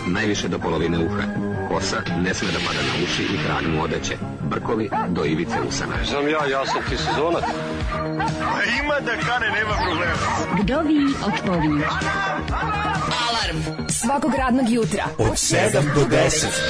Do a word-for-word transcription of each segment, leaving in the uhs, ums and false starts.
najviše do polovine uha. Kosa ne sme da pada na uši i trag mu odeće. Brkovi do ivice usana. Znam ja, ja sam ti sezonac. A ima da kane, nema problema. Kdovi otpovi. Alarm svakog radnog jutra od sedam do deset.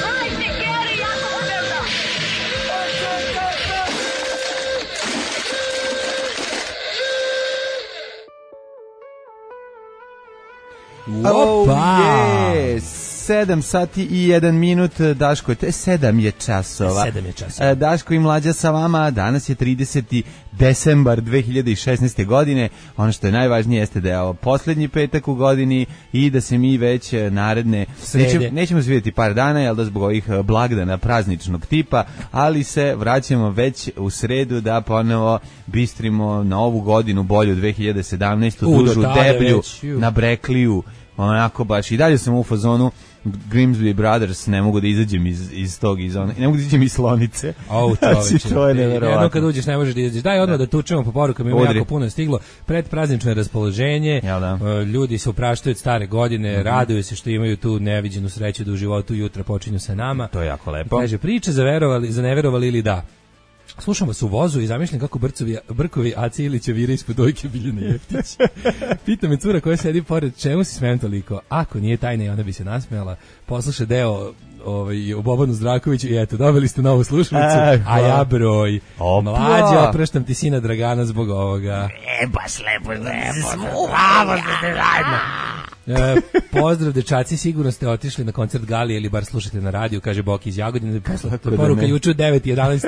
Opa! Oh, sedam sati i jedan minut, Daško, to je sedam je časova. sedam je časova. Daško i Mlađa sa vama, danas je trideseti decembar dve hiljade šesnaeste. godine. Ono što je najvažnije jeste da je ovo poslednji petak u godini i da se mi već naredne nećemo, nećemo se vidjeti par dana, jel da zbog ovih blagdana prazničnog tipa, ali se vraćamo već u sredu da ponovo bistrimo na ovu godinu bolju dve hiljade sedamnaeste. U, dužu, deblju, već, na brekliju, onako baš i dalje sam u fazonu Grimsby Brothers, ne mogu da izađem iz, iz tog, iz one, ne mogu da izađem iz slonice. O, čoveče, to je neverovatno. Jedno kad uđeš ne možeš da izađeš. Daj odmah da tučemo po porukama, ima jako puno stiglo. Pred praznično raspoloženje, da? Ljudi se upraštaju od stare godine, mm-hmm. raduju se što imaju tu neviđenu sreću da u životu jutra počinju sa nama. To je jako lepo. Kaže, priče za, verovali, za neverovali ili da. Slušam vas u vozu i zamišljam kako brcovi, brkovi Aci Ilića vire ispod dojke Biljane Jeftić. Pita me cura koja sedi pored, čemu si smijem toliko? Ako nije tajna i ona bi se nasmejala. Posluša deo ovaj, o Bobanu Zdrakoviću i eto, dobili ste novu slušalicu, e, a ja broj. Mlađe, opraštam ti sina Dragana zbog ovoga. E, baš lepo, lepo. Bravo, ste zajedno. E, pozdrav dečaci, sigurno ste otišli na koncert Galije ili bar slušate na radiju, kaže Boki iz Jagodine, posle poruka da juče u devet i jedanaest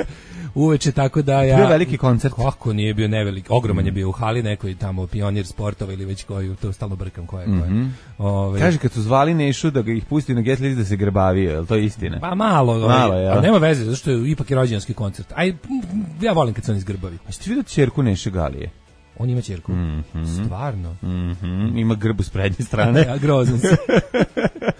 uveče, tako da ja... Bio veliki koncert. Kako nije bio nevelik, ogroman je bio u hali nekoj tamo, Pionir sportova ili već koju, to stalno brkam koja je koja. Mm-hmm. Ove, kaže kad su zvali Nešu da ga ih pusti na Get List da se grbavio, je li to istina? Pa malo, malo ovaj, ali nema veze, zato što je ipak je rođendanski koncert. Aj, ja volim kad se oni zgrbavi. A ste vidio ćerku Neše Galije? On ima ćerku. Mm-hmm. Stvarno. Mm-hmm. Ima grbu s prednje strane. Ja, grozan se.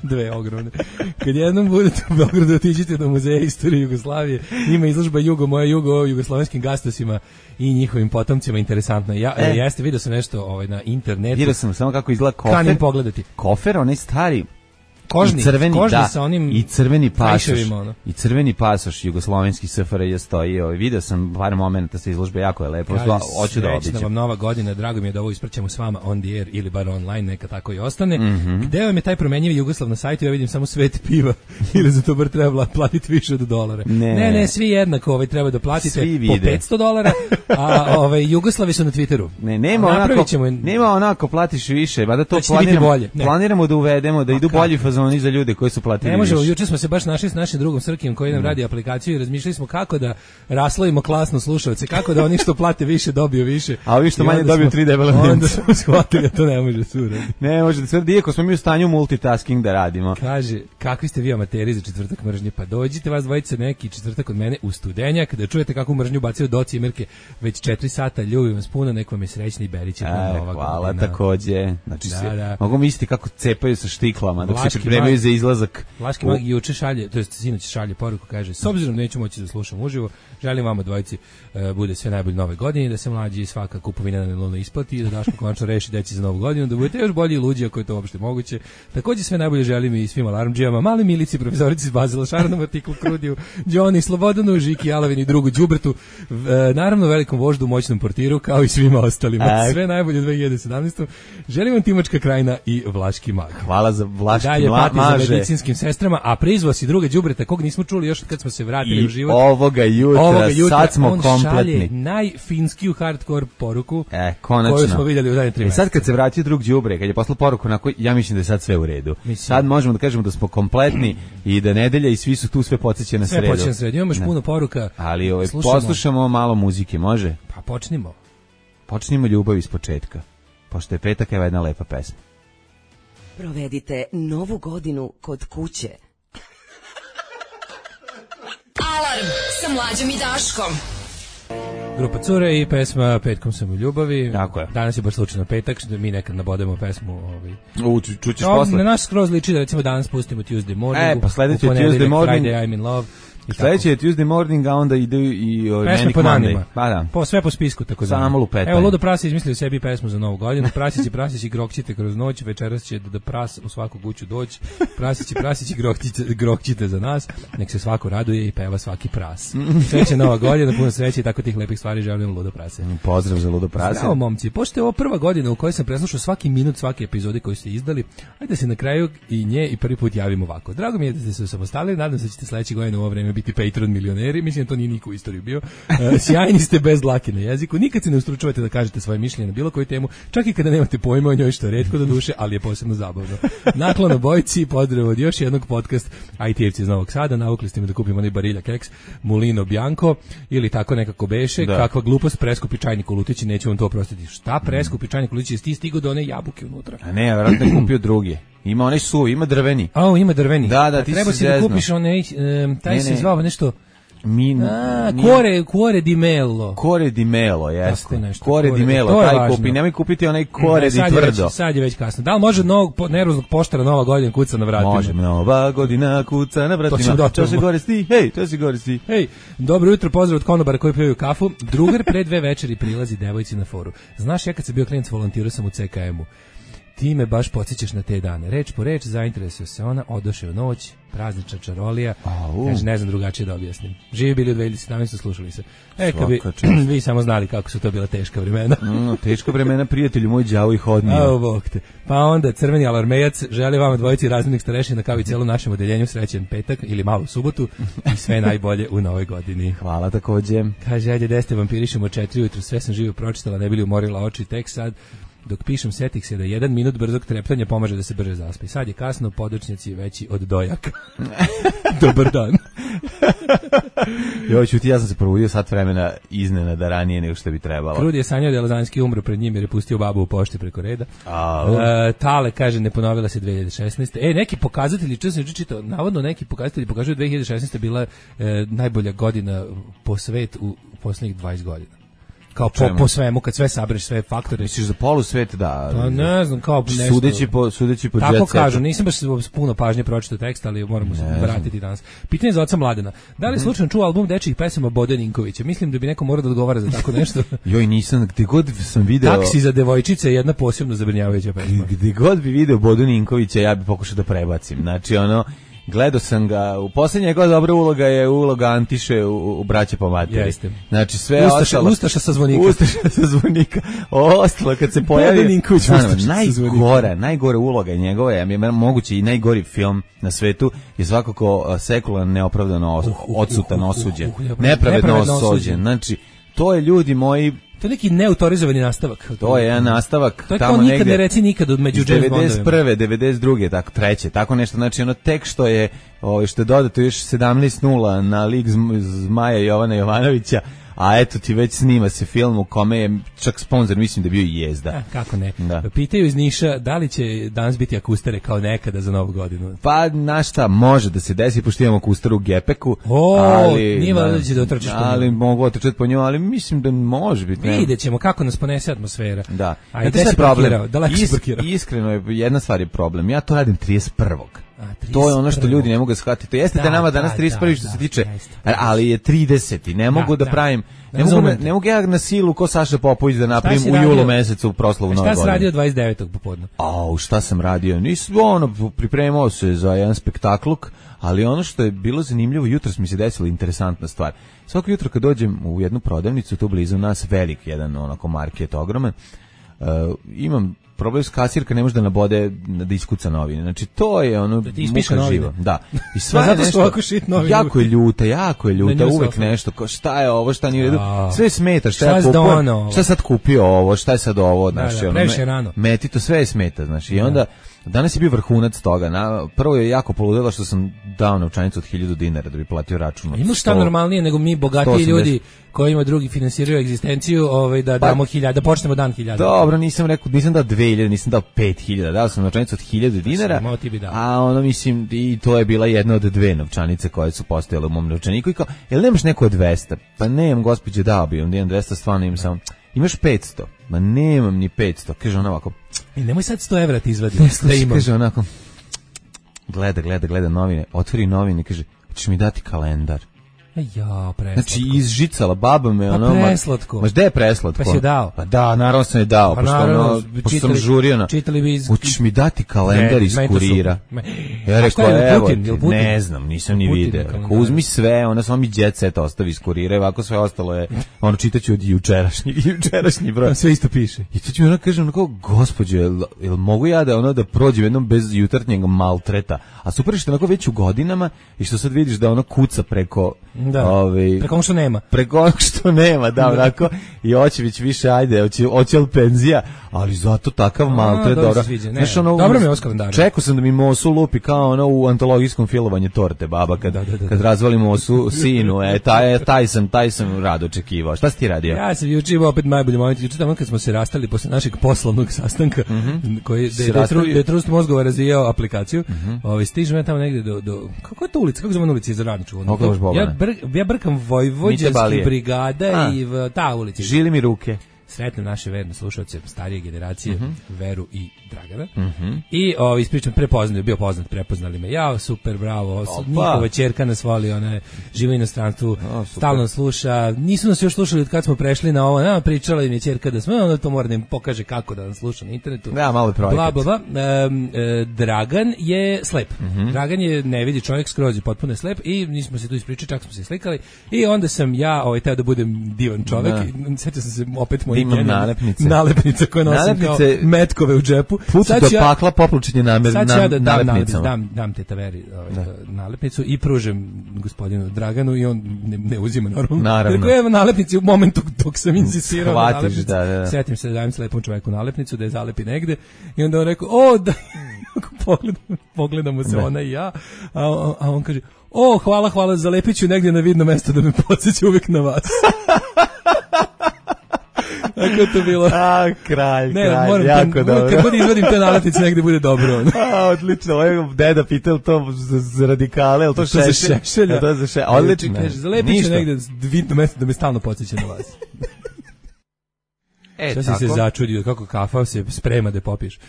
Dve ogromne. Kad jednom budete u Beogradu, otiđite do Muzeja istorije Jugoslavije. Ima izložba Jugo, moja Jugo o jugoslovenskim gastosima i njihovim potomcima. Interesantno. Ja, e. Jeste, vidio sam nešto ovaj, na internetu. Vidio sam samo kako izgleda kofer. Kanim pogledati. Kofer, onaj stari... Kožni, I crveni, kožni da, sa onim i crveni pasoš, ono. i crveni pasoš jugoslovenski S F R J stoji. Ovaj, vidio sam par momenata sa izložbe, jako je lepo. Kaže, hoću da obiđem. Vam nova godina, drago mi je da ovo ispraćamo s vama on the air ili bar online, neka tako i ostane. Mm-hmm. Gde vam je taj promenjivi Jugoslav na sajtu? Ja vidim samo Svet piva ili za to bar treba platiti više od dolara. Ne, ne, ne svi jednako ovaj, treba da platite svi po petsto dolara, a ovaj, Jugoslavi su na Twitteru. Ne, nema onako, ćemo... nema onako platiš više, mada to, to planiramo, planiramo da uvedemo, da idu bolji fazoni za ljude koji su platili. Ne možemo, juče smo se baš našli s našim drugom Srkijem koji nam radi aplikaciju i razmišljali smo kako da raslovimo klasno slušalce, kako da oni što plate više dobiju više. A ovi što manje dobiju tri debele mence. Onda smo shvatili da to ne može se uraditi. Ne može da se uradi, iako smo mi u stanju multitasking da radimo. Kaže, kakvi ste vi amateri za četvrtak mržnje? Pa dođite vas dvojica neki četvrtak od mene u Studenjak da čujete kakvu mržnju bacaju Doci i Mirke već četiri sata, ljubim vas puno, neko vam je srećni i beriće. Hvala, godina. Takođe. Znači, da, se, da. mogu misliti kako cepaju sa štiklama dok se pripremaju za izlazak. Vlaški mag juče šalje, to jest sinoć šalje poruku, kaže, s obzirom da neću moći da slušam uživo, želim vama dvojici uh, bude sve najbolje nove godine, da se mlađi svaka kupovina na nelonu isplati, da Daško konačno reši deći za novu godinu, da budete još bolji i luđi ako je to uopšte moguće. Takođe sve najbolje želim i svim alarmdžijama, mali Milici, profesorici iz Bazila, Šarnom artiklu Krudiju, Đoni, Slobodanu, Žiki, Alavini, drugu Đubretu, uh, naravno velikom voždu, moćnom portiru, kao i svima ostalima. A... Sve najbolje dve hiljade sedamnaeste. Želim vam Timočka krajina i Vlaški mag. Hvala za Vlaški dalje pati za medicinskim sestrama, a prizvao si druga đubreta kog nismo čuli još kad smo se vratili I u život. Ovoga jutra, ovoga jutra sad smo on kompletni. Šalje najfinskiju hardcore poruku e, konačno. koju smo vidjeli u zadnje tri mjeseca. E sad kad se vratio drug đubre, kad je poslao poruku, onako, ja mislim da je sad sve u redu. Mislim. Sad možemo da kažemo da smo kompletni i da nedelja i svi su tu sve podsjeće na sredu. Sve podsjeće na sredu. Imamo još puno poruka. Ali ovaj, poslušamo malo muzike, može? Pa počnimo. Počnimo ljubav iz početka. Pošto je petak, evo jedna lepa pesma. Provedite novu godinu kod kuće. Alarm sa Mlađom i Daškom. Grupa Cure i pesma Petkom sam u ljubavi. Tako je. Danas je baš slučajno petak, što mi nekad nabodemo pesmu. Ovaj. U, ču, čućeš no, posle. Na nas skroz liči da recimo danas pustimo Tuesday Morning. E, pa sledeće Tuesday Morning. Friday I'm in love. Sledeće je Tuesday morning, a onda ide i o pesme Manic po Monday. danima. Pa da. Po, sve po spisku, tako da. Samo lupetanje. Evo, Ludo Pras je izmislio sebi pesmu za novu godinu. Prasići, prasići, grokćite kroz noć, večeras će da, da pras u svaku kuću doći. Prasići, prasići, grokćite, grokćite za nas. Nek se svako raduje i peva svaki pras. Sreća nova godina, puno sreće i tako tih lepih stvari želim Ludo Prase. Pozdrav za Ludo Prase. Zdravo, momci. Pošto je ovo prva godina u kojoj sam preslušao svaki minut svake epizode koju ste izdali, ajde se na kraju i nje i prvi put javim ovako. Drago mi je da ste se osamostalili, nadam se da ćete sledeće godine u ovo vreme biti Patreon milioneri, mislim da to nije niko u istoriji bio. E, sjajni ste bez dlake na jeziku, nikad se ne ustručavate da kažete svoje mišljenje na bilo koju temu, čak i kada nemate pojma o njoj, što je retko do duše, ali je posebno zabavno. Naklon obojci, pozdrav od još jednog podcast I T-evci iz Novog Sada, navukli ste me da kupim onaj Barilla keks, Mulino Bianco, ili tako nekako beše, da. Kakva glupost, preskupi čajnik u lutići, neću vam to oprostiti. Šta preskupi čajnik u lutići, jesi ti stigao do one jabuke unutra? A ne, vjerojatno je kupio drugi. Ima onaj suvi, ima drveni. A, ima drveni. Da, da, ti treba si da kupiš onaj, um, taj ne, se ne. zvao nešto... Min, A, cuore, cuore di melo. Cuore di melo, jeste. Nešto, cuore di melo, taj važno. Kupi, nemoj kupiti onaj cuore di tvrdo. Već, sad je već kasno. Da li može novog nervoznog poštara Nova godina kuca na vratima? Može, Nova godina kuca na vratima. To se gore sti, hej, to se gore sti. Hej, dobro jutro, pozdrav od konobara koji pijaju kafu. Drugar pre dve večeri prilazi devojci na foru. Znaš, ja kad sam bio klijent, volontirao sam u C K M-u. Ti me baš podsjećaš na te dane. Reč po reč, zainteresuje se ona, odoše u noć, praznična čarolija. Kaže, ne znam drugačije da objasnim. Živi bili u dve hiljade sedamnaeste. slušali se. E, kad bi vi samo znali kako su to bila teška vremena. Mm, teška vremena, prijatelju moj, đavo ih odnio. A, bog te. Pa onda, crveni alarmejac želi vama dvojici razrednih starešina kao i cijelo našem odeljenju srećen petak ili malu subotu i sve najbolje u novoj godini. Hvala takođe. Kaže, ajde, deste vampirišemo četiri ujutru, sve sam živo pročitala, ne bili umorila oči, tek sad dok pišem setih se da jedan minut brzog treptanja pomaže da se brže zaspi. Sad je kasno, podočnjaci veći od dojaka. Dobar dan. Joj, čuti, ja sam se probudio sat vremena iznenada ranije nego što bi trebalo. Krudi je sanjao da je Lazanski umro pred njim jer je pustio babu u pošti preko reda. E, Tale kaže, ne ponovila se dve hiljade šesnaeste. E, neki pokazatelji, često sam čitao, navodno neki pokazatelji pokažu da dve hiljade šesnaeste bila e, najbolja godina po svet u posljednjih dvadeset godina. Kao po, po svemu, kad sve sabereš, sve faktore. Misliš za polu svet, da. Pa ne znam, kao nešto. Sudeći po, sudeći po tako jet setu. kažu, nisam baš puno pažnje pročitao tekst, ali moramo se vratiti danas. Pitanje za oca Mladena. Da li slučajno čuo album dečjih pesama Bode Ninkovića? Mislim da bi neko morao da odgovara za tako nešto. Joj, nisam, gde god sam video... Taksi za devojčice je jedna posebno zabrinjavajuća pesma. Gde god bi video Bodu Ninkovića, ja bi pokušao da prebacim. Znači, ono... Gledao sam ga, u posljednje njegova dobra uloga je uloga Antiše u, u Braće po materi. Jeste. Znači sve Ustaša, ostalo... Ustaša sa zvonika. Ustaša sa zvonika. Ostalo, kad se pojavi... Najgora, najgora uloga njegova je, je moguće i najgori film na svetu, je svakako sekularno neopravdano os, uh, uh, odsutan, uh, uh, osuđen. Uh, uh, uh, nepravedno, nepravedno osuđen. Znači, to je ljudi moji... To je neki neautorizovani nastavak. To je jedan nastavak. To je kao nikad negde, ne reci nikad od među James Bondovima. devedeset prve, devedeset druge, tako treće, tako nešto. Znači ono tek što je, o, što je dodato još sedamnaest nula na lik Zmaja Jovana Jovanovića, a eto ti već snima se film u kome je čak sponzor, mislim da je bio i Jezda. A, kako ne. Da. Pitaju iz Niša da li će danas biti akustere kao nekada za novu godinu. Pa, na šta, može da se desi, pošto imamo akusteru u Gepeku. O, ali, nije valjda da će da otrčeš po njoj. Ali mogu otrčati po njoj, ali mislim da može biti. Vidjet ćemo kako nas ponese atmosfera. Da. A i da si parkirao, da lako si parkirao. Iskreno, je, jedna stvar je problem. Ja to radim trideset prvog. A, to je ono što ljudi ne mogu shvatiti. To jeste da, da nama danas trideset prvi što se tiče, ali je trideseti. Ne mogu da, da pravim, ne mogu, ne mogu ja na silu ko Saša Popović da napravim u julu mesecu proslavu nove godine. Šta si radio dvadeset devetog popodne? Au, šta sam radio? Nisam, ono, pripremao se za jedan spektakluk, ali ono što je bilo zanimljivo, jutros mi se desila interesantna stvar. Svako jutro kad dođem u jednu prodavnicu, tu blizu nas, velik jedan onako market, ogroman, uh, imam problem s kasirka, ne može da nabode da iskuca novine. Znači to je ono da ti muka živa. Da. I sva je nešto, jako je ljuta, jako je ljuta, uvek sofa. Nešto, ko, šta je ovo, šta nije u redu, sve smeta, šta, šta ja kupio, šta sad kupio ovo, šta je sad ovo, znači, da, da, ono, me, meti to sve je smeta, znači, i onda danas je bio vrhunac toga. Na, prvo je jako poludelo što sam dao novčanicu od hiljadu dinara da bi platio račun. Ima šta normalnije nego mi bogatiji ljudi kojima drugi finansiraju egzistenciju, ovaj da pa, damo hiljadu, da počnemo dan hiljadu. Dobro, nisam rekao, nisam dao dve hiljade, nisam dao pet hiljada, dao sam novčanicu od hiljadu dinara. A ono mislim i to je bila jedna od dve novčanice koje su postojale u mom novčaniku i kao, jel nemaš neko od dvesta? Pa nemam, gospođe, dao bi, onda imam dvesta, stvarno imam samo. Imaš petsto? Ma nemam ni petsto. Kaže ona ovako. I nemoj sad sto evra ti izvadi. Da imam. Kaže onako. Gleda, gleda, gleda novine. Otvori novine i kaže, hoćeš mi dati kalendar? Ja, preslatko. Znači izžicala baba me, pa ono. preslatko. Ma gde je preslatko? Pa si je dao. Pa da, naravno sam je dao, pa pošto, naravno, ono, pošto sam žurio na... Čitali bi iz... Hoćeš mi dati kalendar iz kurira? Ja rekao, evo, ne znam, nisam ni video. Uzmi sve, ona samo mi jet set ostavi iz kurira, ovako sve ostalo je, ono, čitaću od jučerašnjeg, jučerašnji broj. Sve isto piše. I to ću mi ona kaže, onako, gospođo, jel, jel mogu ja da, ono, da prođem jednom bez jutarnjeg maltreta? A super je što onako već u godinama i što sad vidiš da ono kuca preko... Da, ovaj, preko ono što nema. Preko ono što nema, da, onako, i hoće već više, ajde, hoće, hoće li penzija, ali zato takav maltret, dobro. Znaš, ono, dobro mi je ovo s kalendarom. Čekao sam da mi Mosu lupi kao ono u antologijskom filovanje torte, baba, kad, da, da, da, kad razvali Mosu sinu, e, taj, taj sam, taj sam rado očekivao. Šta si ti radio? Ja sam juče imao opet najbolji moment, juče tamo kad smo se rastali posle našeg poslovnog sastanka, mm -hmm. koji, da je Trust mozgova razvijao aplikaciju, mm -hmm. ovaj, stižem ja tamo negde do, do, kako je to ulica, kako zove ulica iz Radničkog? Ja, br, ja brkam Vojvođanskih brigada A. i v, ta ulica. Žili mi ruke. Sretno naše verne slušalce starije generacije, uh -huh. Veru i Dragana. Uh -huh. I ovaj ispričam prepoznaju, bio poznat, prepoznali me. Ja, super, bravo. Njihova ćerka nas voli, ona je živa u inostranstvu, stalno sluša. Nisu nas još slušali od kad smo prešli na ovo. Nama pričala im je ćerka da smo, onda to mora da im pokaže kako da nas sluša na internetu. Ja, malo projekat. Bla, bla, bla. E, e, Dragan je slep. Uh -huh. Dragan je ne vidi čovjek, skroz je potpuno slep i nismo se tu ispričali, čak smo se slikali. I onda sam ja, ovaj, teo da budem divan čovjek. Sjetio sam se opet moj nalepnice. Nalepnice koje nosim nalepnice, kao metkove u džepu. Put do ja, pakla poplučenje namer, sad ću ja da dam, nalepnicama. dam, dam te taveri ovaj, da. nalepnicu i pružem gospodinu Draganu i on ne, ne uzima normalno. Naravno. Rekao, evo nalepnici u momentu dok sam insistirao na nalepnicu. Da, da, da. Sjetim se da dajem slepom čoveku nalepnicu, da je zalepi negde i onda on rekao, o, da, pogledamo, pogledamo se ona i ja, a, a on kaže, o, hvala, hvala, zalepit ću negdje na vidno mesto da me podsjeća uvijek na vas. Tako je to bilo. A, kralj, ne, kralj, moram jako ten, dobro. Kad bude izvadim te nalepnice, negde bude dobro. A, odlično, ovaj deda pitao to za, za radikale, je li to, to šešelj? Za šešelja. To za šešelj, odlično. Kaže, zalepit ću negde vidno mesto da me stalno podsjeća na vas. E, sad si se začudio kako kafa se sprema da popiješ.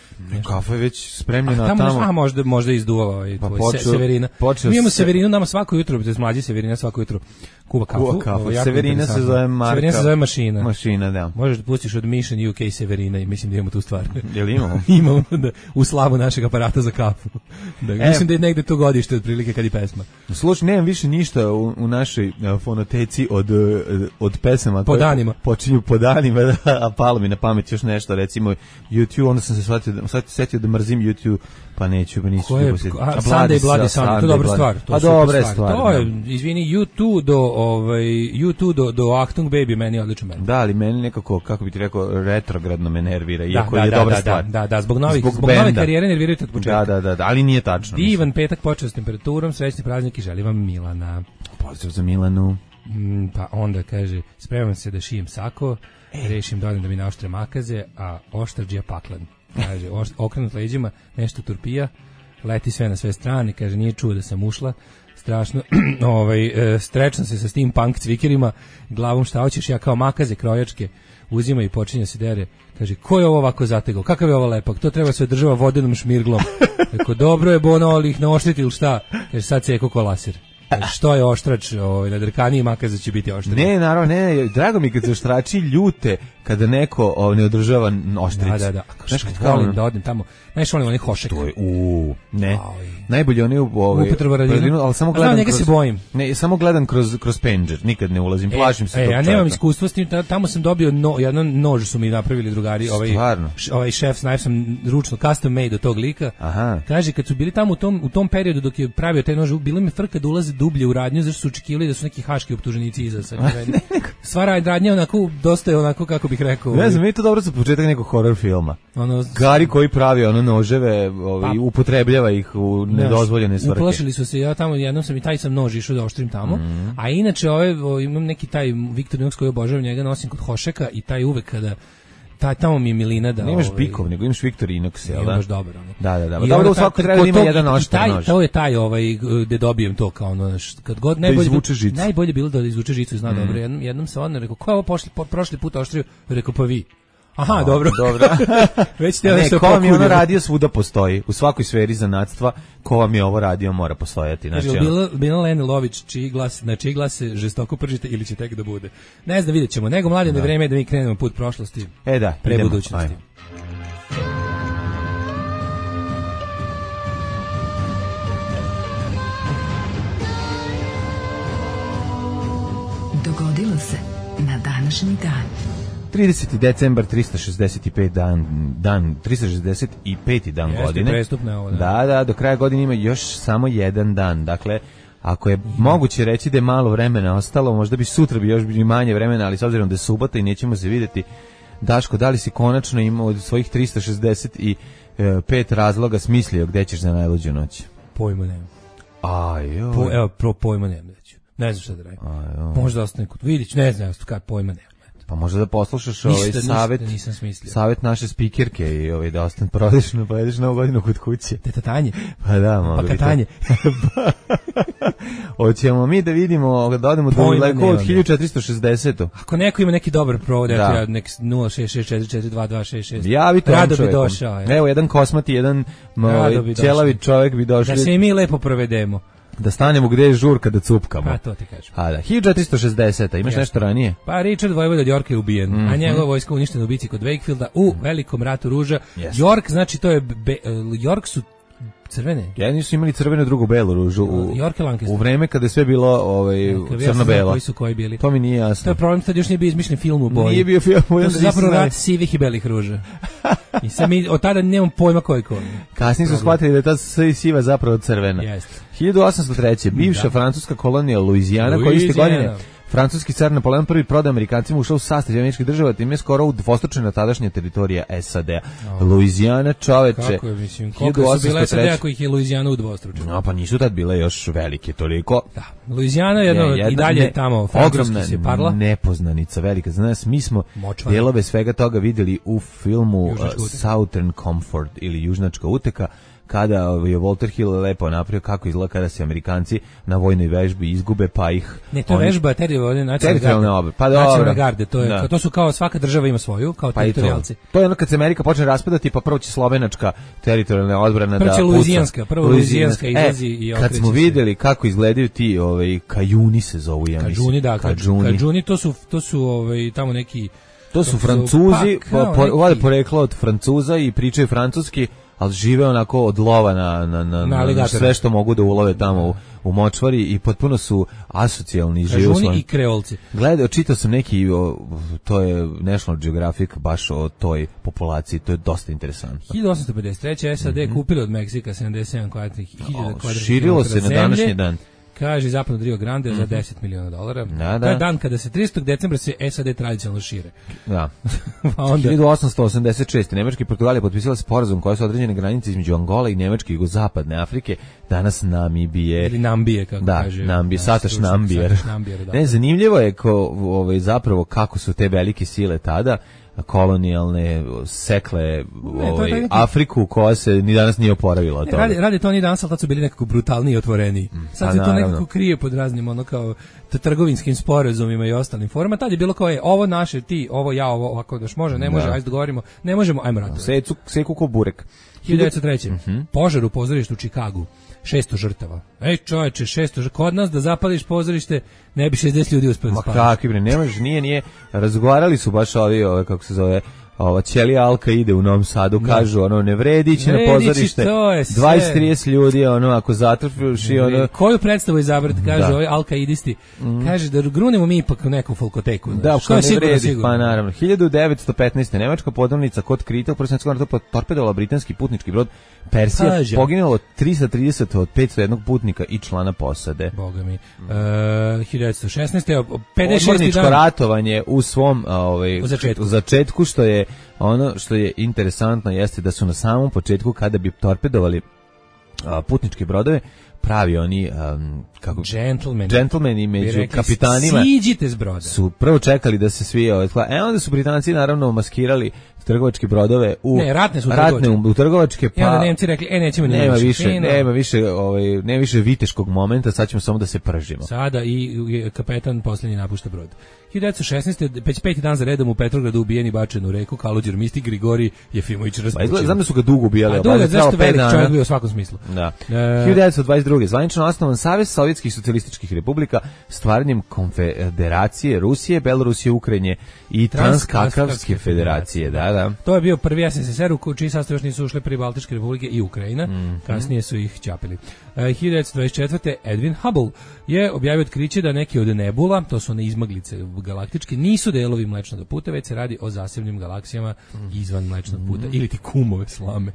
Kafa je već spremljena tamo. tamo. A možda možda izduvala ovaj pa tvoj počeo, Severina. Mi imamo se... Severinu nama svako jutro, to je mlađi Severina svako jutro kuva kafu. Kuva kafu. Severina se zove marka. Severina se zove mašina. Mašina, da. Možeš da pustiš od Mission U K Severina i mislim da imamo tu stvar. Jel imamo? Imamo da, u slavu našeg aparata za kafu. Da, e, mislim da je negde to godište otprilike kad i pesma. Slušaj, nemam više ništa u, u našoj fonoteci od od pesama po danima. Počinju po danima, da, a palo mi na pamet još nešto, recimo YouTube, onda sam se shvatio da, sad setio da mrzim YouTube, pa neću, pa nisu je, posjetiti. A Sunday Bloody Sunday, to je dobra stvar. To a dobra stvar. To je, izvini, YouTube do, ovaj, YouTube do, do Achtung Baby, meni je odlično meni. Da, ali meni nekako, kako bi ti rekao, retrogradno me nervira, iako da, je da, dobra da, stvar. Da, da, da, zbog, novih, zbog, zbog nove karijere nervirate od početka. Da, da, da, da, ali nije tačno. Divan mislim. Petak počeo s temperaturom, srećni praznik i želim vam Milana. Pozdrav za Milanu. Mm, pa onda kaže, spremam se da šijem sako, e. rešim dođem da mi naoštre makaze, a oštrđija paklan. Kaže, okrenut leđima, nešto turpija, leti sve na sve strane, kaže, nije čuo da sam ušla, strašno, ovaj, e, strečam se sa steampunk cvikerima, glavom šta hoćeš, ja kao makaze krojačke, uzima i počinje se dere, kaže, ko je ovo ovako zategao, kakav je ovo lepak, to treba se održava vodenom šmirglom, rekao, dobro je bono, ali ih ne oštriti ili šta, kaže, sad se eko kolasir. Što je oštrač, ovaj, na drkaniji makaza će biti oštrač. Ne, naravno, ne, drago mi kad se oštrači ljute, kada neko o, ne održava oštricu. Da, da, da. Znaš, kad volim da odem tamo, znaš, volim onih hošeka. To je, u, ne. Aj. Najbolje oni u ovaj, ali samo gledam njega kroz, se bojim. Ne, samo gledam kroz, kroz pendžer, nikad ne ulazim, plašim se e, tog ja čovjeka. nemam iskustva s tim, tamo sam dobio no, jedan nož su mi napravili drugari, ovaj, š, ovaj šef knife sam ručno custom made od tog lika. Aha. Kaže, kad su bili tamo u tom, u tom periodu dok je pravio taj nož, bilo mi frka da ulaze dublje u radnju, zašto su očekivali da su neki haški optuženici iza sa sva radnja onako, dosta je onako, kako bih rekao. Ne znam, mi to dobro za početak nekog horror filma. Ono, Gari koji pravi ono noževe, ovaj, pa, upotrebljava ih u nedozvoljene svrhe. Uplašili su se, ja tamo jednom sam i taj sam nož išao da oštrim tamo, mm. a inače ove, o, imam neki taj Victorinox koji obožavam, njega nosim kod hošeka i taj uvek kada taj tamo mi je milina da... Nemaš ovaj, bikov, nego imaš Victorinox, jel da? Imaš dobar, ono. Da, da, da. Dobro, u svakom treba da ima jedan oštar nož. To je taj, ovaj, gde dobijem to, kao ono, kad god... Da izvuče žicu. Najbolje bilo da izvuče žicu, zna mm. dobro. Jednom, jednom se odne, rekao, ko je ovo pošli, po, prošli put oštrio? Rekao, pa vi. Aha, O, dobro. dobro. Već te Ne, nešto ko vam je ono pokunio. radio svuda postoji. U svakoj sferi zanatstva ko vam je ovo radio mora postojati. Znači, Kaže, ono- bila, bila Lene Lović, čiji glas, na čiji glas se žestoko pržite ili će tek da bude. Ne znam, vidjet ćemo. Nego mladen je vreme da mi krenemo put prošlosti. E da, pre idemo. budućnosti. Ajmo. Dogodilo se na današnji dan. trideseti decembar, tristo šezdeset pet dan, dan tristo šezdeset peti dan Jeste, godine. prestupno je ovo, da. Da, da, do kraja godine ima još samo jedan dan. Dakle, ako je moguće reći da je malo vremena ostalo, možda bi sutra bi još bi manje vremena, ali s obzirom da je subota i nećemo se vidjeti. Daško, da li si konačno imao od svojih tristo šezdeset pet razloga smislio gde ćeš za najluđu noć? Pojma nema. Ajoj. Po, evo, pro pojma nema. Ne znam šta da radim. Možda ostane kod Vidić, ne znam, kad pojma nema. Pa možda da poslušaš Ništa, ovaj ništa savet, nisam smislio. savet naše spikerke i ovaj da ostane provedeš na provedeš novu godinu kod kuće. Teta Tanje. Pa da, mogu Pa bi to. Katanje. Hoćemo mi da vidimo, da odemo do Pojma daleko od nemam. hiljadu četiristo šezdeset. Ako neko ima neki dobar provod, eto Da. ja nek nula šest šest četiri četiri dva dva šest šest. Javi to Rado bi čovekom. došao. Evo, jedan kosmati, jedan Rado bi ćelavi došao. čovjek bi došli Da se i mi lepo provedemo. da stanemo gde je žurka da cupkamo. Pa to ti kažem. A da, hiljadu četiristo šezdeset. Imaš Jeste. nešto ranije? Pa Richard Vojvoda od Yorka je ubijen, Mhm. a njegova vojska uništena u bici kod Wakefielda u velikom ratu ruža. Jeste. York, znači to je, be, York su crvene. Jedni su imali crvenu, drugu belu ružu u, York i Lancaster. u vreme kada je sve bilo ovaj, Ja sam znao crno-belo. koji su koji bili. To mi nije To jasno. je problem, tad još nije bio izmišljen film u boji. Nije bio film, To onda su nisam zapravo znao. rat sivih i belih ruža. I sad mi od tada nemam pojma koji koji. Kasnije su shvatili da je ta s- siva zapravo crvena. Jeste. hiljadu osamsto treće. bivša Da. francuska kolonija Luizijana, koja iste Luizijana. godine francuski car Napoleon prvi prodao Amerikancima, ušao u sastav američkih država, time je skoro udvostručena tadašnja teritorija S A D. Luizijana, čoveče. Kako je, mislim, koliko su bile S A D ako ih je Luizijana udvostručena? No, pa nisu tad bile još velike toliko. Da. Luizijana je jedno, Je, jedna i dalje ne- tamo francuski ogromna se parla. nepoznanica velika. Znaš, mi smo Močvara. dijelove svega toga vidjeli u filmu uh, Južnačka uteka. Southern Comfort ili Južnačka uteka, kada je Walter Hill lepo napravio kako izgleda kada se Amerikanci na vojnoj vežbi izgube, pa ih... Ne, to je oni- vežba teritorijalne nacionalne Teritorijalne garde. obe, pa Nacionalne dobro. garde, to je, Da. to su kao svaka država ima svoju, kao Pa i to. teritorijalci. To je ono kad se Amerika počne raspadati, pa prvo će slovenačka teritorijalna odbrana Prvo da će puca. Luizijanska, prvo Luizijanska E, izlazi i kad okreće smo se. videli kako izgledaju ti ovaj, kajuni se zovu, ja mislim. Kadžuni, da, Kadžuni. kadžuni. Kadžuni, to su, to su ovaj, tamo neki... To su kako se Francuzi, pa, kao po, neki- vode poreklo od Francuza i pričaju francuski, ali žive onako od lova na, na, na, na aligatora. sve što mogu da ulove tamo u, u močvari i potpuno su asocijalni i žive u Kadžuni svojim... i kreolci. Gledao, čitao sam neki, o, to je National Geographic baš o toj populaciji, to je dosta interesantno. hiljadu osamsto pedeset treće. S A D kupili od Meksika sedamdeset sedam kvadratnih hiljada kvadratnih Širilo se na kilometara današnji zemlje. dan. Kaže zapadno od Rio Grande za deset miliona dolara. Da, da. To je dan kada se tridesetog decembra se S A D tradicionalno šire. Da. Pa onda hiljadu osamsto osamdeset šeste. Nemačka i Portugalija potpisala sporazum koja su određene granice između Angole i Nemačke i jugozapadne Afrike, danas Namibije. ili Nambije, kako Da, kaže. Nambije, naš Sataš stručnjak, Nambijer. Sataš Nambijer, da. Ne, zanimljivo je ko, ovaj, zapravo kako su te velike sile tada kolonijalne sekle ovaj, taj neki- Afriku koja se ni danas nije oporavila od Ne, toga. radi, radi to oni danas, ali tad su bili nekako brutalniji i otvoreniji. Sad pa se to naravno. nekako krije pod raznim ono kao t- trgovinskim sporazumima i ostalim formama. Tad je bilo kao je, ovo naše, ti, ovo ja, ovo ovako daš može, ne može, Da. ajde dogovorimo, ne možemo, ajmo ratovati. Secu, seku ko burek. hiljadu devetsto treće. Mhm. Požar u pozorištu u Čikagu. šesto žrtava. Ej čoveče, šesto žrtava. Kod nas da zapališ pozorište, ne bi šezdeset ljudi uspeli da Ma spali. kakvi bre, nemaš, nije, nije. Razgovarali su baš ovi, ove, kako se zove, ova Ćelija Alka ide u Novom Sadu, kažu, ono, ne vredi ići na Ne vredi ići, pozorište, to je sve. dvadeset trideset ljudi, ono, ako zatrfiš i ono... Koju predstavu izabrati, kaže Da. ovaj alkaidisti, kaže da grunemo mi ipak u neku folkoteku. Da, znaš, što što je ne sigurno, vredi, sigurno. pa naravno. hiljadu devetsto petnaeste. Nemačka podmornica kod Krita u Prvom svjetskom ratu torpedovala britanski putnički brod Persija, Kaže. poginulo tristo trideset od petsto jednog putnika i člana posade. Boga mi. Uh, hiljadu devetsto šesnaeste. evo, pedeset šesti Podmorničko dan. ratovanje u svom a, ovaj, U začetku. u začetku, što je ono što je interesantno jeste da su na samom početku kada bi torpedovali a, putničke brodove pravi oni um, kako Gentlemen. Gentlemani među rekli, kapitanima. Siđite s broda. Su prvo čekali da se svi ovaj, e onda su Britanci naravno maskirali trgovačke brodove u ne, ratne su ratne trgovačke. U, u trgovačke pa I onda Nemci rekli e nećemo nema više, fino. nema više, ovaj nema više viteškog momenta, sad ćemo samo da se pržimo. Sada i, i kapetan posljednji napušta brod. hiljadu devetsto šesnaeste već peti dan za redom u Petrogradu ubijen i bačen u reku Kalođer mistik Grigorij Jefimović Rasputin. Pa znam da su ga dugo ubijali, a dugo, zašto velik čovjek bio u svakom smislu. Da. E... hiljadu devetsto dvadeset druge zvanično osnovan Savez Sovjetskih socijalističkih republika stvaranjem Konfederacije Rusije, Belorusije, Ukrajine i Transkakavske federacije. Da, da. To je bio prvi S S S R u čiji sastav još nisu ušle prvi Baltičke republike i Ukrajina. Mm-hmm. Kasnije su ih ćapili. E, hiljadu devetsto dvadeset četvrte Edwin Hubble je objavio otkriće da neki od nebula, to su one izmaglice galaktičke, nisu delovi Mlečnog puta, već se radi o zasebnim galaksijama izvan Mlečnog puta, mm-hmm. ili ti kumove slame.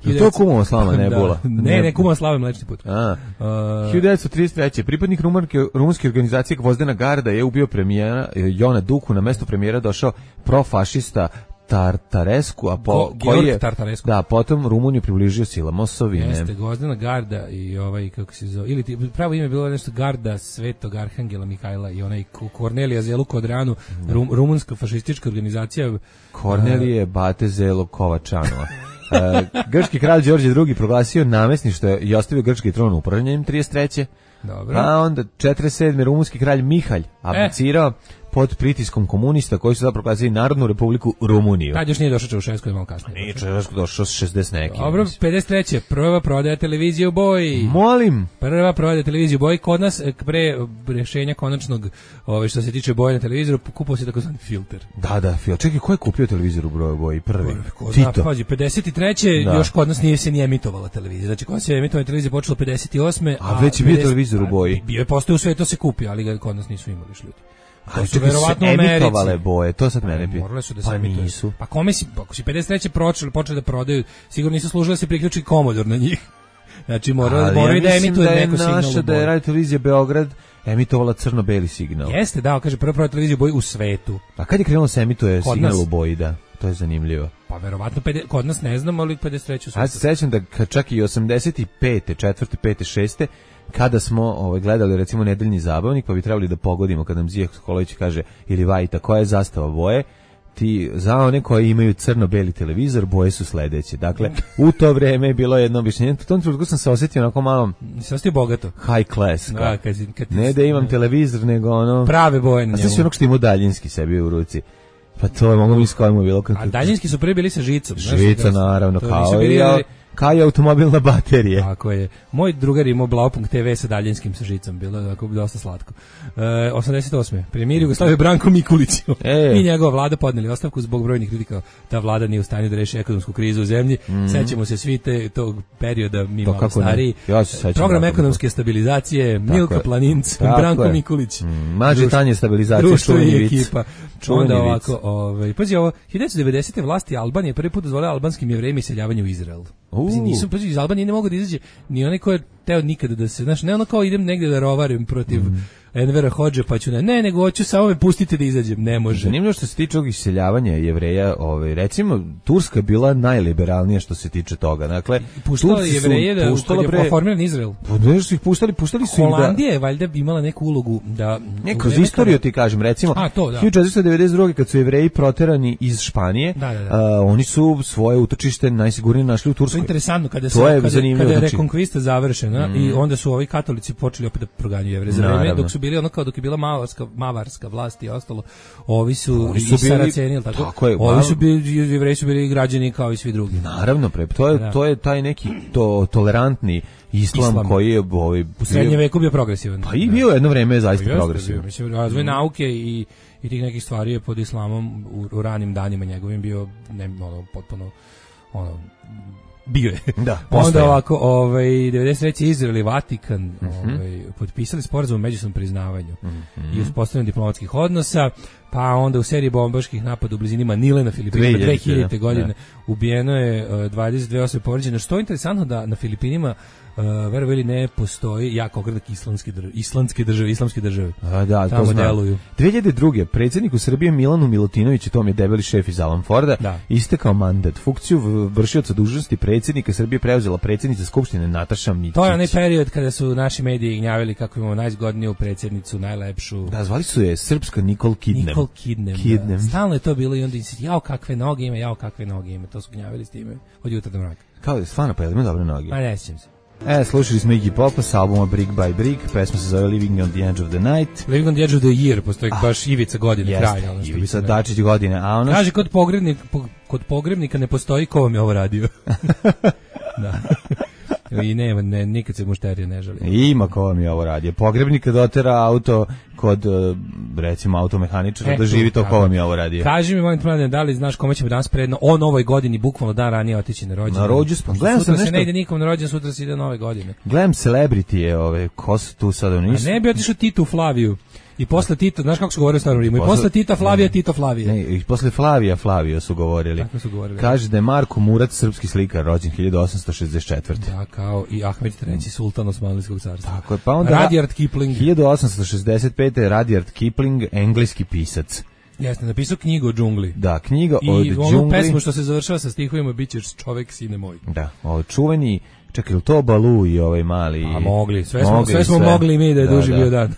Je to kumova slama nebula? Da. Ne, ne, kumova slava Mlečni put. A. Uh, hiljadu devetsto trideset treće pripadnik rumunske, rumunske organizacije Gvozdena garda je ubio premijera Jona Duku, na mesto premijera došao profašista Tartaresku, a po Go, koji je Tartaresku. Da, potom Rumuniju približio silama osovine. Jeste, Gvozdena garda i ovaj kako se zove, ili ti, pravo ime je bilo nešto garda Svetog Arhangela Mihajla i onaj Kornelija Zelu Kodranu, rum, rumunska fašistička organizacija Kornelije uh, Bate Zelo Kovačanova. uh, grčki kralj Đorđe drugi proglasio namesništvo i ostavio grčki tron upravljanjem trideset treće Dobro. A onda četrdeset sedme rumunski kralj Mihalj abdicirao e. pod pritiskom komunista koji su zapravo proglasili Narodnu republiku Rumuniju. Tad još nije došao Čaušesku, je malo kasnije. Nije Čaušesku došao sa šezdeset neki. Dobro, pedeset treće prva prodaja televizije u boji. Molim. Prva prodaja televizije u boji kod nas pre rješenja konačnog, ove što se tiče boje na televizoru, kupio se takozvani filter. Da, da, filter. Čekaj, ko je kupio televizor u broju boji prvi? Ko zna, pazi, pedeset treće Da. Još kod nas nije se ni emitovala televizija. Znači, kod se emitovanje televizije počelo pedeset osme A, a već je bio televizor u boji. Bio je postao u svetu se kupio, ali ga kod nas nisu imali ljudi. Ali su verovatno emitovale boje, to sad mene pije. Morale su da pa se emituju. Nisu. Pa kome si, ako si pedeset treće počeli, počeli da prodaju, sigurno nisu služili da se priključi Commodore na njih. Znači moraju moraju da emituju da neko signal. Naša da je radio televizija Beograd emitovala crno-beli signal. Jeste, da, kaže prva prva televizija u boji u svetu. A kad je krenulo se emituje kod signal nas? U boji, da? To je zanimljivo. Pa verovatno kod nas ne znam, ali pedeset treće u svetu. Ja se sećam da čak i osamdeset pete, četvrte, pete, šeste kada smo ovaj, gledali recimo Nedeljni zabavnik, pa bi trebali da pogodimo kad nam Zija Skolović kaže ili Vajta koja je zastava boje, ti za one koji imaju crno-beli televizor, boje su sledeće. Dakle, u to vreme je bilo jedno objašnjenje. U tom trenutku sam se osjetio onako malo se osjetio bogato. High class. Da, kad, kad ne da imam televizor, nego ono prave boje na njemu. A sve onog što ima daljinski sebi u ruci. Pa to je mogu mi s kojim bilo. A daljinski su prvi bili sa žicom. Žica, naravno, kao i ja. Kao i automobilna baterija. Tako je. Moj drugar imao Blaupunkt te ve sa daljinskim sa žicom, bilo je tako dosta slatko. E, osamdeset osme Premijer Jugoslavije Branko Mikulić e. i njegova vlada podneli ostavku zbog brojnih kritika. Ta vlada nije u stanju da reši ekonomsku krizu u zemlji. Mm. Sećamo se svi te, tog perioda, mi malo stariji. Ja se sećam. Program ekonomske stabilizacije, Milka Planinc, Branko je. Mikulić. Mm. Mađe tanje stabilizacije, društvo i ekipa. Onda ovako, ovaj, pazi ovo, hiljadu devetsto devedesete vlasti Albanije prvi put dozvolila albanskim Jevrejima iseljavanje u Izrael. Pazi, nisu, pazi, iz Albanije ne mogu da izađe ni onaj ko je teo nikada da se, znaš, ne ono kao idem negde da rovarim protiv mm. Envera Hodže, pa ću ne, ne, nego hoću samo me pustiti da izađem, ne može. Zanimljivo što se tiče ovog iseljavanja Jevreja, ovaj, recimo, Turska je bila najliberalnija što se tiče toga, dakle, puštala Jevreje da puštala je formiran Izrael. Pa ne su ih puštali, puštali su ih da... Holandija je valjda imala neku ulogu da... Ne, kroz istoriju ti kažem, recimo, A, to, da. hiljadu četiristo devedeset druge kad su Jevreji proterani iz Španije, da, da, da. A, oni su svoje utočište najsigurnije našli u Turskoj. To je interesantno, kada, se, je kada, kada je znači. rekonkvista završena mm. i onda su ovi katolici počeli opet da proganjaju Jevreje. Za vreme dok su bili ono kao dok je bila mavarska, mavarska vlast i ostalo, ovi su, oni su i Saraceni, ili tako? tako je, ovi mal... su bili, Jevreji su bili građani kao i svi drugi. Naravno, pre, to je, to je taj neki to, tolerantni islam, islam koji je ovaj, u srednjem veku bio progresivan. Pa i bio jedno vreme zaista pa progresivan. Mislim, razvoj mm. nauke i, i tih nekih stvari je pod islamom u, u ranim danima njegovim bio ne, ono, potpuno ono, bio je. Da, onda ovako, ovaj devedeset treće Izrael i Vatikan mm-hmm. ovaj potpisali sporazum o međusobnom priznavanju mm-hmm. i uspostavljanju diplomatskih odnosa. Pa onda u seriji bombaških napada u blizini Manile na Filipinima dve hiljadite godine da. ubijeno je uh, dvadeset dve osobe povređene. Što je interesantno da na Filipinima Uh, verovali ili ne, postoji jak ogradak islamske države, islamske države, islamske države. A, da, tamo to deluju. dve hiljade druge. predsjedniku Srbije Milanu Milutinoviću, to mi je debeli šef iz Alan Forda, da. istekao mandat. Funkciju vršioca dužnosti predsjednika Srbije preuzela predsjednica Skupštine Nataša Mićić. To je onaj period kada su naši mediji gnjavili kako imamo najzgodniju predsjednicu, najlepšu. Da, zvali su je srpska Nicole Kidnem. Nicole Kidnem. Kidnem. Da. Stalno je to bilo i onda insist, jao kakve noge ima, jao kakve noge ima. To su gnjavili s time od jutra do mraka. Kao je stvarno, pa je ima dobre noge. A ne sjećam se. E, slušali smo Iggy Popa sa albuma Brick by Brick, pesma se zove Living on the Edge of the Night. Living on the Edge of the Year, postoji ah, baš ivica godine, jeste, kraj. Ono što ivica Dačić godine. A ono kaže, kod, pogrebnik, po, kod pogrebnika ne postoji ko vam je ovo radio. Da. I nema, ne, nikad se mušterija ne žali. Ima ko vam je ovo radio. Pogrebnika dotera auto kod, recimo, automehaničara, e, da živi to ko vam je ovo radio. Kaži mi, molim te, mladen, da li znaš kome ćemo danas predno o novoj godini, bukvalno dan ranije otići na rođendan? Na rođendan. Gledam sutra nešto... se ne ide nikom na rođendan, sutra se ide nove godine. Gledam celebrity ove, ko su tu sad nisu. A ne bi otišao Titu Flaviju. I posle Tita, znaš kako su govorili u starom Rimu? I posle Tita Flavija, ne, Tito Flavije. Ne, i posle Flavija Flavio su govorili. Tako su govorili. Kaže da je Marko Murat, srpski slikar, rođen hiljadu osamsto šezdeset četvrte. Da, kao i Ahmed treći sultan Osmanlijskog carstva. Tako je, pa onda Rudyard Kipling. hiljadu osamsto šezdeset pete. Rudyard Kipling, engleski pisac. Jeste, napisao knjigu o džungli. Da, knjiga I o džungli. I onu pesmu što se završava sa stihovima Bićeš čovek, sine moj. Da, o čuveni, čekaj, to Balu i ovaj mali... A mogli, sve smo, mogli, sve smo sve. mogli mi da je da, duži da. bio dan.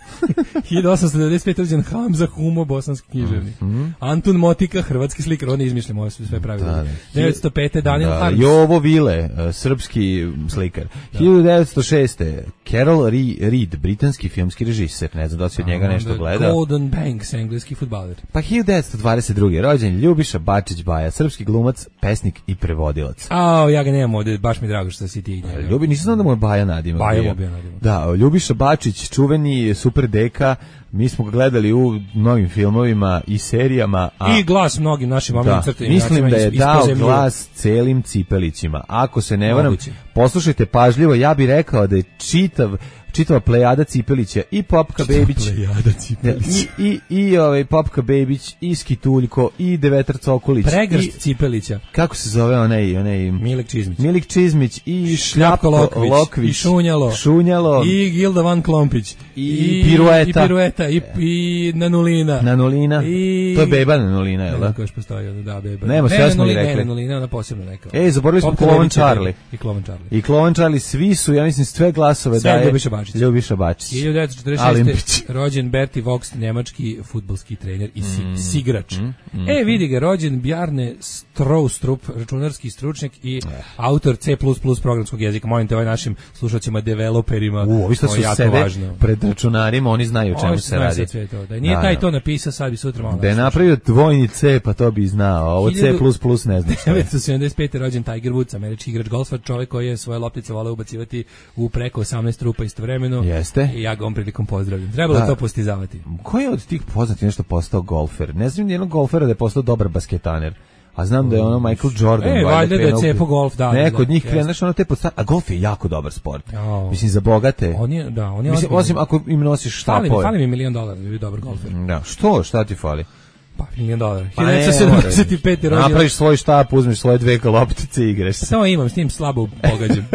hiljadu osamsto devedeset pete. rođen Hamza Humo, bosanski književnik. Mm -hmm. Antun Motika, hrvatski slikar, on ne izmišljamo, ovo sve pravilo. Da, devetsto pete. Daniel da, Harms. Jovo Vile, srpski slikar. Da. hiljadu devetsto šeste. Carol Reed, britanski filmski režiser, ne znam da si od njega nešto gleda. Gordon Banks, engleski fudbaler. Pa hiljadu devetsto dvadeset druge. rođen Ljubiša Bačić Baja, srpski glumac, pesnik i prevodilac. A, ja ga nemam ovde, baš mi drago što si ti njega. Ljubi, nisam znao da mu je Baja nadimak. Baja mu bio nadimak. Da, Ljubiša Bačić, čuveni super deka, mi smo ga gledali u mnogim filmovima i serijama. A, I glas mnogim našim omiljenim crtenim. Mislim da je dao glas celim Cipelićima. Ako se ne varam, poslušajte pažljivo, ja bih rekao da je čitav čitava plejada Cipelića i Popka Bebić i, i, i ovaj Popka Bebić i Skituljko i Devetar Cokolić Pregršt i, Cipelića, kako se zove onaj, onaj Milik Čizmić Milik Čizmić i Šljapko Lokvić, Lokvić i Šunjalo, Šunjalo i Gilda Van Klompić i, i Pirueta i, pirueta, i, i Nanulina Nanulina i, to je beba Nanulina, jel da? Ne, koja još postoji, da, beba Nema, sve smo i rekli. Ne, Nanulina, ona posebno neka. Ej, zaboravili smo Klovan Charlie i Klovan Charlie i Klovan Charlie, svi su, ja mislim, sve glasove sve daje Ljubiša Bačić. Ljubiša Bačić. hiljadu devetsto četrdeset šeste. rođen Berti Vogt, njemački fudbalski trener i si, mm, sigrač. Mm, mm, e, vidi ga, rođen Bjarne Stroustrup, računarski stručnjak i eh. autor C plus plus programskog jezika. Molim te, ovaj našim slušateljima, developerima, U, ovi što su sede važno. Pred računarima, oni znaju o čemu se radi. To. Da nije da, taj to napisao, sad bi sutra malo. Da je napravio dvojni C, pa to bi znao. Ovo C plus plus ne znam. devetsto sedamdeset pete. rođen Tiger Woods, američki igrač golfa, čovjek koji je svoje loptice voleo ubacivati u preko osamnaest rupa istovremeno. Jeste. I ja ga on prilikom pozdravljam. Trebalo da to postizavati. Ko je od tih poznati nešto postao golfer? Ne znam nijednog golfera da je postao dobar basketaner. A znam da je ono Michael Jordan. E, valjda da je cepo golf, da. Neko od da, njih krenaš ono te posta, a golf je jako dobar sport. Oh. Mislim, za bogate. On je, da, on je Mislim, osim ako im nosiš štapove. Fali mi, fali mi milion dolara da bi dobar golfer. Da, što? Šta ti fali? Pa, milion dolara. Pa hiljadu devetsto sedamdeset pete. rođen. Napraviš svoj štap, uzmeš svoje dve loptice i igraš se. Samo imam, s tim slabo pogađam.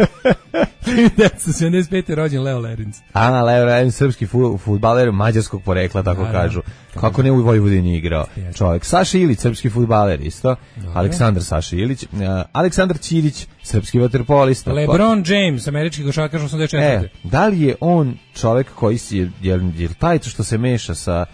hiljadu devetsto sedamdeset pete. rođen Leo Lerins. A, Leo Lerins, srpski fudbaler mađarskog porekla, tako da, kažu. Da. Kako ne u Vojvodini igrao čovjek. Saša Ilić, srpski fudbaler isto. Dobre. Aleksandar Saša Ilić. Uh, Aleksandar Ćirić, srpski vaterpolista. LeBron James, američki košarkaš osamdeset četvrte. E, da li je on čovjek koji si, je, je, je taj što se meša sa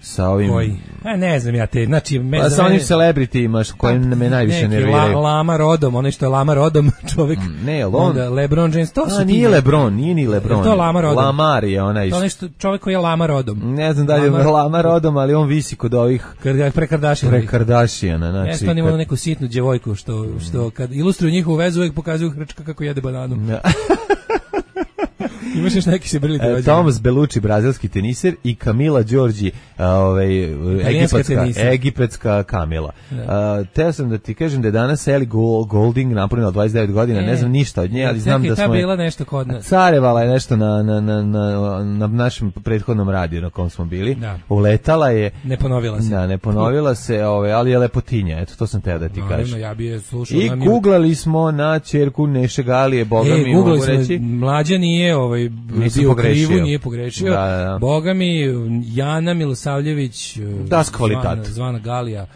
sa ovim... Koji? A ne znam ja te, znači... Me, pa sa onim celebritima koji me najviše nerviraju. La, Lama Rodom, onaj što je Lama Rodom čovjek. Mm, ne, on... Onda LeBron James, to su a, nije Lebron, nije ni Lebron. To Lama Rodom. Lamar je onaj... To nešto čovjek koji je Lama Rodom. Ne znam da li je Lama, Lama Rodom, ali on visi kod ovih... Prekardašijana. Prekardašijana, znači... Jeste, on ima kad... neku sitnu djevojku, što, što kad ilustruju njihovu vezu, uvijek pokazuju hrčka kako jede bananu. Ja. Imaš još neki se brili e, Tomas Bellucci, brazilski teniser i Camila Đorđi, ovaj, egipatska, egipatska Kamila. Uh, teo sam da ti kažem da je danas Ellie Goulding napunila dvadeset devet godina, e, ne znam ništa od nje, ali znam da smo... bila nešto kod nas. Carevala je nešto na, na, na, na, na našem prethodnom radiju na kom smo bili. Da. Uletala je... Ne ponovila se. Da, ne ponovila se, ovaj, ali je lepotinja, eto, to sam teo da ti no, kažem. Ja bi je slušao. I googlali smo na ćerku Neše Galije, boga e, mi mogu reći. Mlađa nije ovaj, bio krivu, nije pogrešio. Da, da, da. Boga mi, Jana Milosavljević, das kvalitat. Zvana, zvana Galija,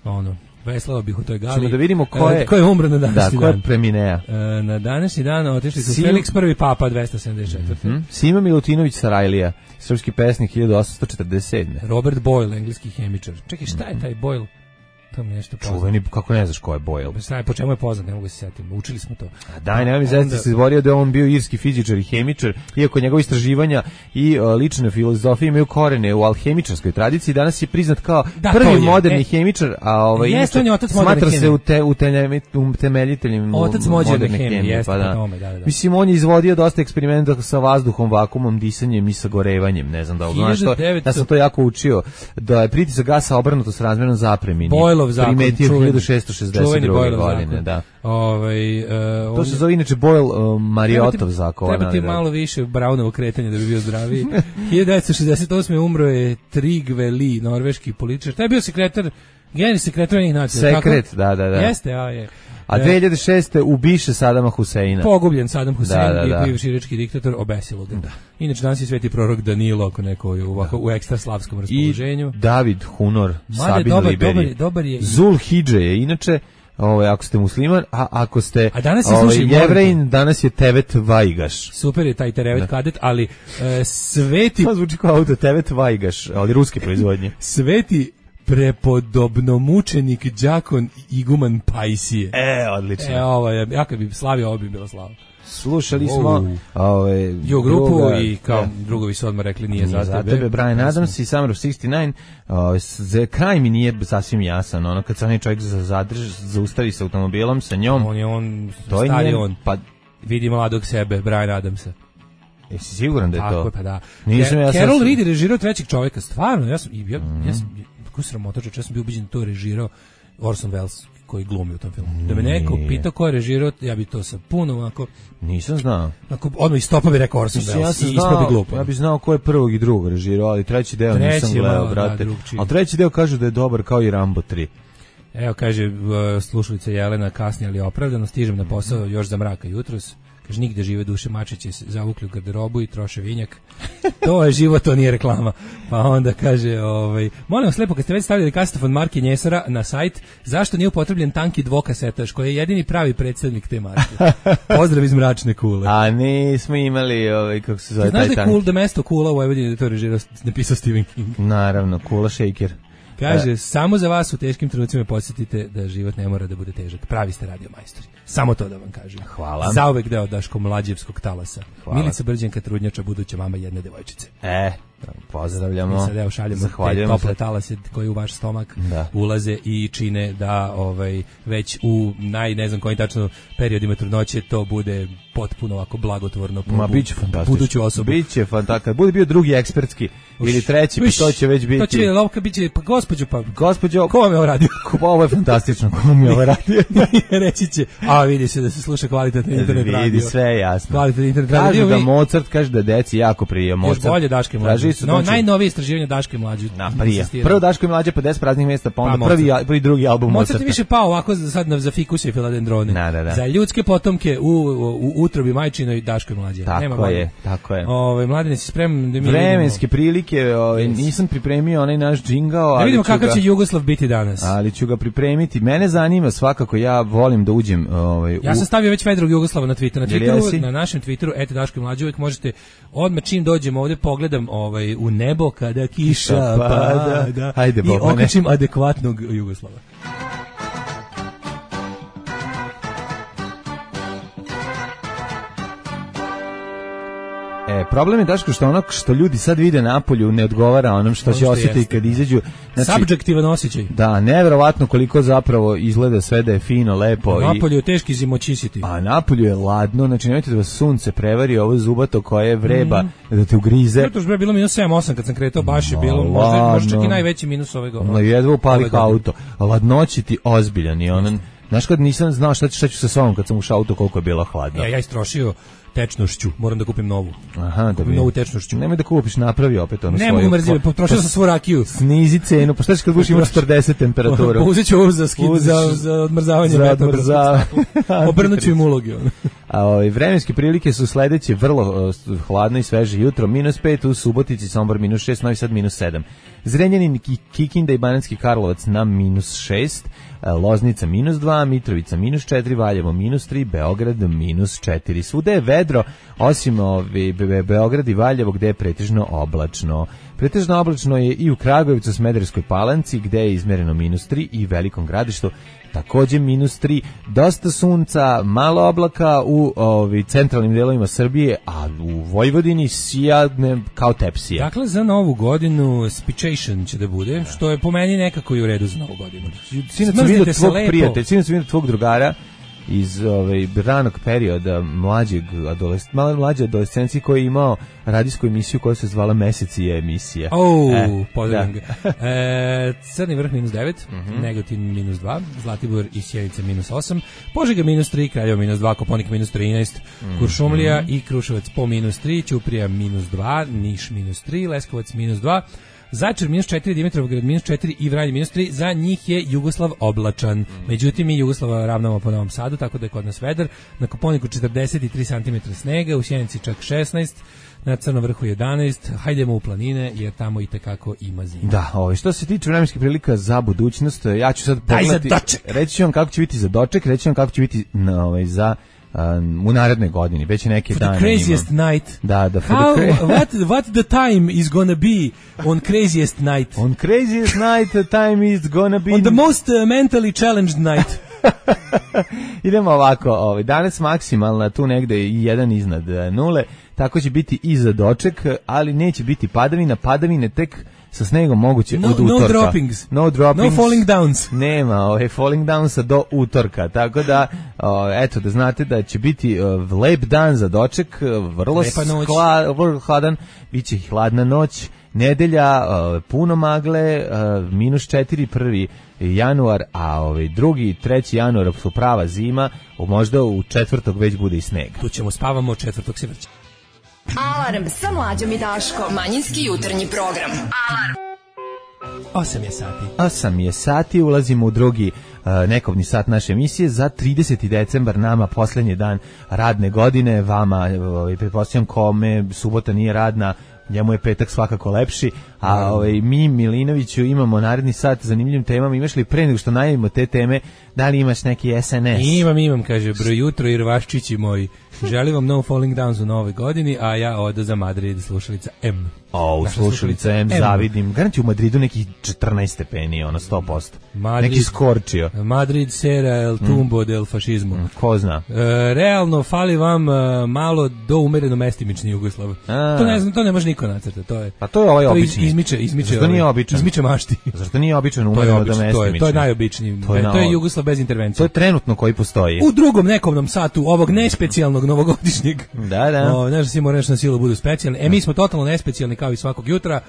ono, veslao bih u toj Galiji. Ćemo da vidimo ko je, ko je umro na današnji da, dan. Ko je preminea. E, na današnji dan otišli su Sim... Felix prvi papa dvesta sedamdeset četvrte. Mm-hmm. Sima Milutinović Sarajlija, srpski pesnik hiljadu osamsto četrdeset sedme. Robert Boyle, engleski hemičar. Čekaj, šta je taj Boyle? To mi nešto poznat. Čuveni, kako ne znaš ko je Boyle? Šta je, po čemu je poznat, ne mogu se setiti. Učili smo to. A daj, nema mi zaista se izborio da je on bio irski fizičar i hemičar, iako njegove istraživanja i uh, lične filozofije imaju korene u alhemičarskoj tradiciji. Danas je priznat kao da, prvi moderni e, hemičar, a ovaj jeste, on je otac smatra se u te, utemeljiteljem otac moderne hemije, jeste pa da. Tome, da, da, da. Mislim, on je izvodio dosta eksperimenta sa vazduhom, vakuumom, disanjem i sagorevanjem, ne znam da znaš što. Ja sam to jako učio, da je pritisak gasa obrnuto s razmjerom zapremini. Primetio hiljadu šessto šezdeset druge godine, da. Ovaj uh, to se zove inače Boyle uh, Mariotov zakon. Treba ti malo više Brownovo kretanje da bi bio zdraviji. hiljadu devetsto šezdeset osme umro je Trygve Lie, norveški političar. Taj je bio sekretar, generalni sekretar Ujedinjenih nacija. Sekret, tako? da, da, da. Jeste, a je. A dve hiljade šeste ubiše Sadama Huseina. Pogubljen Sadam Husein, da, da, da. i bivši irački diktator, obesilo ga. Da. Inače danas je sveti prorok Danilo, ako neko je u, u ekstra slavskom raspoloženju. I David Hunor, Made, Sabin dobar, Liberi. Dobar, dobar je. Zul Hidže je inače, ovaj, ako ste musliman, a ako ste a danas je ovaj, Jevrejin, danas je Tevet Vajgaš. Super je taj Tevet da. Kadet, ali e, sveti... To zvuči kao auto, Tevet Vajgaš, ali ruske proizvodnje. Sveti prepodobno mučenik đakon iguman Pajsije. E, odlično. E, ovo je, ja kad bi slavio, ovo bi bilo slavo. Slušali smo ove, Ju grupu druga, i kao ja. drugovi su odmah rekli nije, nije za tebe. tebe Brian Adams i Summer of šezdeset devet. Uh, za kraj mi nije sasvim jasan. Ono, kad se onaj čovjek zadrži, zaustavi sa automobilom sa njom. On je on, to stari je on. Pa, vidi mladog sebe, Brian Adamsa. Jesi siguran da je tako, to? Pa da. Nisam, ja Carol sam... Reed je režirao Trećeg čovjeka. Stvarno, ja sam, ja, mm-hmm. ja sam, kako sramotača, ja sam bio ubiđen da to režirao Orson Welles koji glumi u tom filmu. Da me neko pitao ko je režirao, ja bi to sa puno onako... Nisam znao. Onako, odmah iz topa bi rekao Orson Welles. Ja sam znao, ja bi znao ko je prvog i drugog režirao, ali treći deo treći, nisam gledao, no, brate. Da, ali treći deo kažu da je dobar kao i Rambo tri. Evo, kaže uh, slušalica Jelena, kasnije ali opravdano, stižem na posao još za mraka jutros. Kaže, nigde žive duše, mačiće se zavukli u garderobu i troše vinjak. To je život, to nije reklama. Pa onda kaže, ovaj, molim vas lepo, kad ste već stavljali kasetofon marke Njesara na sajt, zašto nije upotrebljen tanki dvokasetaš, koji je jedini pravi predstavnik te marke? Pozdrav iz Mračne Kule. A nismo imali, ovaj, kako se zove taj tanki. Znaš da je cool, da mesto Kula u Vojvodini da to režirao, napisao Stephen King? Naravno, Kula Shaker. Kaže, e. samo za vas u teškim trenucima podsjetite da život ne mora da bude težak. Pravi ste radio majstori. Samo to da vam kažem. Hvala. Zauvek deo Daško mlađevskog talasa. Hvala. Milica Brđenka, trudnjača, buduća mama jedne devojčice. E, pozdravljamo. Mi sad evo šaljemo te tople talase koji u vaš stomak da. ulaze i čine da ovaj, već u naj, ne znam kojim tačno periodima trudnoće to bude potpuno ovako blagotvorno po Ma, biće fantastično. Buduću osobu. Biće fantastično. Bude bio drugi ekspertski Uš, ili treći, pa to će već biti. To će biti lovka, biće, pa gospođo, pa gospođo, ko vam je ovo radio? Ovo je fantastično, ko vam je ovo radio? Reći će, a vidi se da se sluša kvalitetno internet vidi, radio. Vidi, sve je jasno. Kvalitetno internet radio. radio. Kaže da Mozart, kaže da deci jako prije Mozart. Još bolje Daške mlađe. No, najnovije istraživanje Daške mlađe. Na, prije. Prvo Daško i mlađe, pedeset praznih mjesta, pa onda pa prvi, prvi drugi album Mozarta. Mozart je više pao ovako sad za fikuse i filadendrone. Da, da, da. Za ljudske potomke u, u, u utrobi majčinoj Daško i mlađe. Tako Nema je, tako je. Ove, Mladine, si spreman da mi vremenske vidimo. prilike, ove, yes. nisam pripremio onaj naš džingao, ali da vidimo kakav ga, će Jugoslav biti danas. Ali ću ga pripremiti. Mene zanima svakako, ja volim da uđem. Ovaj, ja sam stavio već Vedrog Jugoslava na Twitter, na Twitteru, na našem Twitteru et Daško i mlađe, uvijek možete odmah čim dođemo ovdje pogledam ovaj u nebo kada kiša pada, pa, da, ajde, i okačim adekvatnog Jugoslava. E, problem je Daško što ono što ljudi sad vide napolju ne odgovara onom što Ono će što osjetiti jeste. kad izađu. Znači, Subjektivan osjećaj. da, neverovatno koliko zapravo izgleda sve da je fino, lepo. Napolju je teški zimoćisiti. A napolju je ladno, znači nemojte da vas sunce prevari ovo zubato koje vreba da te ugrize. Zato što je bilo minus sedam osam kad sam kretao, baš je Ma, bilo, možda, možda čak i ladno. najveći minus ove godine. No, jedva upali Ove godine. auto. Ladnoći ti ozbiljan i onan. Znaš kad nisam znao šta, ću- šta ću sa sobom kad sam ušao u auto koliko je bilo hladno. Ja, ja istrošio tečnošću, moram da kupim novu. Aha, da Kupim bi. novu tečnošću. Nemoj da kupiš, napravi opet onu Ne svoju. mogu mrziti, potrošio sam svu rakiju. Snizi cenu, pa šta ćeš kad budeš imao četrdeset temperaturu? Uzet ću ovo za, skid, Uziš za, za odmrzavanje za meta. odmrzavanje. Obrnut ću im ulogi. ono. A ovaj, vremenske prilike su sledeće, vrlo uh, hladno i sveže jutro, minus pet u Subotici, Sombor minus šest, Novi Sad minus sedam. Zrenjanin, Ki- Kikinda i Banatski Karlovac na minus šest, uh, Loznica minus dva, Mitrovica minus četiri, Valjevo minus tri, Beograd minus četiri. Svuda je vedro, osim ovi, Be- Be- Beograd i Valjevo gde je pretežno oblačno. Pretežno oblačno je i u Kragujevcu, Smederevskoj Palanci gde je izmereno minus tri i Velikom Gradištu takođe minus tri, dosta sunca, malo oblaka u ovi centralnim delovima Srbije, a u Vojvodini sijadne kao tepsija. Dakle, za novu godinu Spication će da bude, što je po meni nekako i u redu za novu godinu. Sinoć sam Smrznite vidio se tvog lepo. prijatelja, sinoć sam vidio tvog drugara iz ovaj ranog perioda mlađeg adolescencije, malo mlađe adolescencije koji je imao radijsku emisiju koja se zvala Mesec je emisija. Oh, E, pozdravim da. ga. E, Crni vrh minus devet, Mhm. Negotin minus dva, Zlatibor i Sjenica minus osam, Požega minus tri, Kraljevo minus dva, Koponik minus trinaest, Mhm. Kuršumlija i Kruševac po minus tri, Ćuprija minus dva, Niš minus tri, Leskovac minus dva, Zaječar minus četiri, Dimitrovgrad minus četiri i Vranje minus tri, za njih je Jugoslav oblačan. Međutim, mi Jugoslava ravnamo po Novom Sadu, tako da je kod nas vedar. Na Koponiku četrdeset tri centimetra snega, u Sjenici čak šesnaest, na Crnom vrhu jedanaest, hajdemo u planine, jer tamo i tekako ima zima. Da, ovaj, što se tiče vremenskih prilika za budućnost, ja ću sad Daj za pogledati, doček. reći ću vam kako će biti za doček, reći ću vam kako će biti na, ovaj, za um, u narednoj godini, već i neke For the dane craziest imam. night. Da, da, for How, the cra- what, what the time is gonna be on craziest night? On craziest night the time is gonna be On the most uh, mentally challenged night. Idemo ovako, ovaj, danas maksimalna tu negde i jedan iznad e, nule, tako će biti i za doček, ali neće biti padavina, padavine tek sa snegom moguće No, od no utorka. droppings. No droppings. No falling downs. Nema, ovaj, falling downsa do utorka, tako da, o, eto, da znate da će biti o, lep dan za doček, vrlo, Lepa noć. hla, vrlo hladan, bit će hladna noć, nedelja, o, puno magle, o, minus četiri, prvi januar, a ovaj drugi, treći januar su prava zima, možda u četvrtog već bude i sneg. Tu ćemo spavamo, četvrtog se vrće. Alarm sa Mlađom i Daškom. Manjinski jutarnji program. Alarm. osam je sati. osam je sati, ulazimo u drugi uh, nekovni sat naše emisije za trideseti decembar, nama poslednji dan radne godine, vama, ovaj, pretpostavljam kome subota nije radna, njemu je petak svakako lepši, a ovaj, mi Milinoviću imamo naredni sat zanimljivim temama. Imaš li pre nego što najavimo te teme, da li imaš neki es en es? Imam, imam, kaže, bro jutro i rvaščići moji. Želim vam no falling downs u novoj godini, a ja odo za Madrid, slušalica M. O, Naša slušalica M, M. zavidim. Garanti u Madridu nekih četrnaest stepeni, ono sto posto. Madrid- Neki skorčio. Madrid sera el tumbo del fašizmu. Ko zna? E, realno fali vam e, malo do umereno mestimični Jugoslav. A. To ne znam, to ne može niko nacrta, to je. Pa to je ovaj to iz- obični. Izmiče, izmiče. Zašto nije ovaj, običan? Izmiče mašti. Zašto nije običan To je umereno obično, do to je, mestimični? to je najobičniji. To je To je, na- Jugoslav bez intervencije. To je trenutno koji postoji. U drugom nekovnom satu ovog nespecijalnog novogodišnjeg. Da, da. O, znaš da svi moraju na silu budu specijalni. E, mi smo totalno nespecijalni kao i svakog jutra.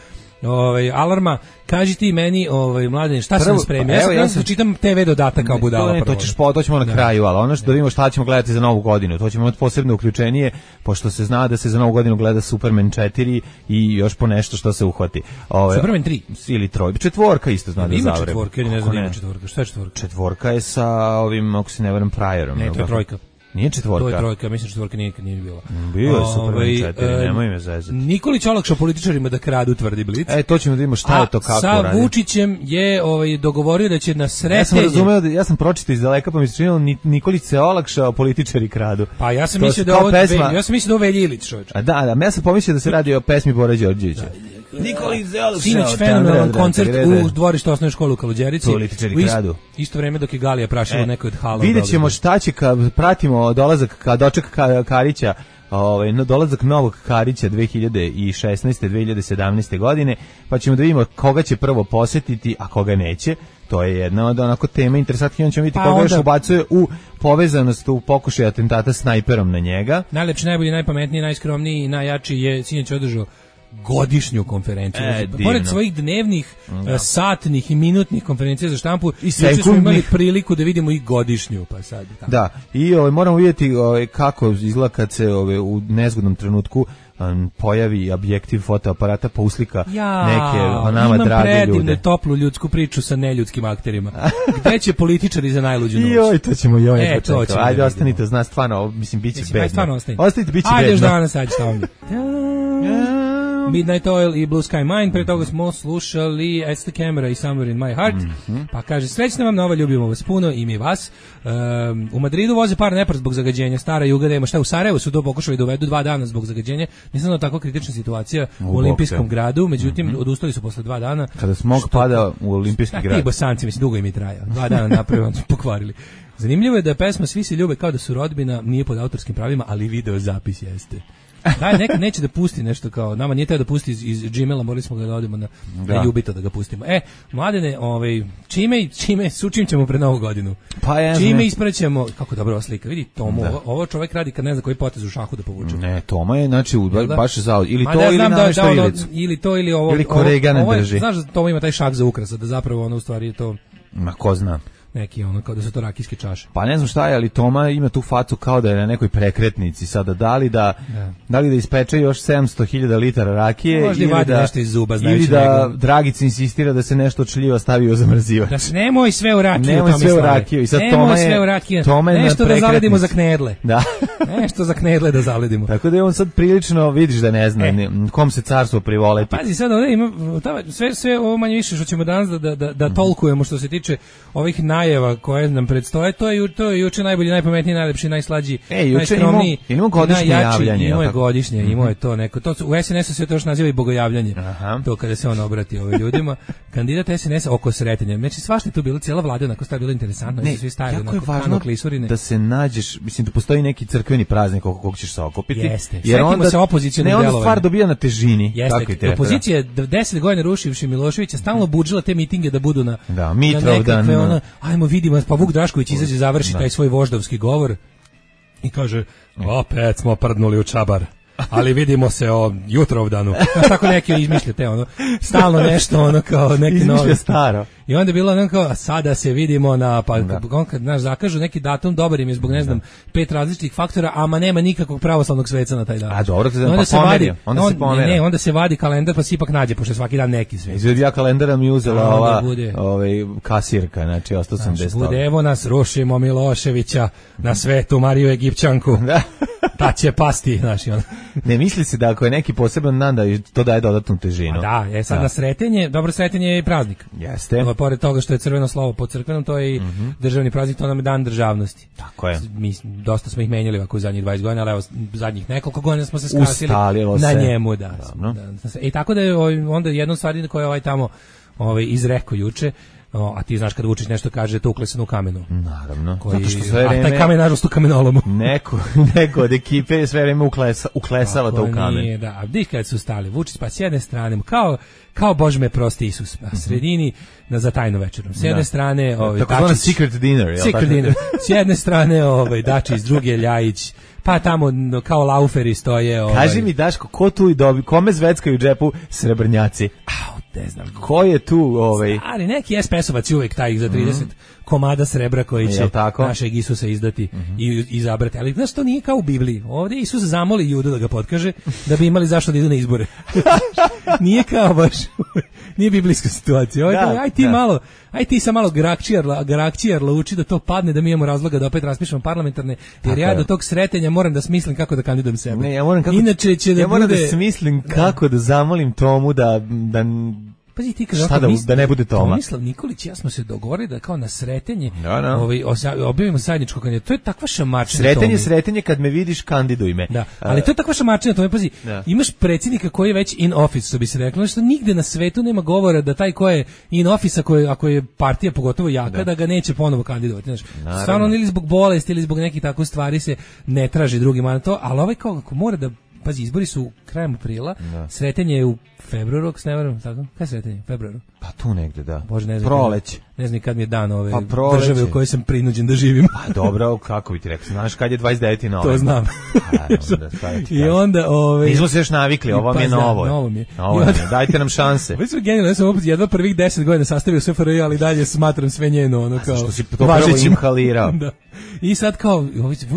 Ovaj alarma, kaži ti meni, ovaj Mladen, šta sam Prvo, spremio? pa Ja evo, sam ja ja sam- čitam te ve dodatak kao budala. To, ne, to prvo. ćeš po, to ćemo na Da. kraju, ali ono što da vidimo šta ćemo gledati za novu godinu, to ćemo imati posebno uključenije, pošto se zna da se za novu godinu gleda Superman četiri i još po nešto što se uhvati. Ove, Superman tri. Ili troj, četvorka isto zna da Ima zavre. četvorka ili ne znam Kako da ima četvorka. Šta je četvorka? Četvorka je sa ovim, ako se ne varam, Priorom. Ne, jel to je tako? trojka. Nije četvorka. To je trojka, mislim četvorka nije nikad nije bila. Bio je Superman Ovaj, četiri, e, nemoj me zezati. Nikolić olakšao političarima da kradu, tvrdi Blic. E, to ćemo da vidimo šta je to, kako sa radi. Vučićem je ovaj dogovorio da će na Ja sam sretenje. razumeo, da, ja sam pročitao iz daleka, pa mi se činilo Ni- Nikolić se olakšao, političari kradu. Pa ja sam To mislio su da kao ovo pesma- ja sam mislio da ovo je Velja Ilić, čoveče. A da, da, ja sam pomislio da se radi o pesmi Bore Đorđevića. Nikoli Zeluk. Sinoć fenomenalan koncert u dvorištu osnovne škole u Kaluđerici. Političari U ist- kradu. Isto vreme dok je Galija prašila E, nekoj od hala. Vidjet ćemo šta će, ka, pratimo dolazak, ka, doček ka, Karića, ovaj, no, dolazak novog Karića dve hiljade šesnaeste dve hiljade sedamnaeste godine, pa ćemo da vidimo koga će prvo posetiti, a koga neće. To je jedna od onako tema interesantnih, on ćemo vidjeti Pa koga onda- još ubacuje u povezanost u pokušaju atentata snajperom na njega. Najlepši, najbolji, najpametniji, najskromniji i najjači je sinoć održao godišnju konferenciju. E, Znači, divno. pored svojih dnevnih, Da. satnih i minutnih konferencija za štampu, I juče smo sekundnih. imali priliku da vidimo i godišnju, pa sad. Tako. Da, i ovaj, moramo vidjeti ovaj, kako izgleda kad se ovaj, u nezgodnom trenutku um, pojavi objektiv fotoaparata pa uslika Ja, neke o nama imam drage predivnu ljude. toplu ljudsku priču sa neljudskim akterima. Gde će političari za najluđu noć? Joj, to ćemo joj E, neko to čekati. ćemo Ajde, da ostanite, vidimo. zna, stvarno, ovo, mislim, bit će Mislim, bedno. aj, stvarno ostanite. Ostanite, bit će Ajde još bedno. danas, sad šta ovdje. Midnight Oil i Blue Sky Mine, pre toga smo slušali It's the Camera i Somewhere in My Heart, Mhm. pa kaže, srećna vam nova, ljubimo vas puno i mi vas. Um, u Madridu voze par nepar zbog zagađenja, stara juga nema šta, u Sarajevu su to pokušali da uvedu dva dana zbog zagađenja, nisam da tako kritična situacija u, U olimpijskom bokse. gradu, međutim, odustali su posle dva dana. Kada smog Što- pada u olimpijski Šta ti grad. bosanci, mislim, dugo im je trajao. Dva dana napravili, onda su pokvarili. Zanimljivo je da je pesma Svi se ljube kao da su rodbina, nije pod autorskim pravima, ali video zapis jeste. Da, nekad neće da pusti nešto kao, nama nije teo da pusti iz, iz Gmaila, morali smo ga da odemo na, Da. na Jubito da ga pustimo. E, mladene, ovaj, čime, čime, sučim ćemo pred novu godinu? Pa ja Čime znam. ispraćemo, kako dobra ova slika, vidi Tomu, Da. ovo, ovo čovjek radi kad ne zna koji potez u šahu da povuče. Ne, Toma je, znači, u- Jel da? baš za, ili Ma to da, ili znam da, namešta da, ono, ilicu. ili to ili ovo. Ili ovo- Koregana ovo je- drži. Znaš da Tomu ima taj šah za ukrasa, da zapravo ono u stvari je to Ma, ko zna. neki ono, kao da su to rakijske čaše. Pa ne znam šta je, ali Toma ima tu facu kao da je na nekoj prekretnici sada. Da li da, Da. da, li da ispeče još sedamsto hiljada litara rakije Možda i ili vadi da, nešto iz zuba, ili znajući da njega. Dragica insistira da se nešto od šljiva stavi u zamrzivač. Da se nemoj sve u rakiju, Nemoj sve u Tomislave. rakiju. I sad nemoj Toma je- sve u rakiju. Toma je na Nešto da zaledimo prekretnici. za knedle. Da. Nešto za knedle da zaledimo. Tako da je on sad prilično, vidiš da ne zna E. ne, kom se carstvo privoleti. Pazi sad, ovdje ima ta- sve sve ovo manje više što ćemo danas da da da, da tolkujemo što se tiče ovih najava koje nam predstoje, to je ju- to je juče najbolji, najpametniji, najlepši, najslađi, E, juče najskromniji, imamo- imamo godišnje najjači, javljanje, Imao je jel tako? godišnje, imao je to neko. To su, u S N S-u se to još naziva i bogojavljanje. Aha. To kada se on obrati ovim ljudima. Kandidat S N S-a oko sretanja. Znači svašta je tu bilo, cijela vlada onako sta bilo interesantno, Ne, ne, svi stavili jako je onako važno kano klisurine. da se nađeš, mislim da postoji neki crkveni praznik oko kog ćeš se okupiti. Jeste. Setimo se opozicionih ne, onda delovanja. stvar dobija na težini. Jeste, Tako i treba. opozicija je deset godina rušivši Miloševića stalno budžila te mitinge da budu na, Da, na Mitrovdan, nekakve no. ono, ajmo vidimo, pa Vuk Drašković izađe, završi taj svoj voždovski govor i kaže, opet smo prdnuli u čabar, ali vidimo se o jutrovdanu. Znaš, tako neki izmišljate, ono, stalno nešto, ono, kao neki Izmišlja novi. staro. I onda je bilo ono kao, a sada se vidimo na, pa on kad, znaš, zakažu neki datum, dobar im je zbog, ne znam, pet različitih faktora, ama nema nikakvog pravoslavnog sveca na taj dan. A dobro, I pa se pomerio, vadi, onda se on- pomera. Ne, ne, onda se vadi kalendar, pa se ipak nađe, pošto je svaki dan neki svec. Izvedi ja kalendara mi uzela A, onda ova bude. ovaj, kasirka, znači ostao sam Znaš, bez bude, toga. evo nas, rušimo Miloševića na svetu Mariju Egipćanku. Da. Ta će pasti, znaš, i ono. Ne misli se da ako je neki poseban dan da to daje dodatnu težinu. A da, je sad Da. na sretenje, dobro sretenje je i praznik. Jeste. To je, pored toga što je crveno slovo po crkvenom, to je i državni praznik, to nam je dan državnosti. Tako je. Mi dosta smo ih menjali ovako u zadnjih dvadeset godina, ali evo zadnjih nekoliko godina smo se skasili Ustalilo na se. njemu, da. Dobro. da. I tako da je ovaj, onda jedna stvar koja je ovaj tamo ovaj izrekao juče, o, a ti znaš kad Vučić nešto kaže, to uklesano u kamenu. Naravno. Koji, Zato što sve a vreme taj kamen nažalost u kamenolomu. neko, neko od ekipe sve vreme uklesa, uklesava to u Ako kamen. nije, da. A vidi kad su stali, Vučić pa s jedne strane, kao, kao Bože me prosti Isus, a sredini na za tajnu večerom. S jedne Da. strane, ovaj, Tako zvana Dačić, secret dinner, jel secret tako? dinner. S jedne strane, ovaj, Dačić, s druge Ljajić, pa tamo no, kao lauferi stoje. Ovaj, Kaži mi, Daško, ko tu i dobi, kome zveckaju u džepu srebrnjaci? Au, ne znam. Ko je tu, ovaj, Ali neki es pe esovac je uvek taj za trideset komada srebra koji će Jel tako? našeg Isusa izdati i izabrati. Ali znaš, to nije kao u Bibliji. Ovdje Isus zamoli Judu da ga potkaže da bi imali zašto da idu na izbore. Nije kao baš, nije biblijska situacija. Ovdje, Da, aj ti da. malo, aj ti sa malo grakčijarla, grakčijarla uči da to padne, da mi imamo razloga da opet raspišemo parlamentarne, jer Tako ja je. do tog sretenja moram da smislim kako da kandidujem sebe. Ne, ja moram kako, Inače će da ja moram bude... da smislim kako da zamolim Tomu da, da Pazi ti kad Šta da, da ne bude Toma. Tomislav Nikolić i ja smo se dogovorili da kao na Sretenje no, no. ovaj objavimo zajedničko kandidat. To je takva šamačina. Sretenje, Sretenje kad me vidiš kandiduj me. Da, ali to je takva šamačina, to je pazi. Da. Imaš predsjednika koji je već in office, što bi se reklo, što nigde na svetu nema govora da taj ko je in office, ako je, ako je partija pogotovo jaka, da, da ga neće ponovo kandidovati, znači. Stvarno ili zbog bolesti ili zbog nekih takvih stvari se ne traži drugima na to, ali ovaj kao ako mora da pazi, izbori su krajem aprila, da. Sretenje je u februaru, ako se ne varam, tako? Kaj je Sretenje? Februaru? Pa tu negde, da. Bože, ne znam. Proleć. Ne znam kad mi je dan ove pa države u kojoj sam prinuđen da živim. Pa dobro, kako bi ti rekao, znaš kad je dvadeset deveti novembar. To znam. A, onda, I onda... Ove, nismo se još navikli, ovo mi je novo. Novo mi je. Novo mi je. Dajte nam šanse. Ovo su genijalno, ja sam opet jedva prvih deset godina sastavio S F R J, ali dalje smatram sve njeno, ono kao... Što si to prvo inhalirao. Da. I sad kao,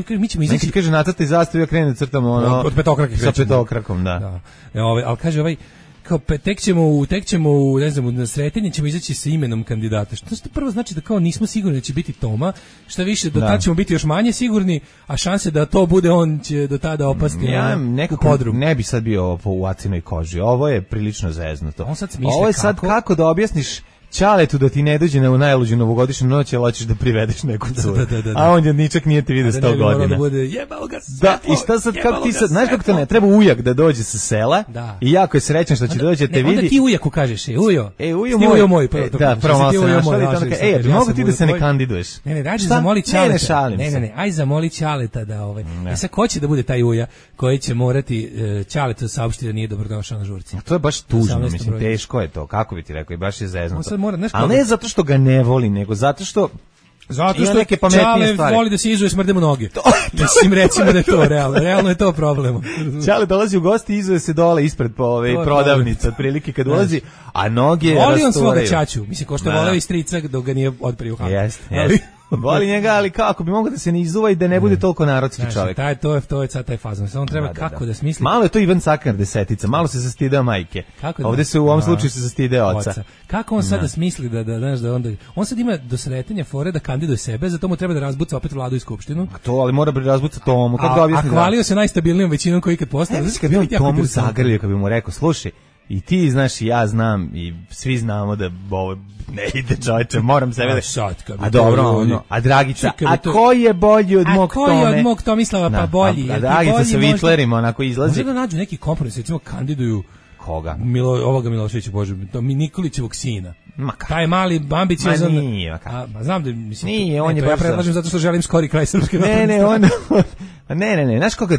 mi ćemo izaći... Neki kaže nacrta i zastavi, ja krenu crtamo ono... Od petokrake. Sa petokrakom, da. da. E, ove, ali kaže ovaj... kao tek ćemo u tek ćemo u ne znam na Sretenje ćemo izaći sa imenom kandidata. Što to prvo znači da kao nismo sigurni da će biti Toma, šta više do tada ćemo biti još manje sigurni, a šanse da to bude on će do tada opasti. Ja nekako ne bi sad bio po u acinoj koži. Ovo je prilično zeznuto. On sad Ovo je sad kako, kako da objasniš Ćaletu da ti ne dođe na najluđu novogodišnju noć, ali hoćeš da privedeš neku curu. Da, da, da, da. A on je ničak nije ti vidio sto godina. Da bude jebalo ga sve. Da, i šta sad, kako ti sad, znaš kako to ne, treba ujak da dođe sa sela da. I jako je srećan što će onda, doći da te ne, vidi. Onda ti ujaku kažeš, e, ujo. E, ujo moj. Ujo moj, prvo e, da, prvo malo se našali, tamo kaže, ej, ja mogu ti da se ne kandiduješ? Ne, ne, rađe zamoli Ćaleta. Ne, ne, šalim ne, ne, ne, aj zamoli Ćaleta da ovaj. E sad ko će da bude taj uja koji će morati Ćaletu saopštiti da nije dobrodošao na žurci. To je baš tužno, mislim, teško je to, kako bi ti rekao, i baš je zeznuto. Al ne zato što ga ne voli, nego zato što zato što neke pametnije stvari. Voli da se izuje smrdemo noge. Mislim recimo da je to realno, realno je to problem. Ćale dolazi u gosti i izuje se dole ispred po ove prodavnice, otprilike kad ulazi, a noge rasturaju. Voli on svoga ćaću, mislim ko što voleo i strica dok ga nije otprio hak. Jeste, jeste. Voli njega, ali kako bi mogao da se ne izuva i da ne bude toliko narodski znači, čovjek. Taj, to je, to je sad taj fazon. On treba da, da, kako da, da smisli. Malo je to Ivan Sakar desetica, malo se zastideo majke. Kako Ovde se u ovom slučaju se zastideo oca. oca. Kako on sad da, da smisli da, da, znaš, da onda... On sad ima do Sretenja fore da kandiduje sebe, zato mu treba da razbuca opet vladu i skupštinu. A to, ali mora da razbuca Tomu. Kako da objasni? A hvalio se najstabilnijom većinom koji ikad postao. Znači, kad bi on Tomu zagrlio, kad bi mu rekao, slušaj, i ti znaš i ja znam i svi znamo da ovo ne ide čovječe, moram sebe da... A dobro, ono, a Dragica, a ko je bolji od mog Tome? A ko je od mog Tomislava pa bolji? A Dragica sa Vitlerima onako izlazi. Može da nađu neki kompromis, recimo kandiduju koga? Milo, ovoga Miloševića, Bože, to mi Nikolićevog sina. Taj mali ambiciozan. Ma nije, a, ma znam da mislim. Nije, on je baš. Ja predlažem zato što želim skori kraj srpske. Ne, ne, on Ne, ne, ne, znaš koga,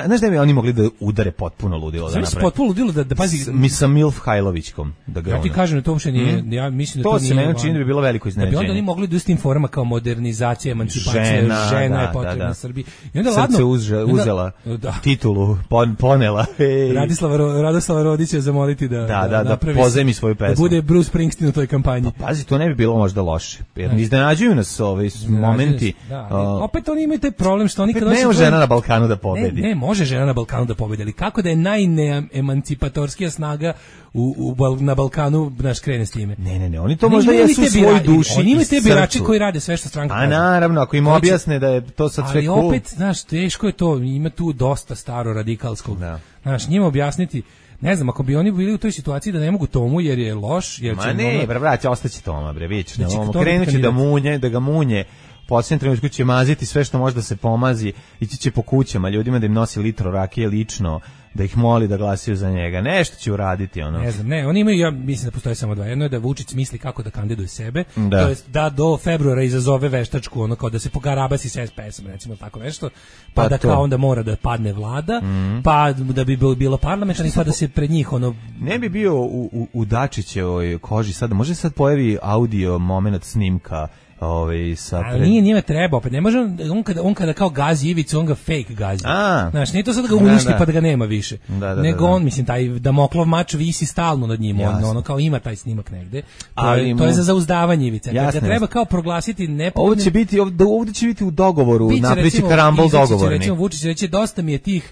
znaš da bi oni mogli da udare potpuno ludilo da naprave. Potpuno ludilo da da pazi mi sa Milf Hajlovićkom da ga. Ja ti kažem da to uopšte nije, mm. ja mislim da to, to nije. To se meni čini da bi bilo veliko iznenađenje. Da bi onda oni mogli da istim forma kao modernizacija, emancipacija, žena, žena da, je potrebna da, da. Srbiji. I onda ladno uzela, uzela da. titulu, pon, ponela. Hey. Radislava Radoslava Rodića zamoliti da da da, da pozemi svoju pesmu. Da bude Bruce Springsteen u toj kampanji. Pa, pazi, to ne bi bilo možda loše. Jer ne iznenađuju nas ovi momenti. Da, opet oni imaju taj problem što oni kad ne žena na Balkanu da pobedi. Ne, ne, može žena na Balkanu da pobedi, ali kako da je najneemancipatorskija snaga u, u, na Balkanu naš krene s time? Ne, ne, ne, oni to možda jesu u svoj duši. Oni imaju te birači koji rade sve što stranka kaže. A naravno, ako im objasne da je to sad sve cool. Ali opet, znaš, teško je to, ima tu dosta staro radikalskog. Da. Znaš, njima objasniti, ne znam, ako bi oni bili u toj situaciji da ne mogu Tomu jer je loš, jer će... Ma ne, bre, brate, ostaće Toma, bre, vidiš, krenuće da munje, da ga munje. Posljednjem trenutku će maziti sve što može da se pomazi, ići će po kućama ljudima da im nosi litro rakije lično, da ih moli da glasaju za njega. Nešto će uraditi ono. Ne znam, ne, oni imaju, ja mislim da postoje samo dva. Jedno je da Vučić misli kako da kandiduje sebe, da. To jest da do februara izazove veštačku, ono kao da se pogarabasi s S P S-om, recimo tako nešto, pa, pa da to. Kao onda mora da padne vlada, mm-hmm. pa da bi bilo parlamentarni, pa da se pred njih ono... Ne bi bio u, u, u Dačićevoj koži sada, može sad pojavi audio moment snimka ovaj sa pred... nije njime treba, opet ne može on kada on kada kao gazi Ivicu, on ga fake gazi. A, znaš, nije to sad da ga uništi da, da. Pa da ga nema više. Da, da, nego da, da. on, mislim, taj Damoklov mač visi stalno nad njim, on, ono kao ima taj snimak negde. To, ali je, to je za zauzdavanje Ivice. Kada treba kao proglasiti nepobednim. Ovdje će biti ovdje, ovdje će biti u dogovoru, napriči karambol dogovorni. Recimo Vučić reći dosta mi je tih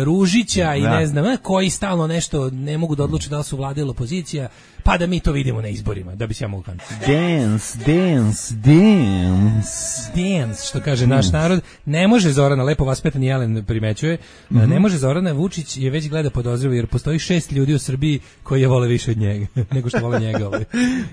Ružića i ne znam, koji stalno nešto ne mogu da odluče da li su vlada ili opozicija. pa da mi to vidimo na izborima, da bi se ja mogu kandidati. Dance, dance, dance. Dance, što kaže naš narod. Ne može Zorana, lepo vaspitani Jelen primećuje, mm-hmm. ne može Zorana, Vučić je već gleda podozrivo, jer postoji šest ljudi u Srbiji koji je vole više od njega, nego što vole njega. Ovaj.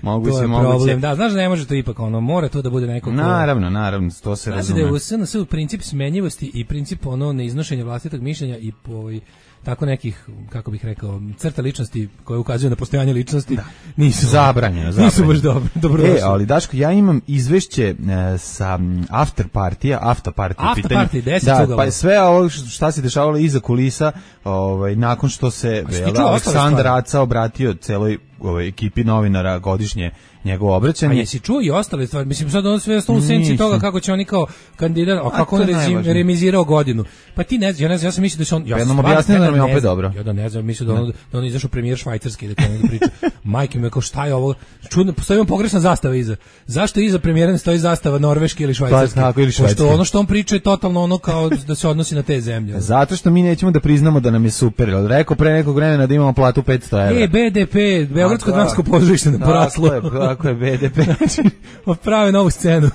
Mogu to se, je moguće. Problem. Da, znaš da ne može to ipak, ono, mora to da bude neko ko... Naravno, naravno, to se znači razume. Da je u S N S u princip smenjivosti i princip ono neiznošenja vlastitog mišljenja i ovaj tako nekih, kako bih rekao, crta ličnosti koje ukazuju na postojanje ličnosti, da. nisu zabranjeno, zabranjeno. Nisu baš dobro, dobro E, ali Daško, ja imam izvešće e, sa after partija, after partija after pitanje. Party, deset da, ugala. Pa sve ovo šta se dešavalo iza kulisa, ovaj nakon što se Aleksandar Aca obratio celoj ovaj ekipi novinara godišnje njegovo obraćanje. A jesi čuo i ostale stvari? Mislim, sad ono sve ostalo u senci toga kako će oni kao kandidat, a kako on rezim, remizirao godinu. Pa ti ne znam, ja ne znam, ja sam mislio da će on... Ja nam objasnio da nam je opet dobro. Ja da ne znam, mislio da on, da on izašao premijer švajcarski, da kao da priča. Majke me, kao šta je ovo? Čudno, postoji vam pogrešna zastava iza. Zašto iza premijera ne stoji zastava norveški ili švajcarski? Pa tako ili švajcarski. Pošto ono što on priča je totalno ono kao da se odnosi na te zemlje. Zato što mi nećemo da priznamo da nam je super. Rekao pre nekog vremena da imamo platu petsto evra. E, B D P, Beogradsko dramsko pozorište na poraslo. Tako je, tako je B D P. Prave novu scenu.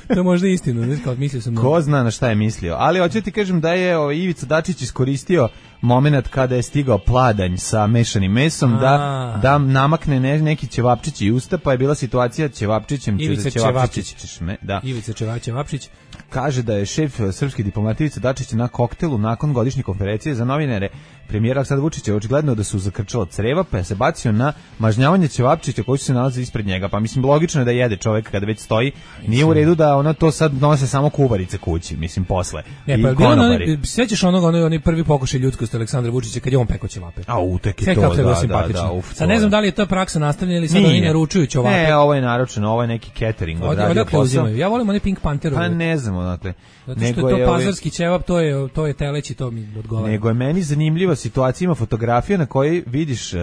To je možda istina, ne kao mislio sam. Ko zna na šta je mislio. Ali hoću ti kažem da je o, Ivica Dačić iskoristio momenat kada je stigao pladanj sa mešanim mesom A. da da namakne ne, neki ćevapčić i usta, pa je bila situacija ćevapčićem Ivica ćevapčić. Da. Ivica Ćevapčić kaže da je šef srpske diplomatije Ivica Dačić na koktelu nakon godišnje konferencije za novinare premijera Aleksandra Vučića očigledno da su zakrčala creva, pa je se bacio na mažnjavanje ćevapčića koji se nalazi ispred njega. Pa mislim logično je da jede čovjek kada već stoji. Nije u redu da ona to sad nose samo kuvarice kući, mislim posle. Ne, pa bilo ono, sećaš onog onaj onaj prvi pokušaj ljudskosti Aleksandra Vučića kad je on pekao ćevape. A utek je to, da, da, da, uf, sad ne znam da li je to praksa nastavljena ili sad oni naručuju ćevape. Ne, ovo je naručeno, ovo je neki catering odradio posao. Ja volim one Pink Pantherove. Pa ne znam odakle. Zato što je to pazarski ćevap, to je to je teleći, to mi odgovara. Nego je meni zanimljiva situacija, ima fotografija na kojoj vidiš uh,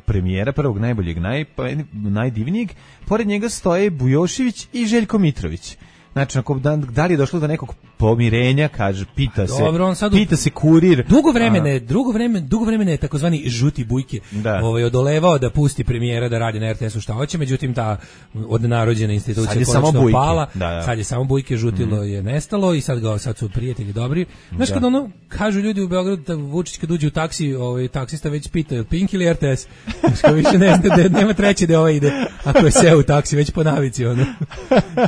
premijera prvog najboljeg, naj, najdivnijeg, pored njega stoje Bujošević i Željko Mitrović. Znači, ako da, da li je došlo do nekog pomirenja, kaže, pita se, dobro, on sad pita se kurir. Dugo vremena, dugo vremena, dugo vremena je takozvani žuti bujke, ovaj odolevao da pusti premijera da radi na R T S-u šta hoće, međutim ta odnarođena institucija konačno pala. Da, da. Sad je samo bujke, žutilo mm. je nestalo i sad ga sad su prijatelji dobri. Znaš da. Kad ono kažu ljudi u Beogradu da Vučić kad uđe u taksi, ovaj taksista već pita je Pink ili R T S. Što više ne zna da nema treće da ovaj ide. Ako je seo u taksi već po navici ono.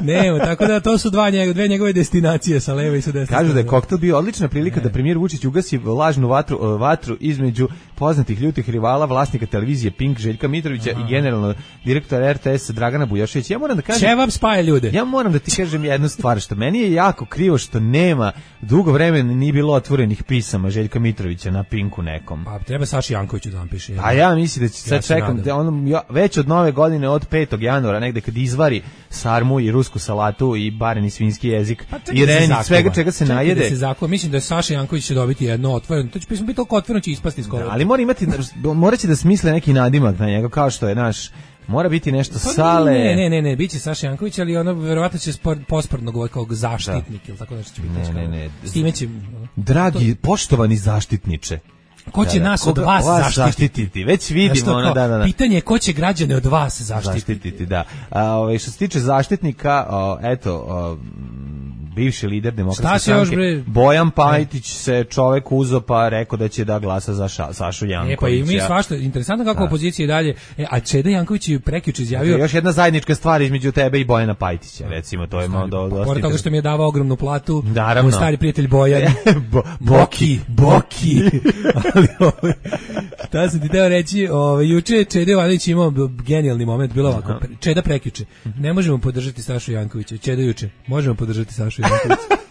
Nema, tako da to su dva njegove, dve njegove destinacije sa leve i sa desne. Kažu da je koktel bio odlična prilika ne. da premijer Vučić ugasi lažnu vatru, vatru između poznatih ljutih rivala, vlasnika televizije Pink Željka Mitrovića Aha. i generalno direktora R T S Dragana Bujoševića. Ja moram da kažem, Ćevap spaja ljude. Ja moram da ti kažem jednu stvar, što meni je jako krivo što nema dugo vremena nije bilo otvorenih pisama Željka Mitrovića na Pinku nekom. Pa treba Saši Jankoviću da napiše. A ja mislim da će sad ja čekam da on ja, već od nove godine od petog januara negde kad izvari sarmu i rusku salatu i bareni svinjski jezik pa i reni svega čega se čekaj najede. Da se zakova. Mislim da je Saša Janković će dobiti jedno otvoreno. To će pismo biti toliko otvoreno će ispasti iz kola. Da, ali mora imati moraće da smisle neki nadimak na njega kao što je naš. Mora biti nešto pa, sale. Ne, ne, ne, ne, biće Saša Janković, ali ono verovatno će posprdno govoriti kao zaštitnik ili tako nešto će biti. Ne, ne, ne. S time će... Dragi, poštovani zaštitniče. Ko će da, nas od vas, vas zaštititi? zaštititi? Već vidimo ono, da, da, da. Pitanje je ko će građane od vas zaštititi? Zaštititi, da. A, ovaj, što se tiče zaštitnika, o, eto, o, bivši lider Demokratske stranke Bojan Pajtić da. se čovek uzo pa rekao da će da glasa za ša, Sašu Jankovića. E pa i mi svašta, interesantno kako da. opozicija i dalje. E, a Čeda Janković je prekjuče izjavio... Još jedna zajednička stvar između tebe i Bojana Pajtića, recimo, to je malo do, dosta... Pored toga što mi je davao ogromnu platu, naravno. Moj stari prijatelj Bojan. Bo, Boki, Boki. Ali, ovaj, šta sam ti teo reći, ovaj, juče je Čeda Jovanović imao genijalni moment, bilo ovako, Čeda prekjuče. Ne možemo podržati Sašu Jankovića. Čeda juče, možemo podržati Sašu Jankovića.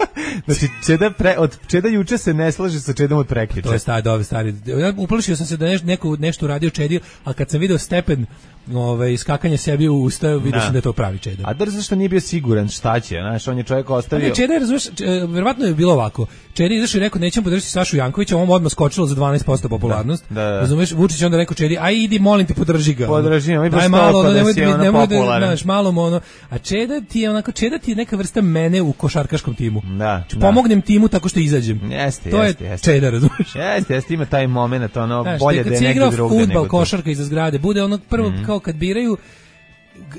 Znači, Čeda pre, od Čeda juče se ne slaže sa Čedom od prekjuče. To je stari, dobi, stari. Ja uplašio sam se da neš, neko nešto uradio Čedi, a kad sam video stepen ovaj, skakanja sebi u usta, vidio sam da je to pravi Čeda. A da zašto nije bio siguran šta će, znaš, on je čovjek ostavio... Ne, Čeda je, razumiješ, verovatno je bilo ovako. Čeda je izašao i rekao, nećemo podržati Sašu Jankovića, on odmah skočilo za dvanaest posto popularnost. Da, da, da. Razumiješ, Vučić onda rekao Čedi, aj idi, molim te, podrži ga. Podrži, mi daj malo, ono, nemoj da, da, nemoj da, znaš, malo ono. A Čeda ti je onako, Čeda ti je neka vrsta mene u košarkaškom timu. Da. Da, da. Pomognem timu tako što izađem. Jeste, to jeste, je jeste. čeda, razumiješ? Jeste, jeste, ima taj moment, ono, Znaš, bolje da je negdje drugdje nego fudbal, tu. košarka iza zgrade, bude ono prvo mm. kao kad biraju,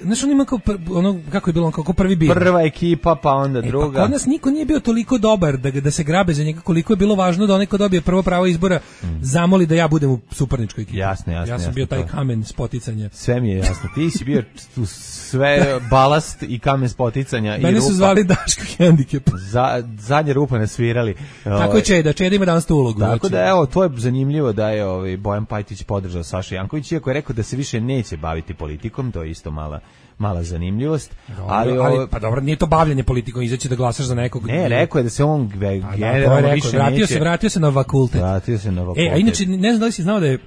znaš, on ima kao, pr, ono, kako je bilo, on kao prvi bira. Prva ekipa, pa onda e, druga. Pa kod nas niko nije bio toliko dobar da, da se grabe za njega, koliko je bilo važno da onaj ko dobije prvo pravo izbora mm. zamoli da ja budem u suparničkoj ekipi. Jasno, jasno. Ja sam jasno, bio taj to. kamen spoticanja. Sve mi je jasno. Ti si bio sve balast i kamen spoticanja i rupa. Mene su zvali Daško Hendikep. Za, zadnje rupa nasvirali. Tako je Čeda, Čeda ima danas tu ulogu. Tako znači. da, evo, to je zanimljivo da je ovaj Bojan Pajtić podržao Saša Janković, iako je rekao da se više neće baviti politikom, to je isto mala mala zanimljivost. Dobro, ali, ali pa dobro, nije to bavljenje politikom, izaći da glasaš za nekog. Ne, rekao je da se on generalno da, više vratio neće. se, vratio se na fakultet. Vratio se na fakultet. E, a inače ne znam da li si znao da je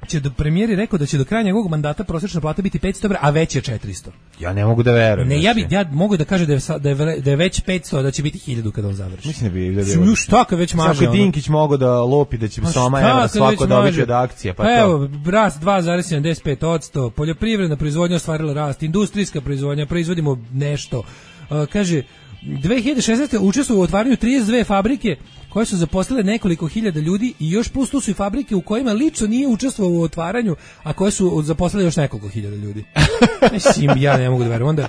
će do premijeri rekao da će do kraja njegovog mandata prosječna plata biti petsto evra, a već je četiristo. Ja ne mogu da verujem. Ne, ja bi ja mogu da kažem da je da je, da je već petsto, da će biti hiljadu kada on završi. Mislim da bi da bi. Ju šta kad već može. Svaki Dinkić mogao da lopi da će pa sama evra svako dobiti od akcija, pa, pa evo, rast dva zarez sedamdeset pet posto, poljoprivredna proizvodnja ostvarila rast, industrijska proizvodnja, proizvodimo nešto. Uh, kaže dve hiljade šesnaeste učestvovao u otvaranju trideset dve fabrike koje su zaposlile nekoliko hiljada ljudi i još plus tu su i fabrike u kojima lično nije učestvovao u otvaranju, a koje su zaposlile još nekoliko hiljada ljudi. Mislim, ja ne mogu da verujem. Onda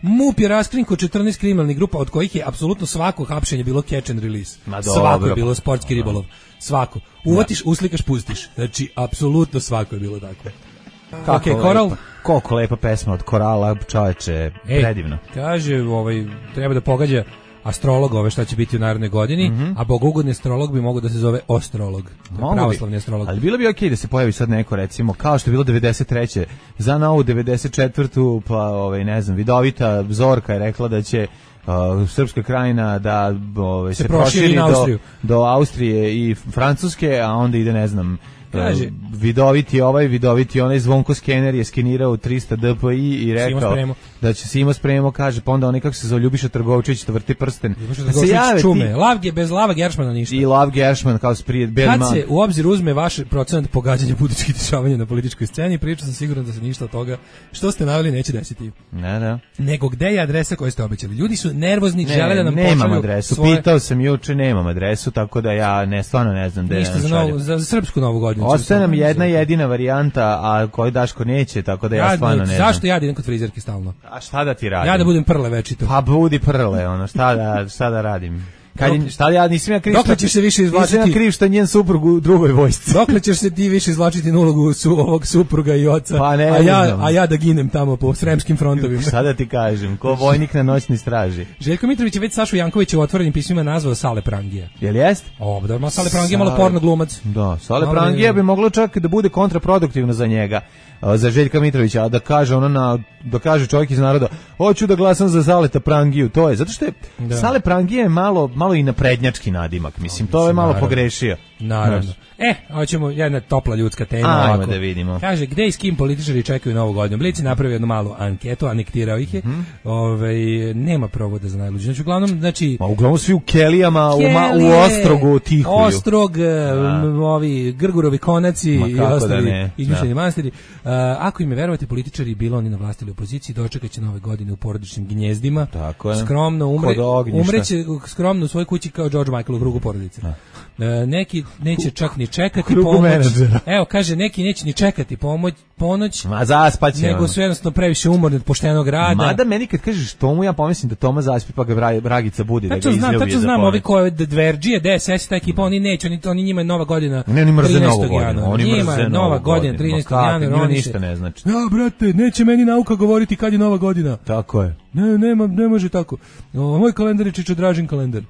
MUP je raskrinkao četrnaest kriminalnih grupa, od kojih je apsolutno svako hapšenje bilo catch and release. Ma svako dobro, je bilo sportski ribolov. Svako. Uvatiš, uslikaš, pustiš. Znači, apsolutno svako je bilo tako. Kako okay, Koral? Koliko lepa pesma od Korala, čoveče, predivno. Kaže, ovaj, treba da pogađa astrolog ove šta će biti u narednoj godini, mm-hmm. a bogugodni astrolog bi mogao da se zove ostrolog. Pravoslavni astrolog. Ali bilo bi okej okay da se pojavi sad neko, recimo, kao što je bilo devedeset treće za novu devedeset četvrtu pa ovaj ne znam, vidovita Zorka je rekla da će uh, Srpska krajina da ovaj, se, se proširi do, do Austrije i Francuske, a onda ide, ne znam, kaže, vidoviti ovaj, vidoviti onaj Zvonko Skener je skenirao tristo dpi i rekao da će se ima spremo, kaže, pa onda onaj kako se zove Ljubiša Trgovčević to vrti prsten. Da se jave čume, Lavge bez Lava Geršmana ništa. I Lav Geršman kao sprije Berman. Kad se u obzir uzme vaš procenat pogađanja političkih dešavanja na političkoj sceni, pričao sam siguran da se ništa od toga što ste naveli neće desiti. Ne, ne. Nego gde je adresa koju ste obećali? Ljudi su nervozni, ne, žele da nam nemam pošalju adresu. Svoje... Pitao sam juče, nemam adresu, tako da ja ne stvarno ne znam gde ništa za, novu, za srpsku novu godinu. Ostaje nam jedna jedina varijanta, a koju Daško neće, tako da ja, ja stvarno ne znam. Zašto ja idem kod frizerke stalno? A šta da ti radim? Ja da budem prle večito. Pa budi prle, ono, šta da, šta da radim? Kad je, šta ja nisam ja kriv? Dokle ćeš se više izvlačiti? Nisam ja kriv što njen suprug u drugoj vojsci. Dokle ćeš se ti više izvlačiti na ulogu su ovog supruga i oca? Pa ne, a ja a ja da ginem tamo po sremskim frontovima. Šta da ti kažem? Ko vojnik na noćnoj straži. Željko Mitrović je već Sašu Jankovića u otvorenim pismima nazvao Sale Prangija. Jel jest? O, da, ma Sale Prangija malo porno glumac. Da, Sale Prangija bi moglo čak da bude kontraproduktivno za njega. Za Željka Mitrovića, a da kaže ono na da kaže čovjek iz naroda, hoću da glasam za Saleta Prangiju, to je zato što je da. Sale Prangije je malo malo i naprednjački nadimak, mislim, to je malo naravno pogrešio. Naravno. E, hoćemo jedna topla ljudska tema. Ajmo da vidimo. Kaže, gde i s kim političari čekaju novu godinu? Blic je napravio jednu malu anketu, anektirao ih je. Mm-hmm. Ove, nema provoda za najluđe. Znači, uglavnom, znači... Ma, uglavnom svi u Kelijama, Kelije, u, ma, u Ostrogu tihuju. Ostrog, m, ovi Grgurovi konaci i ostali izmišljeni manastiri. Uh, ako im je verovati, političari bilo oni na vlasti ili opoziciji, dočekat će nove godine u porodičnim gnjezdima. Tako je. Skromno umre, umreće skromno u svojoj kući kao George Michael u krugu porodice. Uh, neki neće čak ni čekati pomoć. Menadžera. Evo, kaže, neki neće ni čekati pomoć, ponoć. Ma zaspaće. Nego su jednostavno previše umorni od poštenog rada. Mada meni kad kažeš tomu, ja pomislim da Toma zaspi pa ga Bragica budi da ga izljubi. Tačno znam, tačno znam, ovi koje Dverđije, D S S, ta ekipa, oni neće, oni, oni njima je nova godina. Ne, oni mrze novu godinu. Oni njima je nova godina, trinaestog januara. Njima ništa ne znači. Ja, brate, neće meni nauka govoriti kad je nova godina. Tako je. Ne, nema, ne može tako. O, moj kalendar je Čičo Dražin kalendar. E,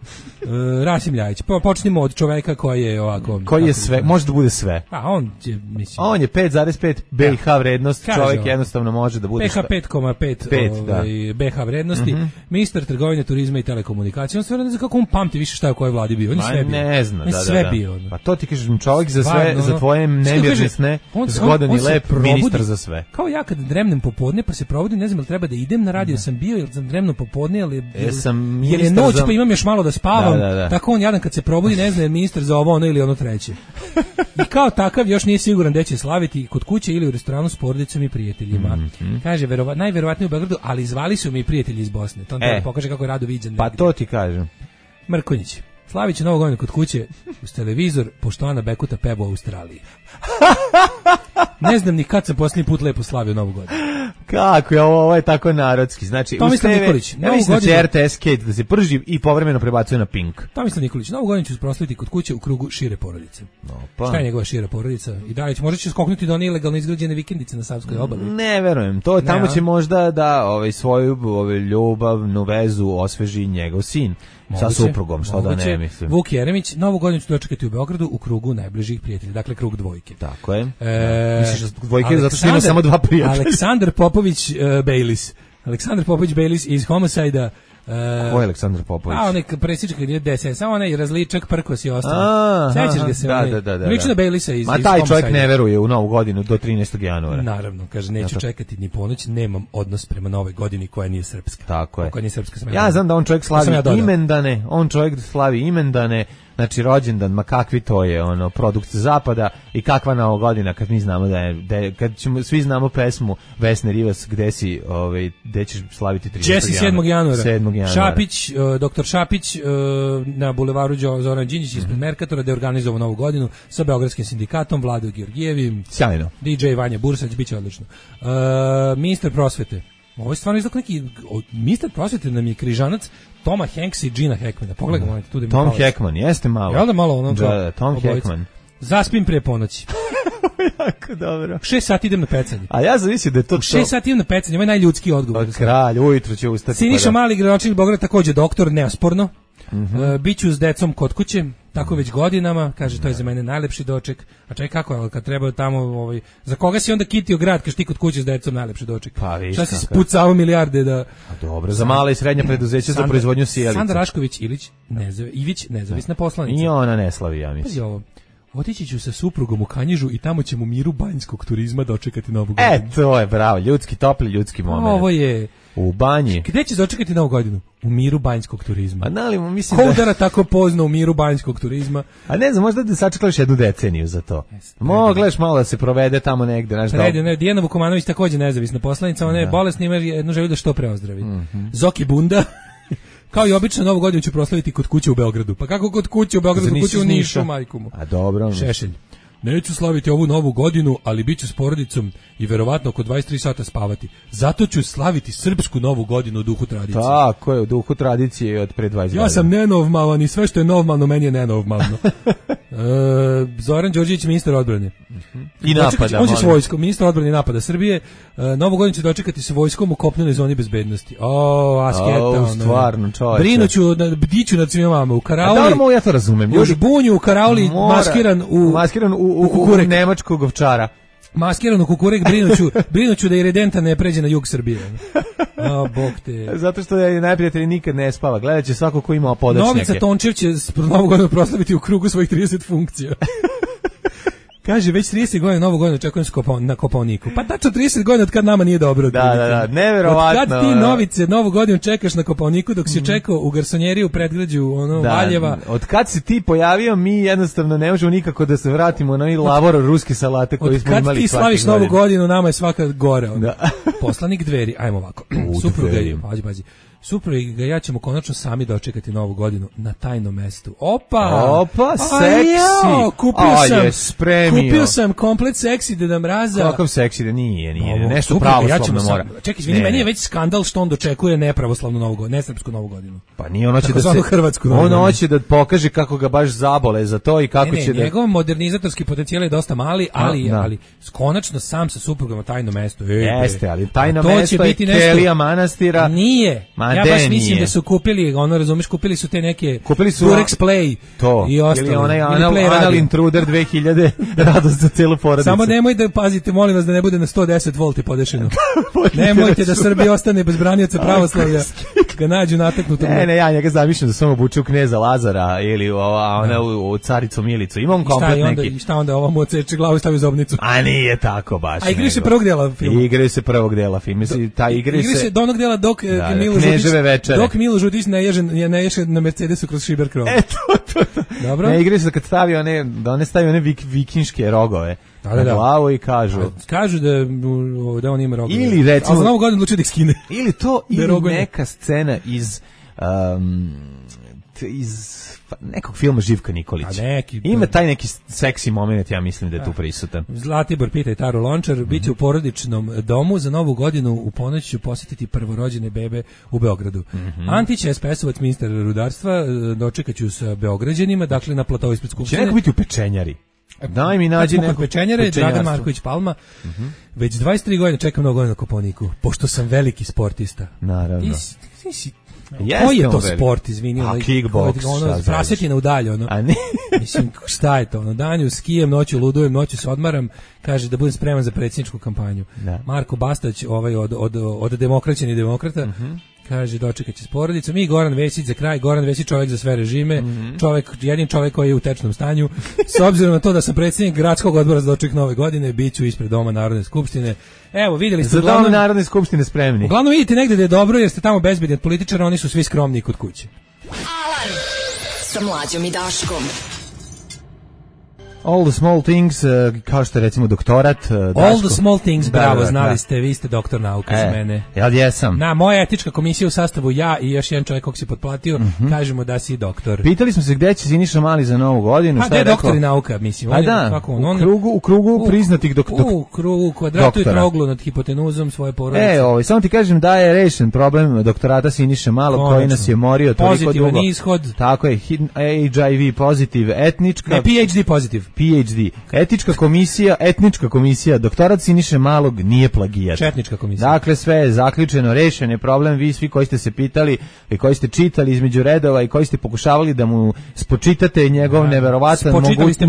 Rasim Ljajić. Po, počnimo od čoveka koji je ovako... Koji je sve, može da bude sve. A on je, mislim... On je pet zarez pet B I H vrednost, kaže čovjek on, jednostavno može da bude... P H pet zarez pet ovaj, B H vrednosti, mm-hmm. Ministar trgovine, turizma i telekomunikacije. On stvarno ne zna kako on pamti više šta je u kojoj vladi bio. On je sve bio. Ne zna, on da, sve da, da. bio. Pa to ti kažem, čovjek za sve, Varno, za tvoje nemirne sne, zgodan i lep, ministar za sve. Kao ja kad dremnem popodne, pa se provodim, ne znam da treba da idem na radio, sam bio, ili sam dremno popodne, ali e, sam jer je noć, za... pa imam još malo da spavam, da, da, da. Tako on jadan kad se probudi, ne zna je ministar za ovo, ono ili ono treće. I kao takav još nije siguran gde će slaviti, kod kuće ili u restoranu s porodicom i prijateljima. Mm-hmm. Kaže, verova, najverovatnije u Beogradu, ali zvali su mi prijatelji iz Bosne. To on e, pokaže kako je rado viđen. Pa to ti kažem. Mrkonjić. Slavit će Novu godinu kod kuće uz televizor, pošto Ana Bekuta peva u Australiji. Ne znam ni kad sam posljednji put lepo slavio Novu godinu. Kako je ovo, ovo je tako narodski. Znači, Tomislav Nikolić, ja mislim da će R T S Kate da se prži i povremeno prebacuje na Pink. Tomislav Nikolić, Novu godinu ću proslaviti kod kuće u krugu šire porodice. Opa. Šta je njegova šira porodica? I dalje će, možda će skoknuti do one ilegalno izgrađene vikendice na Savskoj obali. Ne verujem, to tamo će možda da ovaj, svoju ovaj, ljubavnu vezu osveži njegov sin. Moguće, sa suprugom, što moguće. Da ne mislim. Vuk Jeremić, Novu godinu ću dočekati u Beogradu u krugu najbližih prijatelja, dakle krug dvojke. Tako je. E, Misliš da dvojke zato što ima samo dva prijatelja. Aleksandar Popović uh, Baileys. Aleksandar Popović Baileys iz Homicida. Uh, Ko je Aleksandar Popović? A onaj presičak ili D S S, samo onaj različak Prkos i ostalo. Sećaš ga se? Da, onaj, da, da, da. Liči na Baileysa iz, Ma iz taj Homicida. čovjek ne veruje u Novu godinu do trinaestog januara. Naravno, kaže, neću ja čekati ni ponoć, nemam odnos prema Novoj godini koja nije srpska. Tako je. Koja nije srpska, sam ja, ja znam da on čovjek slavi ja imendane, on čovjek slavi imendane, znači rođendan, ma kakvi to je, ono, produkt zapada i kakva Nova godina kad mi znamo da je, da je kad ćemo, svi znamo pesmu Vesne Rivas, gde si, ovaj, gde ćeš slaviti tridesetog sedmog januara. sedmog januara. Šapić, uh, doktor Šapić uh, na bulevaru Zoran Đinđić ispred mm-hmm. Merkatora, da je organizovao Novu godinu sa Beogradskim sindikatom, Vladom Georgijevim. Sjajno. D J Vanja Bursać, bit će odlično. Uh, ministar prosvete. Ovo je stvarno izgleda neki, ministar prosvete nam je križanac Toma Hanks i Gina Hackmana. Pogledaj, mm. tu da mi Tom palac. Hackman, jeste malo. Jel da malo ono? Da, da, Tom obojica. Hackman. Zaspim pre ponoći. Jako dobro. Šest sati idem na pecanje. A ja zamislim da je to to. Šest sati idem na pecanje, ovo je najljudski odgovor. Od kralj, ujutro će ustati. Siniša Mali, gradonačelnik Beograda, takođe doktor, neosporno. Mm-hmm. Uh, biću s decom kod kuće, tako već godinama, kaže, to je za mene najlepši doček. A čekaj, kako je, kad treba tamo, ovaj, za koga si onda kitio grad, kaš ti kod kuće s decom najlepši doček? Pa, viš, šta si spucao milijarde da... A dobro, za mala i srednja preduzeća za proizvodnju sijalica. Sandra Rašković Ilić, nezave, Ivić, nezavisna poslanica. I ona ne slavi, ja mislim. Pazi ovo. Otići ću sa suprugom u Kanjižu i tamo ćemo u miru banjskog turizma dočekati Novu godinu. E, to je bravo, ljudski, topli ljudski moment. Ovo je... U banji. Gde ćeš dočekati Novu godinu? U miru banjskog turizma. A nali, mislim Ko da... udara tako pozno u miru banjskog turizma? A ne znam, možda da sačekaš jednu deceniju za to. Moglaš malo da se provede tamo negde. Znaš, Predi, da... ne, Dijana Vukomanović takođe nezavisna poslanica, ona je da. bolesna, ima jednu želju da što pre ozdravi. Mm-hmm. Zoki Bunda, kao i obično Novu godinu ću proslaviti kod kuće u Beogradu. Pa kako kod kuće u Beogradu, kod kuće u Nišu, majku mu. A dobro. Šešelj. Neću slaviti ovu Novu godinu, ali bit ću s porodicom i verovatno oko dvadeset tri sata spavati. Zato ću slaviti srpsku Novu godinu u duhu tradicije. Tako je, u duhu tradicije od pre dvadeset godina. Ja sam nenormalan i sve što je normalno, meni je nenormalno. e, Zoran Đorđević, ministar odbrane. Uh-huh. I napada. On će s vojskom, ministar odbrane napada Srbije. E, Novu godinu će dočekati sa vojskom u kopnenoj zoni bezbednosti. O, asketa. O, stvarno, čovječe. Brinuću, bdiću nad svima vama. U Karauli. A dobro, ja to razumem. U Žbunju, u Karauli, Mora, maskiran u... Maskiran u, u, u, u nemačkog ovčara. Maskirano kukurek, brinuću, brinuću da i redenta ne pređe na jug Srbije. A, bog te. Zato što je najprijatelj nikad ne spava. Gledat će svako ko ima podačnjake. Novica Tončev će Novu godinu proslaviti u krugu svojih trideset funkcija. Kaže, već trideset godina Novu godinu očekujem na Kopaoniku. Pa tačno trideset godina od kad nama nije dobro. Da, da, da, neverovatno. Od kad ti Novice Novu godinu čekaš na Kopaoniku dok si čekao u garsonjeriji u predgrađu ono, da, Valjeva. Od kad si ti pojavio, mi jednostavno ne možemo nikako da se vratimo na onaj lavor ruske salate koji smo imali svaki godin. Od kad ti slaviš Novu godinu, nama je svaka gore. Ono. Da. Poslanik Dveri, ajmo ovako. Supruga je, pazi, pazi. Supruga ja ćemo konačno sami dočekati Novu godinu na tajnom mestu. Opa! Opa, seksi! Ja, kupio A, sam, je spremio. Kupio sam komplet seksi Deda Mraza. Kakav seksi da nije, nije, Ovo, nešto supruga, pravoslavno ja mora. Sam, čekaj, izvini, meni je već skandal što on dočekuje nepravoslavnu Novu godinu, nesrpsku Novu godinu. Pa nije, ono će da se... Hrvatsku Novu on hoće da pokaže kako ga baš zabole za to i kako ne, ne, će da... njegov modernizatorski potencijal je dosta mali, ali, da. ali konačno sam sa suprugom na tajnom mestu. E, Jeste, ali tajno mesto je Kelija manastira. Nije, Ma ja baš mislim da su kupili, ono razumeš, kupili su te neke kupili su Durex Play to i ostalo. Ili onaj anal, anal intruder dve hiljade radost za celu porodicu. Samo nemoj da pazite, molim vas da ne bude na sto deset volti podešeno. Nemojte da Srbija ostane bez branioca pravoslavlja. Ga nađu nataknuto. Ne, ne, ja njega zamišljam da samo obuču kneza Lazara ili ova ona u, u caricu Milicu. Imam komplet I onda, neki. I šta onda ova mu odseče glavu i stavi zobnicu? A nije tako baš. A igri se prvog dela filma. Igri se prvog dela filma. Mislim ta igri se. Igri se do onog dela dok da, Milo Žutić. Dok Milo Žutić ne ježe ne ježe na Mercedesu kroz šiber krov. E to to. to. Dobro. Ne igri se kad stavi one da one stavi one vik, vikinške rogove. Da, da, na glavu i kažu. A, kažu da da on ima rogove. Ili recimo. A za Novu godinu odluči da ih skine. Ili to ili neka scena iz um, iz nekog filma Živka Nikolić. Neki, ima taj neki seksi moment, ja mislim da je tu prisutan. Zlatibor pita i Taro Lončar, mm-hmm. bit će u porodičnom domu, za novu godinu u ponoć ću posjetiti prvorođene bebe u Beogradu. Mm-hmm. Antić S P S-ovac, ministar rudarstva, dočekat ću sa Beograđanima, dakle na platovu ispred Skupštine. Će neko biti u pečenjari? Daj mi nađi neko pečenjare, Dragan Marković Palma. Mm-hmm. Već dvadeset tri godine čekam mnogo godina na Koponiku, pošto sam veliki sportista. Naravno. Ti si Jeste koji je to velik. Sport, izvini, a kickboks, ono, prasetina u dalje, ono. A ne? Mislim, šta je to, ono, danju skijem, noću ludujem, noću se odmaram, kaže da budem spreman za predsjedničku kampanju. Da. Marko Bastać, ovaj, od, od, od demokraćeni demokrata, mm-hmm. kaže, dočekat će s porodicom. I Goran Vesić za kraj, Goran Vesić čovjek za sve režime, mm-hmm. čovjek, jedin čovjek koji je u tečnom stanju. S obzirom na to da sam predsjednik gradskog odbora za doček nove godine, bit ću ispred Doma Narodne skupštine. Evo, vidjeli ste... Za Dom Narodne skupštine spremni. Uglavnom vidite negde da je dobro, jer ste tamo bezbedni od političara, oni su svi skromni kod kuće. Alarm sa Mlađom i Daškom. All the small things, uh, kao što je recimo doktorat. Uh, Daško. All the small things, bravo, da, da, znali da. ste, vi ste doktor nauke e, za mene. Ja jesam. Na, moja etička komisija u sastavu ja i još jedan čovjek kog si potplatio, mm-hmm. kažemo da si doktor. Pitali smo se gde će Siniša Mali za novu godinu. A gde je doktor i nauka, mislim. A da, kako, on, on, u krugu, u krugu u, priznatih dok, dok, u krugu, u kvadratu i troglu nad hipotenuzom svoje porodice. E, ovaj, samo ti kažem da je rešen problem doktorata Siniše Malog, koji nas je morio toliko pozitivan dugo. Ishod. Tako je, H I V pozitiv, etnička. Ne, P H D pozitiv. P H D. Etička komisija, etnička komisija, doktorat Siniše Malog nije plagijat. Četnička komisija. Dakle, sve je zaključeno, rešen je problem. Vi svi koji ste se pitali i koji ste čitali između redova i koji ste pokušavali da mu spočitate njegov da. neverovatan mogućnost,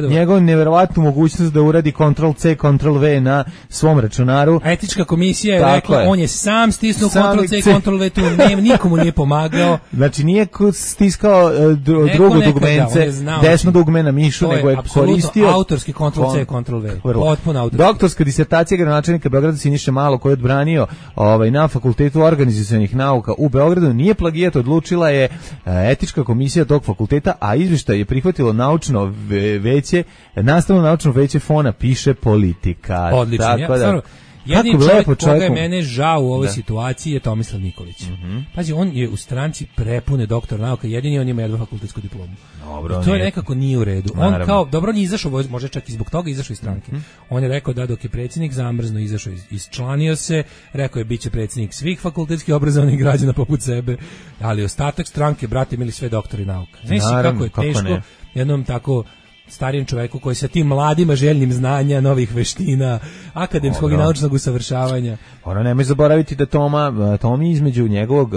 njegov neverovatnu mogućnost da uradi kontrol C, kontrol V na svom računaru. Etička komisija je rekla, je. on je sam stisnuo kontrol C, kontrol V, tu nema, nikomu nije pomagao. Znači, nije stiskao dru, drugo dugmence, da, desno dugme na mišu, nego je koristio autorski kontrol C, kontrol V. Potpuno autorski. Doktorska disertacija gradonačelnika Beograda Siniše Malo, koji je odbranio ovaj, na Fakultetu organizacionih nauka u Beogradu, nije plagijat, odlučila je etička komisija tog fakulteta, a izveštaj je prihvatilo naučno veće, nastavno naučno veće Fona piše politika. Odlično. Tako ja, da, stvarno, jedini čovjek koga čovjeku... je mene žao u ovoj da. situaciji je Tomislav Nikolić. Mm-hmm. Pazi, on je u stranci prepune doktor nauka, jedini on ima jednu fakultetsku diplomu. Dobro, I to je nekako nije u redu. On Naravno. kao, dobro, on je izašao, može čak i zbog toga izašao iz stranke. Mm-hmm. On je rekao da dok je predsjednik zamrzno izašao, isčlanio se, rekao je bit će predsjednik svih fakultetskih obrazovanih građana poput sebe, ali ostatak stranke, brate, imali sve doktori nauka. Znaš kako je teško kako jednom tako starijem čoveku koji sa tim mladima željnim znanja, novih veština, akademskog Dobro. i naučnog usavršavanja. Ono, nemoj zaboraviti da Toma, Tomi između njegovog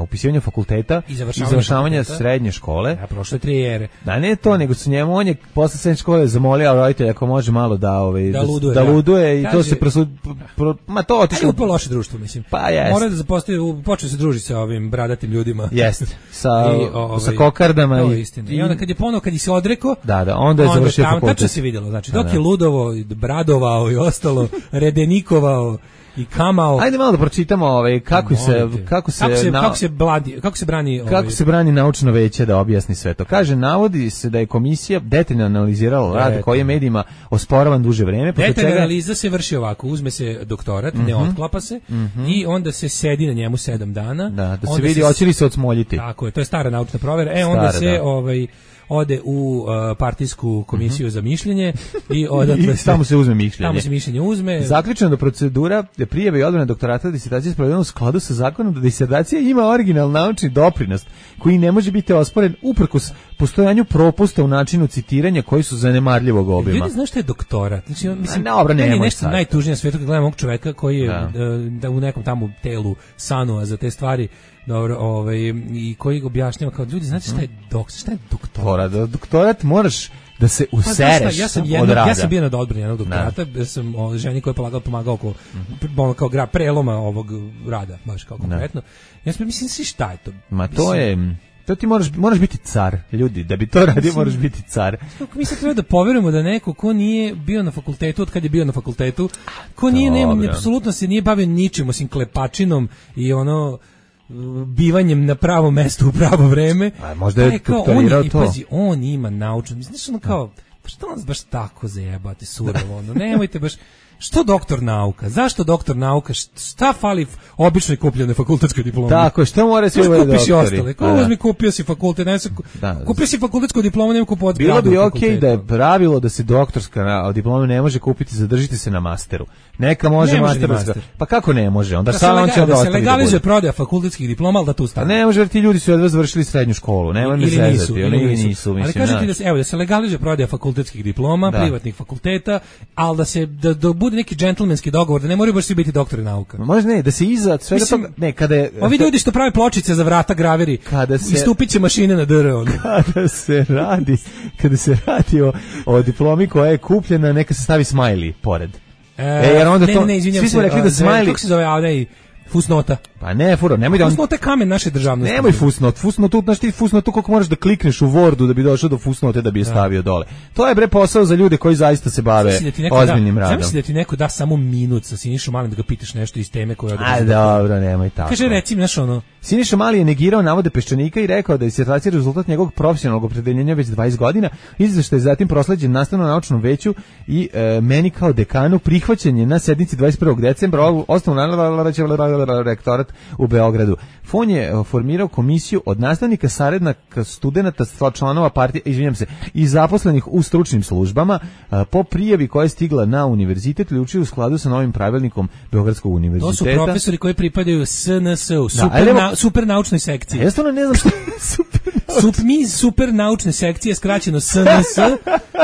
upisivanja fakulteta i završavanja, završavanja srednje škole. Ja, prošle tri ere. Da ne to, nego su njemu, on je posle srednje škole zamolio roditelja ako može malo da, ovaj, da luduje, da, da luduje i kaže, to se prosud... Pro, ma to otišlo. Pa loše društvo, mislim. Pa jest. Mora da zapostavi, počeo se družiti sa ovim bradatim ljudima. Jeste. Sa, I, ovaj, sa kokardama. To je istina. I onda kad je ponovo, kad je se odrekao, da, da, onda je završio fakultet. Tačno se vidjelo, znači dok je ludovo, bradovao i ostalo, redenikovao i kamao. Ajde malo da pročitamo ovaj kako se kako se kako se, na, kako se, bladi, kako se brani ovaj, kako se brani naučno veće da objasni sve to. Kaže, navodi se da je komisija detaljno analizirala rad koji je medijima osporavan duže vreme. Detaljna čega... analiza se vrši ovako, uzme se doktorat, mm-hmm. ne otklapa se mm-hmm. i onda se sedi na njemu sedam dana. Da, da se vidi hoće li se odsmoljiti. Tako je, to je stara naučna provera. E, onda stara, se da. ovaj ode u uh, partijsku komisiju mm-hmm. za mišljenje i odatle I tamo se uzme mišljenje. Tamo se mišljenje uzme. Zaključeno da procedura prijave i odbrane doktorata disertacije sprovedena u skladu sa zakonom da disertacija ima original naučni doprinos koji ne može biti osporen uprkos postojanju propusta u načinu citiranja koji su zanemarljivog obima. Ljudi, znaš šta je doktorat? Znači, mislim, ne, obra, meni je nešto sad. Najtužnije na svijetu kad gledam ovog čoveka koji je da. da u nekom tamo telu sanua za te stvari. Dobro, ovaj, i koji objašnjava kao ljudi, znate šta je doktor, šta je doktorat? Da, doktorat moraš da se usereš pa, ja sam jedno, ja sam bio na odbrani jednog doktorata, ja sam o, ženi koja je pomagao, pomagao oko, mm-hmm. kao gra, preloma ovog rada, baš kao konkretno. Ja sam mislim, svi šta je to? Ma to mislim, je... To ti moraš, moraš biti car, ljudi, da bi to radio moraš biti car. Mi sad treba da poverujemo da neko ko nije bio na fakultetu, od kad je bio na fakultetu, ko nije, nema, apsolutno se nije bavio ničim, osim klepačinom i ono... bivanjem na pravo mesto u pravo vreme. A možda je kao, on je, i pazi, on ima naučno, mislim, ono kao, pa što nas baš tako zajebate surovo, ono, nemojte baš, što doktor nauka? Zašto doktor nauka? Šta fali običnoj kupljenoj fakultetskoj diplomi? Tako, što mora svi ovaj doktori? Ostale. Ko uzmi kupio si fakultet, ne se da, kupio si fakultetsku diplomu, nema kupovati. Bilo bi okej okay da je pravilo da se doktorska diploma ne može kupiti, zadržite se na masteru. Neka može, ne može master. Pa kako ne može? Onda da samo on će da se legalizuje prodaja fakultetskih diploma, al da tu stane. Ne može, jer ti ljudi su jedva završili srednju školu, nema me zezati, oni nisu, nisu, ali mislim. kažete da se evo da se legalizuje prodaja fakultetskih diploma, da. privatnih fakulteta, al da se da, da bude neki džentlmenski dogovor, da ne moraju baš svi biti doktori nauka. Može ne, da se iza svega toga, ne, kada je ovi ljudi što prave pločice za vrata graveri, kada se istupiće mašine na D R on. Kada se radi, kada se radi o, o diplomi koja je kupljena, neka se stavi smajli pored. E, e jer onda ne, to, ne, svi smo rekli da smajli... Kako se zove ovdje fusnota? Pa ne, furo, nemoj da on... Fusnota je kamen naše državnosti. Nemoj fusnot, fusnotu, znaš ti fusnotu koliko moraš da klikneš u Wordu da bi došao do fusnote da bi je stavio dole. To je bre posao za ljude koji zaista se bave da ozbiljnim da, radom. Zamisli da ti neko da samo minut sa Sinišom Malim da ga pitaš nešto iz teme koju odgovara. A dobro, nemoj tako. Kaže, recimo, znaš ono... Siniša Mali je negirao navode Peščanika i rekao da je disertacija rezultat njegovog profesionalnog opredeljenja već dvadeset godina, izveštaj je zatim prosleđen nastavno-naučnom veću i e, meni kao dekanu prihvaćen je na sednici dvadeset prvog decembra osnovno rektorat u Beogradu. Fon je formirao komisiju od nastavnika, saradnika, studenata, članova partije, izvinjam se, i zaposlenih u stručnim službama po prijavi koja je stigla na univerzitet ili učili u skladu sa novim pravilnikom Beogradskog univerziteta. To su profesori koji pripadaju S N S-u, super, da, na, super naučnoj sekciji. Ja stvarno ne znam što je super Sup, mi super naučne sekcije, skraćeno S N S,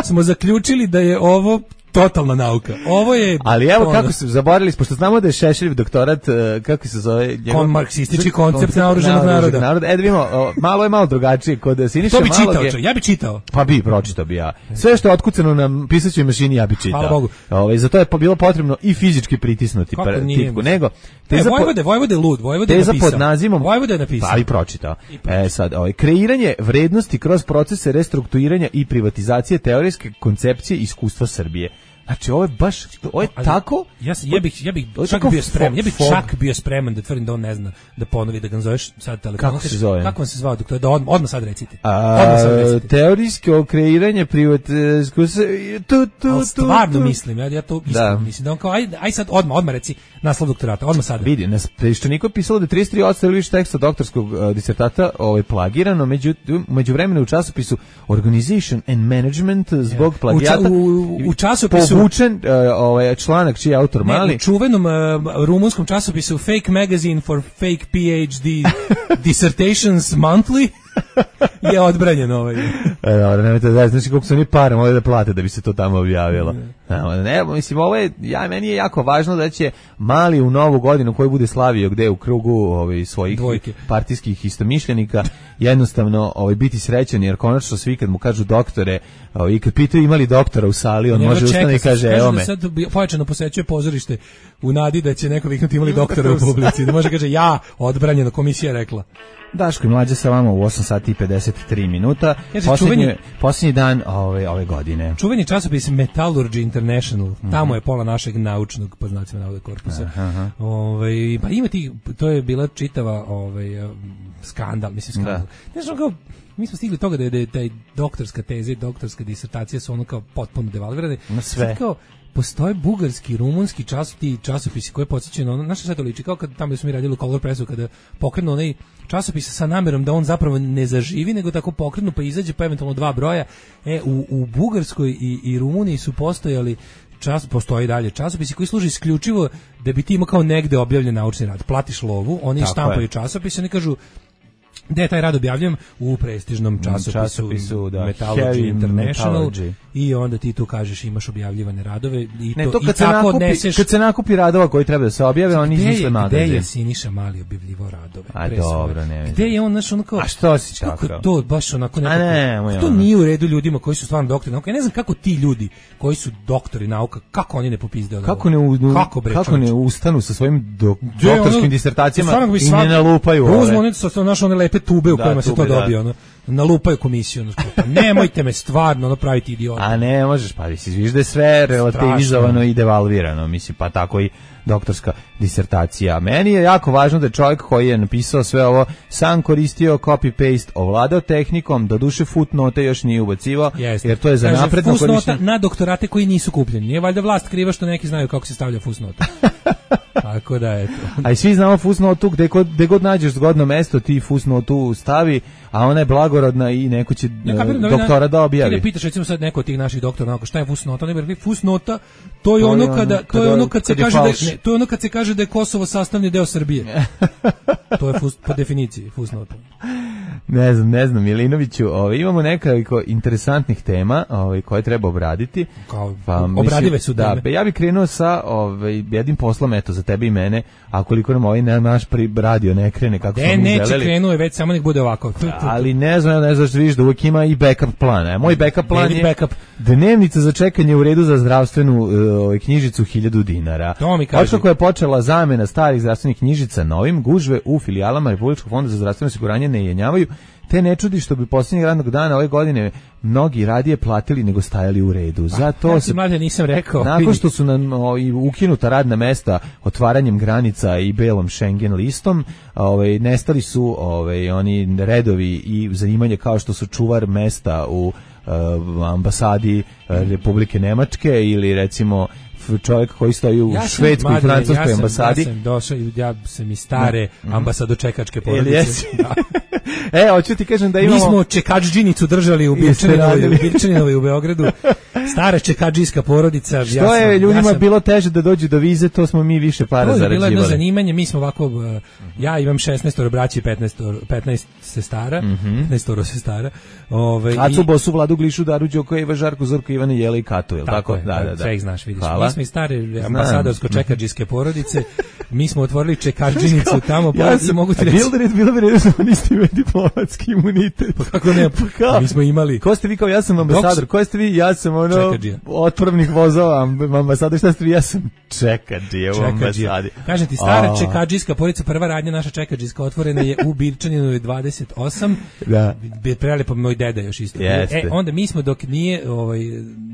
smo zaključili da je ovo totalna nauka. Ovo je... Ali evo ono, kako se zaboravili, pošto znamo da je Šešeljev doktorat, kako se zove... Kon marksistički koncept naoružanog naroda. naroda. E da vidimo, malo je malo drugačije kod Siniše Malog. To bi čitao, je, ja bi čitao. Pa bi, pročitao bi ja. Sve što je otkucano na pisaćoj mašini, ja bi čitao. Hvala Bogu. Ove, zato je bilo potrebno i fizički pritisnuti tipku. Nego, teza e, Vojvode, Vojvode lud, Vojvode je napisao. Pod nazivom, Vojvode je napisao. Pa i pročitao. I pročitao. E sad, ovaj, kreiranje vrednosti kroz procese restrukturiranja i privatizacije teorijske koncepcije iskustva Srbije. Znači ovo je baš ovo je ali, tako ja ja bih ja bih čak bio spreman ja bih čak bio spreman da tvrdim da on ne zna da ponovi da ga zoveš sad telefonom. Kako se zove? Kako on se zvao doktor? Da odmah, odmah sad recite. A, odmah sad recite. Teorijsko kreiranje privatizmu tu tu stvarno mislim ja ja to iskreno mislim da on kao aj aj sad odmah odmah reci naslov doktorata odmah sad. Vidi na Peščaniku je pisalo da trideset tri posto ili više teksta doktorskog uh, disertata ovaj plagirano, međutim u međuvremenu u časopisu Organization and Management zbog yeah. plagijata u, u, u časopisu povučen uh, ovaj članak čiji je autor Mali. Ne, u čuvenom uh, rumunskom časopisu Fake Magazine for Fake P H D Dissertations Monthly je odbranjen ovaj. E, dobro, nemojte da znači koliko su oni para morali da plate da bi se to tamo objavilo. Ne, ne, mislim, ovo je, ja, meni je jako važno da će Mali u novu godinu koju bude slavio gde u krugu ovaj, svojih Dvojke. partijskih istomišljenika jednostavno ovaj, biti srećan jer konačno svi kad mu kažu doktore ovaj, i kad pitaju imali doktora u sali on može ustane i kaže evo me. Sad pojačano posećuje pozorište u nadi da će neko viknuti imali doktora u publici. Da može kaže ja odbranjeno komisija rekla. Daško i Mlađe sa vama u osam sati i pedeset tri minuta. Posljednji, posljednji dan ove, ove godine. Čuveni časopis Metallurgy International. Mm-hmm. Tamo je pola našeg naučnog, po znacima navoda, korpusa. Aha. Ove, pa ima ti, to je bila čitava ove, skandal, mislim skandal. Da. Ne znam kao, mi smo stigli toga da je, da je taj doktorska teza i doktorska disertacija su ono kao potpuno devalvirane. Na sve. Kao, postoje bugarski, rumunski časopisi, časopisi koje podsjećaju na ono, znaš šta to liči, kao kad tamo gde smo mi radili u Color Pressu, kada pokrenu onaj časopis sa namerom da on zapravo ne zaživi, nego tako pokrenu pa izađe pa eventualno dva broja. E, u, u Bugarskoj i, i Rumuniji su postojali čas, postoji dalje časopisi koji služe isključivo da bi ti imao kao negde objavljen naučni rad. Platiš lovu, oni štampaju časopis, oni kažu da je taj rad objavljen u prestižnom časopisu, časopisu da, Metallurgy International Metallurgy. I onda ti tu kažeš imaš objavljivane radove i, ne, to, to kad, i se tako nakupi, neseš... kad se nakupi radova koji treba da se objave, oni izmisle magazin. Gde je Siniša Mali objavljivo radove? A dobro, ne Gde je on, znaš, ono kao... A što si tako? To baš onako nekako... Ne, to nije u redu ljudima koji su stvarno doktori nauka. Ja ne znam kako ti ljudi koji su doktori nauka, kako oni ne popizde od kako ne, u, kako, bre, kako ne ustanu sa svojim do, doktorskim ono, disertacijama i ne nalupaju ove. Uzmo oni sa naš one lepe te tube u Da, kojima se tube, to da. dobije, ono, nalupaju komisiju, ono, pa nemojte me stvarno ono praviti idiota. A ne možeš, pa vidiš da je sve relativizovano i devalvirano, mislim, pa tako i doktorska disertacija. Meni je jako važno da je čovjek koji je napisao sve ovo sam koristio copy-paste, ovladao tehnikom, doduše footnote još nije ubacivao, Jeste. jer to je za Kaže, napredno fusnota korištenje. na doktorate koji nisu kupljeni. Nije valjda vlast kriva što neki znaju kako se stavlja fusnota. Tako da eto. A i svi znamo fusnotu, gde god, gde god nađeš zgodno mesto, ti fusnotu stavi, a ona je blagorodna i neko će Ja e, kapiram da doktora da Ti objavi. ne pitaš recimo sad neko od tih naših doktora, onako šta je fusnota, ne bi rekli fusnota, to je To je ono ono kada kada- to je ono kad se kad je kaže da je, falš. ne, to je ono kad se kaže da je Kosovo sastavni deo Srbije. To je fus, po definiciji fusnota. Ne znam, ne znam, Milinoviću, ovaj, imamo nekoliko interesantnih tema ovaj, koje treba obraditi. Kao Pa, obradive mislim, su da, teme. pa ja bih krenuo sa ovaj, jednim poslom, eto, za tebe i mene, a koliko nam ovaj na- naš pri radio ne krene kako Ne, smo mi neće želeli. krenuo je već, samo nek bude ovako. Tu, tu, tu. Ali ne znam, ne znaš da vidiš da uvijek ima i backup plan. E, moj backup plan David je backup. dnevnica za čekanje u redu za zdravstvenu uh, knjižicu hiljadu dinara. To mi kaži. Otkako je počela zamena starih zdravstvenih knjižica novim, gužve u filijalama Republičkog fonda za zdravstveno osiguranje ne jenjavaju, te ne čudi što bi posljednjeg radnog dana ove godine mnogi radije platili nego stajali u redu. Zato Ja ti se mlađe nisam rekao. nakon vidi. što su nam o, i ukinuta radna mesta otvaranjem granica i belom Schengen listom, ovaj nestali su ovaj oni redovi i zanimanje kao što su čuvar mesta u eh, ambasadi eh, Republike Nemačke ili recimo f- čovjek koji stoji u Ja sam, švedskoj i Mladene, francuskoj ja sam, ambasadi. Ja sam došao, i ja sam iz stare ambasadočekačke Jel porodice. jesi? Da. E, hoću ti kažem da Mi imamo... smo čekadžinicu držali u Jeste Birčaninovoj, radili. u Birčaninovoj u Beogradu. Stara čekadžijska porodica. Što ja sam, je ljudima ja sam, bilo teže da dođu do vize, to smo mi više para to je bilo jedno zarađivali. zanimanje, mi smo ovako, uh, ja imam šesnaest braći i petnaest, petnaest sestara, petnaest sestara. Ove, Acu i- Bosu, Vladu Glišu, Daru Đoko, Iva Žarku, Zorku, Ivana Jela i Katu, jel tako? Tako je, Da, da, da. sve ih znaš, vidiš. Hvala. Mi smo iz stare ambasadorsko-čekadžijske porodice, mi smo otvorili čekadžinicu tamo, pa Ja i sam, mogu ti a reći, bilo bi red, bilo bi red da oni niste imali diplomatski imunitet. kako ne, kao? mi smo imali. Ko ste vi kao, ja sam ambasador, Dok- ko ste vi, ja sam ono, Čekadžija. otpravnik vozova, amb- ambasador, šta ste vi, ja sam čekadžije u Čekadžija. ambasadi. Kažem ti, stara A. čekadžijska porodica, prva radnja naša čekadžijska otvorena je u Birčaninu dvadeset osam. Da. Bi prelepo moj deda još isto. Jeste. E, onda mi smo dok nije ovaj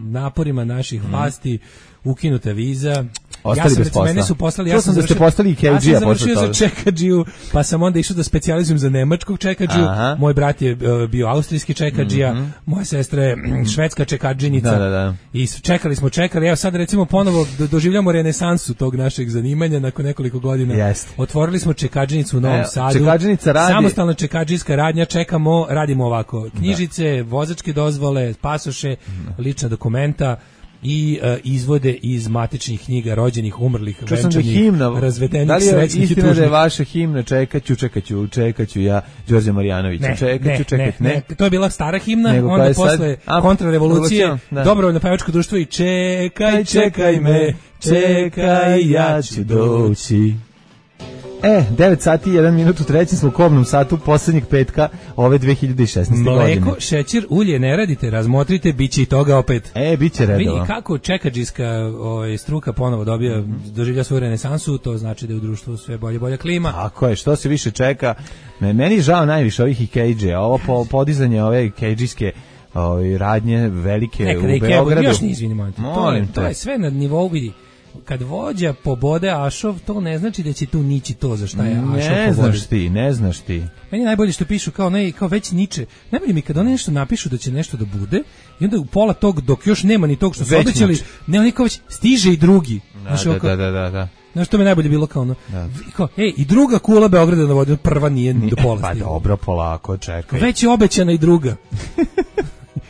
naporima naših vlasti ukinuta viza. Ostali ja sam, bez recimo, posla. mene su poslali, Čuo ja sam sam da ste završio- postali i K G-a Ja sam posle završio za toga. čekadžiju, pa sam onda išao da specijalizujem za nemačkog čekadžiju. Aha. Moj brat je e, bio austrijski čekadžija, moja sestra je mm, švedska čekadžinica. Da, da, da. I s- čekali smo, čekali. Evo sad recimo ponovo do- doživljamo renesansu tog našeg zanimanja nakon nekoliko godina. Jeste. Otvorili smo čekadžinicu u Novom Evo, Sadu. čekadžinica radi- Samostalna čekadžijska radnja, čekamo, radimo ovako. Knjižice, vozačke dozvole, pasoše, lična dokumenta i e, izvode iz matičnih knjiga rođenih, umrlih, Čuo sam da je venčanih, himna, razvedenih, da li je srećnih i istina da je tužnih. vaša himna čekaću, čekaću, čekaću ja, Đorđe Marjanović, Ne, čekaću, ne, čekaću, ne, ne, to je bila stara himna, Nego koja onda je sad- posle a, kontrarevolucije, revolucija, da. dobrovoljno pevačko društvo i čekaj, čekaj me, čekaj, ja ću doći. E, devet sati i jedan minut u trećem smo kobnom satu posljednjeg petka ove dve hiljade šesnaeste godine. Mleko, šećer, ulje ne radite, razmotrite, bit će i toga opet. E, bit će Vidi redova. kako čekadžijska ovaj, struka ponovo dobija, doživlja svoju renesansu, to znači da je u društvu sve bolje i bolja klima. Tako je, što se više čeka. Me- Meni je žao najviše ovih Ikejđe, ovo po, podizanje ove Ikejđijske ovaj, radnje velike Nekada u i kebo, Beogradu. još nije, izvini, molim te. To, Molim je, to te. je sve na nivou, vidi, kad vođa pobode Ašov, to ne znači da će tu nići to za šta je Ašov Ne pobodio. znaš ti, ne znaš ti. Meni je najbolje što pišu kao ne, kao već niče. Najbolje mi je kad oni nešto napišu da će nešto da bude i onda u pola tog dok još nema ni tog što su Već obećali, niče. ne, oni kao već stiže i drugi. Da, Znaš, da, ovako- da, da, da, da. Znaš, to mi je najbolje bilo kao ono, Da. i kao, ej, i druga kula Beograda na vodi, prva nije do pola Pa stigla. dobro, polako, čekaj. Već je obećana i druga.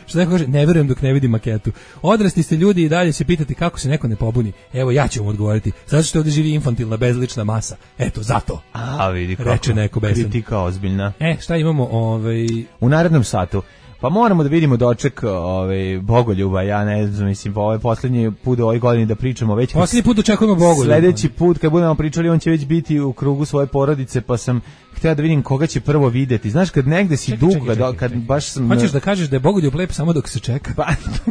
Što neko kaže, ne verujem dok ne vidim maketu. Odrasli ste ljudi i dalje se pitati kako se neko ne pobuni. Evo, ja ću vam odgovoriti. Zato što ovdje živi infantilna, bezlična masa. Eto, zato. A, vidi kako. Reče neko besan. Kritika ozbiljna. E, šta imamo? Ovaj... U narednom satu Pa moramo da vidimo doček ovaj Bogoljuba, ja ne znam, mislim, ovaj poslednji put u ovoj godini da pričamo već. Poslednji put očekujemo Bogoljuba. Sledeći put kad budemo pričali, on će već biti u krugu svoje porodice, pa sam hteo da vidim koga će prvo videti. Znaš, kad negde si Čekaj, dugo, čekaj, čekaj, kad čekaj. baš sam... Hoćeš da kažeš da je Bogoljub lep samo dok se čeka? Pa,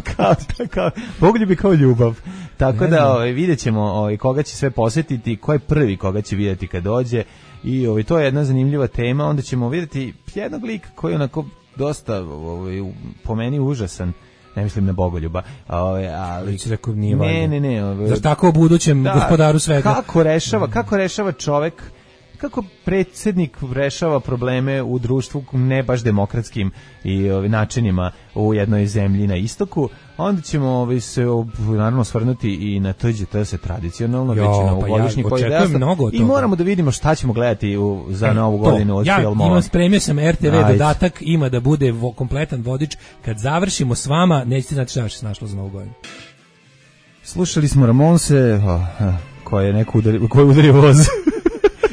kao, kao, Bogoljub je kao ljubav. Tako Ne da znam. ovaj, vidjet ćemo ovaj, koga će sve posjetiti, ko je prvi koga će vidjeti kad dođe. I ovaj, to je jedna zanimljiva tema. Onda ćemo vidjeti jednog lika koji je onako dosta ovaj, po meni užasan. Ne mislim na Bogoljuba, ovaj, ali Ti rekao nije ne, valjda. ne, ne, ovaj, Zar tako o budućem da, gospodaru svega? Kako rešava, kako rešava čovek, kako predsjednik rešava probleme u društvu ne baš demokratskim i ovaj, načinima u jednoj zemlji na istoku, onda ćemo ovaj, se naravno svrnuti i na T Đ T se tradicionalno, Jo, već na pa novogodišnji ja koji je očekujem desno. mnogo od I toga. moramo da vidimo šta ćemo gledati u, za E, novu to. godinu od ja filmova. imam, spremio sam R T V Ajde. dodatak, ima da bude vo, kompletan vodič. Kad završimo s vama, nećete znati šta se našlo za novu godinu. Slušali smo Ramonse, oh, eh, koje je neko udari, koji je udario voz.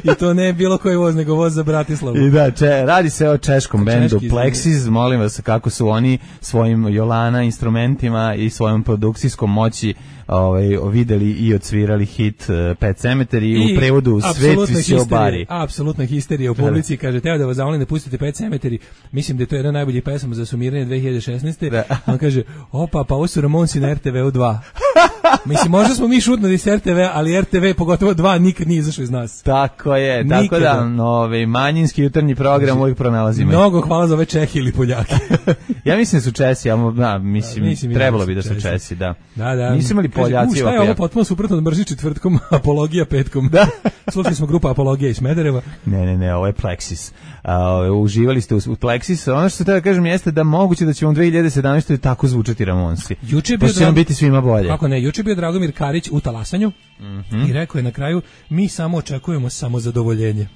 I to ne bilo koji voz, nego voz za Bratislavu. I da, če, radi se o češkom bendu Češki, Plexis, molim vas kako su oni svojim Jolana instrumentima i svojom produkcijskom moći ovaj, videli i odsvirali hit uh, Pet Sematary i u prevodu Svet visio bari. Apsolutna histerija u publici, kaže, teo da vas zamolim da pustite Pet Sematary, mislim da je to jedna najboljih pesama za sumiranje dve hiljade šesnaeste. Da. On kaže, opa, pa ovo su Ramonsi na R T V-u dva. Mislim, možda smo mi šutnuli s R T V, ali R T V, pogotovo dva, nikad nije izašao iz nas. Tako je, tako Nikada. da no, ovaj, manjinski jutarnji program uvijek pronalazimo. Mnogo hvala za ove Čehi ili Poljake. Ja mislim da su Česi, ja, da, mislim, Da, mislim i trebalo da bi da su su Česi. Česi, da. Da, da. Nisu imali Kaže, Poljaci u, šta je ovako ovo jako. potpuno suprotno od mrži četvrtkom, apologija petkom. Da. Slušali smo grupa Apologija iz Smedereva. Ne, ne, ne, ovo je Plexis. A, ove, uživali ste u, u Plexis. Ono što se treba da kažem jeste da moguće da će u dve hiljade sedamnaestoj tako zvučati Ramonsi. Juče je bio Pošto će nam Drag- biti svima bolje. Kako ne, juče je bio Dragomir Karić u talasanju Mhm. i rekao je na kraju, mi samo očekujemo samozadovoljenje.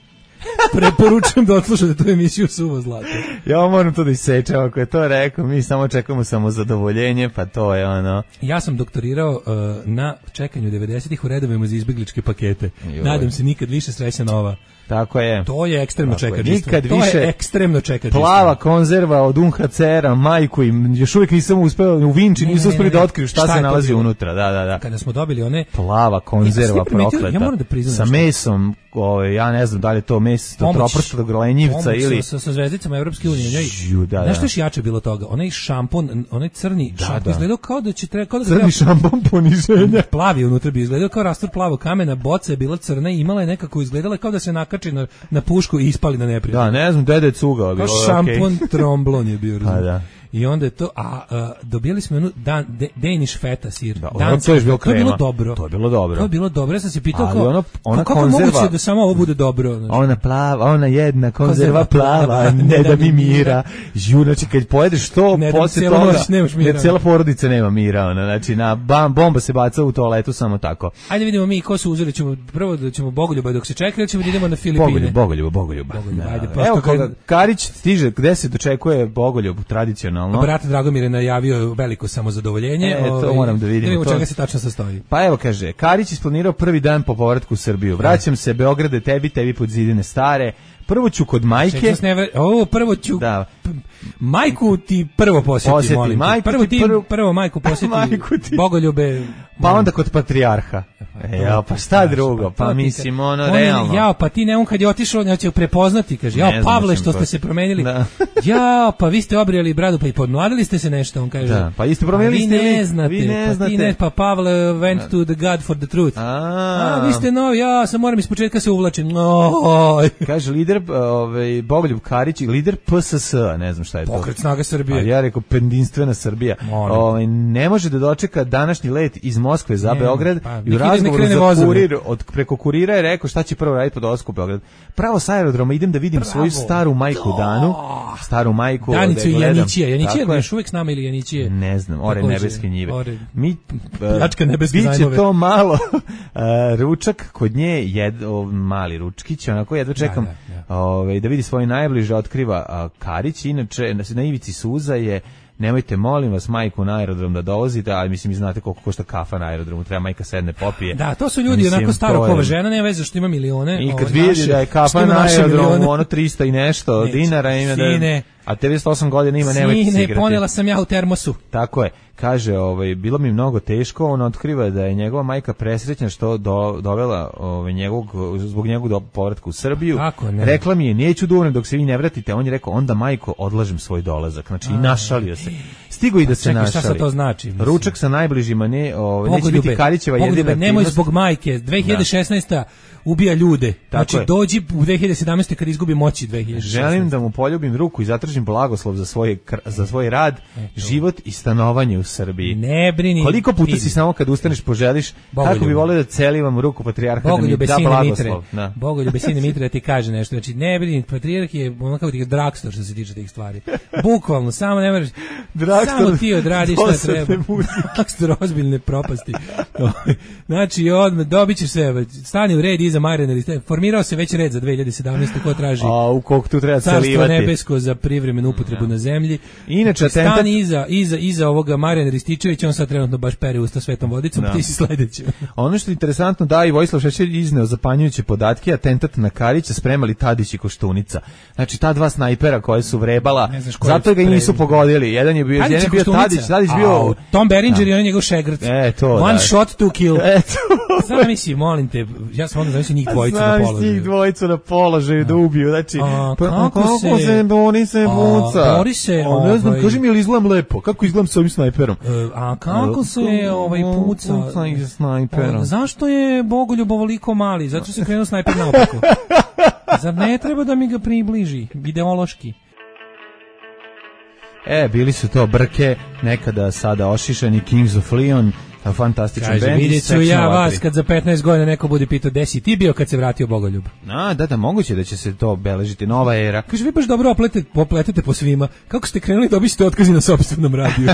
Preporučujem da odslušate tu emisiju Suvo zlato. Ja moram to da isečem, ako je to rekao, mi samo čekamo samo zadovoljenje, pa to je ono... Ja sam doktorirao uh, na čekanju devedesetih u redovima za izbegličke pakete. Joj. Nadam se nikad više sreća nova. Tako je. To je ekstremno Tako je. čekađistvo. Nikad To više je ekstremno čekađistvo. Plava konzerva od U N H C R-a, majku im, još uvijek nisam uspeo, u Vinči Ne, nisu ne, ne, uspeli ne. da otkriju šta, Šta je se to nalazi bilo? unutra, da, da, da. Kada smo dobili one Plava konzerva Ja sam primetio, prokleta. ja moram da priznam sa nešto. mesom, ovaj, ja ne znam da li je to meso Pomoć- troprštog lenjivca pomoć ili... sa, sa zvezdicama Evropske unije. Njoj, Žju, da, znaš da. što je još jače bilo toga? Onaj šampon, onaj crni Da, šampon da. izgledao kao da će treba, kao da ga Crni treba- šampon poniženja. plavi unutra bi izgledao kao rastor plavog kamena, boca je bila crna i imala je nekako izgledala kao da se nakači na, na pušku i ispali na neprijatelja. Da, ne znam, dede je cugao. Kao bilo je šampon okej. tromblon je bio. Pa razumiješ? da. I onda je to, a, a dobili smo jednu dan, de, Danish feta sir. Da, ono, Danski to je bilo to je bilo krema. dobro. To je bilo dobro. To je bilo dobro. Ja sam se pitao Ali kao, ono- ona kako je konzerva- moguće da samo ovo bude dobro? Znači, Ona plava, ona jedna konzerva Konzerva plava, plava, ne da mi mira. Žu, znači kad pojedeš to, Ne da mi posle cijela toga, noć nemaš mira. jer cijela porodica nema mira, ona, znači na bam, bomba se baca u toaletu samo tako. Ajde vidimo mi ko su uzeli, ćemo prvo da ćemo Bogoljuba dok se čeka ili ćemo da idemo na Filipine. Bogoljub, Bogoljuba, Bogoljuba. Bogoljuba, Da. ajde, prosto Evo kad- koga, Karić stiže, gde se dočekuje Bogoljub tradicionalno? Brat Dragomir je najavio veliko samozadovoljenje. E, to ovaj, moram da vidimo, Da vidimo to- čega se tačno sastoji. Pa evo kaže, Karić isplanirao prvi dan po povratku u Srbiju. Vraćam se, Beograde, tebi, tebi pod zidine stare. Prvo ću kod majke. Čekaj, ne, o, prvo ću Da. p- majku ti prvo posjeti, Posjeti, molim te. majku Prvo ti ti prvo- prvo majku posjeti. Majku ti. Bogoljube. Pa onda kod patrijarha. E, ja, pa šta drugo? Pa to ti mislim, kad- ono, on je- realno. Ja, pa ti ne, on kad je otišao, ne će prepoznati, kaže, Ne ja, znam, Pavle, mislim, što pa- ste se promenili. Da. Ja, pa vi ste obrijali bradu, pa i podmladili ste se nešto, on kaže. Da, pa isto promenili "A vi ste ne lik, znate, vi ne pa znate." ti ne, pa Pavle went to the God for the truth. A, A, vi ste novi, ja sam moram ispočetka se uvlačim. Oj. Kaže lider, ovaj, Bogoljub Karić, lider P S S, ne znam šta je to. Pokret snaga Srbije. Ali ja rekao pendinstvena Srbija. Molim. Ovaj, ne može da dočeka današnji let iz Moskve za Ne, Beograd pa, i u nek ide, nek razgovoru krene za vozom. kurir, od, preko kurira je rekao šta će prvo raditi po dolasku u Beograd. Pravo sa aerodroma idem da vidim Bravo. svoju staru majku Danu, staru majku. Danicu da je i gledam. Janićija. Janićija Tako je je. još uvijek s nama ili Janićije? Ne znam, ore Takođe, nebeske njive. ore. Mi, Pljačka nebeske biće zajmove. to malo e, ručak kod nje, jed, o, mali ručkić, onako jedva čekam Da, da, da. ovaj, da vidi svoje najbliže, otkriva a, Karić, inače na, na ivici suza je, nemojte molim vas majku na aerodrom da dovozite, ali mislim, znate koliko košta kafa na aerodromu, treba majka sedne popije. Da, to su ljudi Mislim, onako to staro je- kova žena, nema veze što ima milione. I kad ovaj, vidi naše- da je što kafa ima na naše aerodromu milione. ono trista i nešto Neće. dinara, ima da... Sine, A devedeset osam godina ima, nemojte se Sine, igrati. ponela sam ja u termosu. Tako je. Kaže, ovaj, bilo mi mnogo teško, on otkriva da je njegova majka presrećna što do, dovela ovaj, njegovog, zbog njegovog do povratka u Srbiju. Kako ne? Rekla mi je, neću da umrem dok se vi ne vratite. On je rekao, onda majko, odlažem svoj dolazak. Znači, i našalio se. Stigo i da se čekaj, našali. šta sad to znači? Mislim? Ručak sa najbližima, ne, ovaj, neće Bogoljube, biti Karićeva jedina Bogoljube, aktivnost. nemoj zbog majke, dve hiljade šesnaesta ubija ljude. Znači, je. dođi u dve hiljade sedamnaeste kad izgubi moći dve hiljade šesnaeste. Želim da mu poljubim ruku i zatražim blagoslov za, svoje, za svoj rad, život i stanovanje u Srbiji. Ne brini. Koliko puta vidi. si samo kad ustaneš poželiš, Bogoljube. kako bi volio da celivam ruku patrijarha da mi Bogoljube da sine blagoslov. Mitre. Da. Bogoljube sine Mitre da ti kaže nešto. Znači, ne brini, patrijarh je ono kako ti je Drakstor što se tiče tih stvari. Bukvalno, samo ne moraš, samo ti odradiš šta treba. Drakstor ozbiljne propasti. Znači, odmah, dobit ćeš sve, stani u red iza Marijana, formirao se već red za dve hiljade sedamnaeste ko traži A u koliko tu treba Carstvo celivati. nebesko za privremenu upotrebu na zemlji. Inače, atentat- stani iza, iza, iza ovoga Marijana Rističevića, on sad trenutno baš pere usta svetom vodicom, Da. ti si sledeći. Ono što je interesantno, da, i Vojislav Šešelj izneo zapanjujuće podatke, atentat na Karića spremali Tadić i Koštunica. Znači, ta dva snajpera koje su vrebala, Ne znaš ko je zato ga i nisu spremio. pogodili. Jedan je bio, Tadić jedan i je bio Koštunica. Tadić, Tadić A, bio... Tom Berenger i on je njegov šegrc. E, to, One da. shot, two kill. Eto. Sad misli, molim te, ja sam onda zamislio njih dvojicu na Znaš položaju. njih dvojicu na položaju da ubiju, znači, A, pa, kako kako se- se bori se A, buca? bori se, A, ne znam, ovaj- kaži mi, je li izgledam lepo? Kako izgledam s ovim snajperom? E, A kako se ovaj puca? Puca iz snajpera. O, zašto je Bogoljub ovoliko mali? Zato što se krenuo snajper naopako. Zar ne treba da mi ga približi, ideološki? E, bili su to Brke, nekada sada ošišani Kings of Leon, a fantastičan Kaže, bend. vidjet ću ja vas kad za petnaest godina neko bude pitao gde si ti bio kad se vratio Bogoljub. A, da, da, moguće da će se to beležiti, nova era. Kaže, vi baš dobro opletete, opletete po svima. Kako ste krenuli da obićete otkazi na sopstvenom radiju?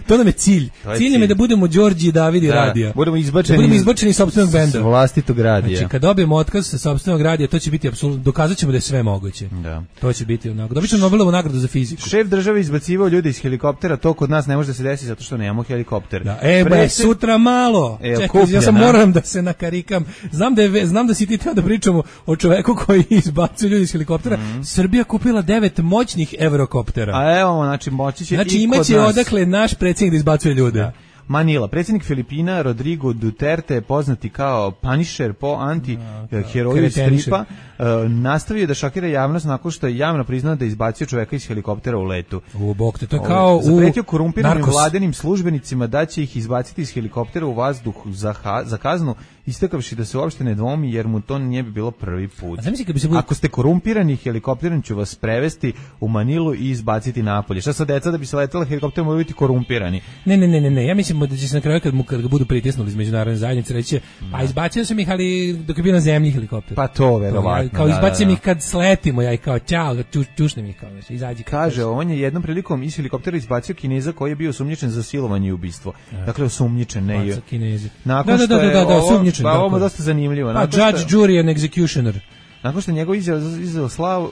To nam je cilj. To je Cilj nam je cilj. da budemo Đorđi i Davidi Da, radija. budemo izbačeni, Da budemo izbačeni iz sopstvenog s benda. vlastitog radija. Znači, kad dobijemo otkaz sa sopstvenog radija, to će biti apsolutno, dokazat ćemo da je sve moguće. Da. To će biti onako. Dobit ćemo Nobelovu nagradu za fiziku. Šef države izbacivao ljude iz helikoptera, to kod nas ne može da se desi zato što nemamo helikopter. Da, e, ba, Predsjed- sutra malo. E, Čekaj, kupljen, ja sam a? moram da se nakarikam. Znam da je ve- znam da si ti teo da pričamo o čoveku koji izbacuje ljudi iz helikoptera. Srbija kupila devet moćnih evrokoptera. A evo, znači, moći će Znači i kod imaće nas. odakle naš predsjednik da izbacuje ljude. Da. Manila, predsjednik Filipina Rodrigo Duterte, poznati kao Punisher po anti-heroju iz Kretenišer. stripa, uh, nastavio da šokira javnost nakon što je javno priznao da je izbacio čoveka iz helikoptera u letu. U bok te, to je Ovaj, kao u zapretio korumpiranim Narcos. vladinim službenicima da će ih izbaciti iz helikoptera u vazduh za, ha, za kaznu, istakavši da se uopšte ne dvomi jer mu to nije bi bilo prvi put. A zamisli kad bi se bude- Ako ste korumpirani helikopterom ću vas prevesti u Manilu i izbaciti napolje. Šta sa deca da bi se letela helikopterom moraju biti korumpirani? Ne, ne, ne, ne, ne, ja mislim da će se na kraju kad mu kad ga budu pritisnuli iz međunarodne zajednice reći, pa izbacio sam ih, ali dok je bio na zemlji helikopter. Pa to verovatno. Kao da, izbacim da, da. ih kad sletimo, ja i kao ćao, ču, čušnem ih kao, znaš, izađi. Kaže, on je jednom prilikom iz helikoptera izbacio Kineza koji je bio osumnjičen za silovanje i ubistvo. Dakle, osumnjičen, ne i... Baca Kinezi. Nakon Da, da, što da, je da, da, ovo- osumnjičen, Pa tako ovo je je. dosta zanimljivo. Pa Nakon što- judge, jury and executioner. Nakon što je njegov izjao, izjao slav,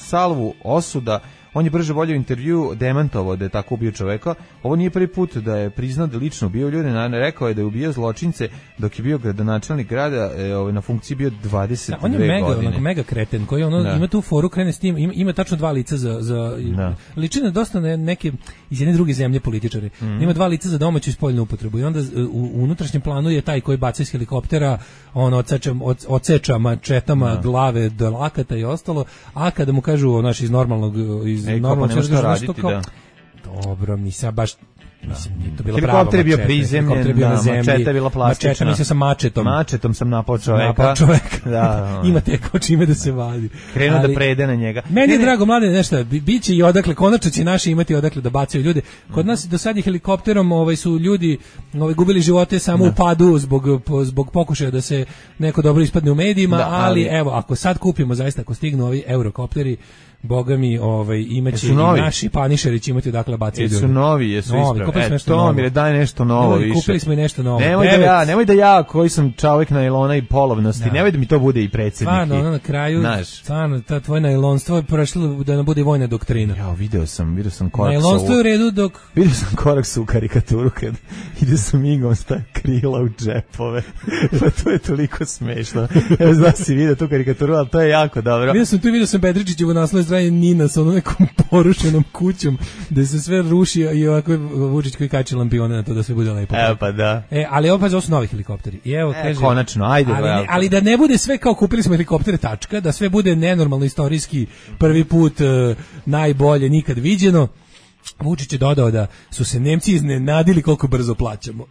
salvu osuda, on je brže volio intervju demantovao da je tako ubio čoveka. Ovo nije prvi put da je priznao da lično ubio ljude, na- rekao je da je ubio zločince dok je bio gradonačelnik grada, e, ovaj, na funkciji bio dvadeset dve Da, on je mega, godine. onako mega kreten, koji ono, Da. ima tu foru, krene s tim, ima, ima tačno dva lica za, za Da. liči na dosta ne, neke iz jedne druge zemlje političari. Mhm. Ima dva lica za domaću i spoljnu upotrebu i onda u, u unutrašnjem planu je taj koji baca iz helikoptera, on odseča, od- odseča mačetama glave do lakata i ostalo, a kada mu kažu naš iz normalnog, iz Ej, kao, pa normalnog nema šta svega, znaš, raditi, to kao, da. Dobro, nisam baš mislim, nije to bila Helikopter prava je bio mačeta, prizemljen, helikopter je bio da, na zemlji, mačeta je bila plastična. Mačeta, mislio sam mačetom. Mačetom sam napao čoveka. Napao čoveka. Da, Ima te kao čime da se vadi. krenuo Ali- da prede na njega. Meni Ne, je ne, drago, mlade, nešto, bi- biće i odakle, konačno će naši imati odakle da bacaju ljude. Kod nas do sad je helikopterom ovaj, su ljudi ovaj, gubili živote samo u padu zbog, po- zbog pokušaja da se neko dobro ispadne u medijima, Da, ali, ali- evo, ako sad kupimo, zaista, ako stignu ovi eurokopteri, boga mi, ovaj, imaće Jesu i novi? naši panišeri će imati odakle bacaju Jesu ljude. novi, jesu Novi, ispravni. kupili smo E, nešto to novo. mi je daj nešto novo Ljudi, više. kupili smo i nešto novo. Nemoj da Devet. ja, nemoj da ja koji sam čovjek nailona i polovnosti, Da. nemoj da mi to bude i predsjednik. Stvarno, i- ono na kraju, Znaš. stvarno, ta tvoje najlonstvo je prešlo da nam bude vojna doktrina. Ja, video sam, video sam korak Najlonstvo sa je u u... redu dok Vidio sam korak su u karikaturu kad ide sa migom sta krila u džepove. Pa to je toliko smešno. Evo, znaš si vidio tu karikaturu, ali to je jako dobro. Vidio sam tu, vidio sam Bedričićevo naslovno strane Nina sa onom nekom porušenom kućom, gde se sve ruši i ovako Vučić koji kači lampione na to da sve bude lepo. Evo pa da. E, ali ovo pa su novi helikopteri. I evo, e, kaže, konačno, ajde. Ali, ne, ali da ne bude sve kao kupili smo helikoptere tačka, da sve bude nenormalno istorijski, prvi put uh, najbolje, nikad viđeno. Vučić je dodao da su se Nemci iznenadili koliko brzo plaćamo.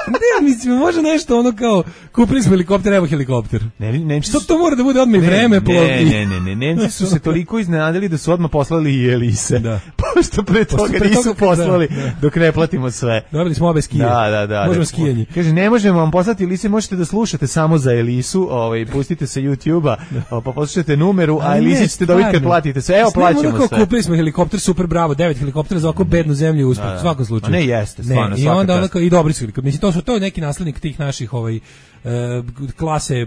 Ne, mislim, može nešto ono kao kupili smo helikopter, evo helikopter. Ne, Nemci što to mora da bude odmah i vreme plovni. Ne, ne, ne, Nemci su se toliko iznenadili da su odmah poslali i Elise. Da. Pošto pre toga Pošto pre nisu toga, poslali da, da. dok ne platimo sve. Dobili smo obe skije. Da, da, da. Možemo da, skijanje. Kaže, ne možemo vam poslati Elise, možete da slušate samo za Elisu, ovaj, pustite sa YouTube-a, pa poslušajte numeru, a Elise ćete dobiti kad platite sve. Evo, plaćamo sve. Kupili smo helikopter, super, bravo, devet helikoptera za ovako bednu zemlju uspeh, u svakom slučaju. Ne, jeste, stvarno, i onda onako i dobri su helikopteri. Mislim, to su to je neki naslednik tih naših ovaj klase,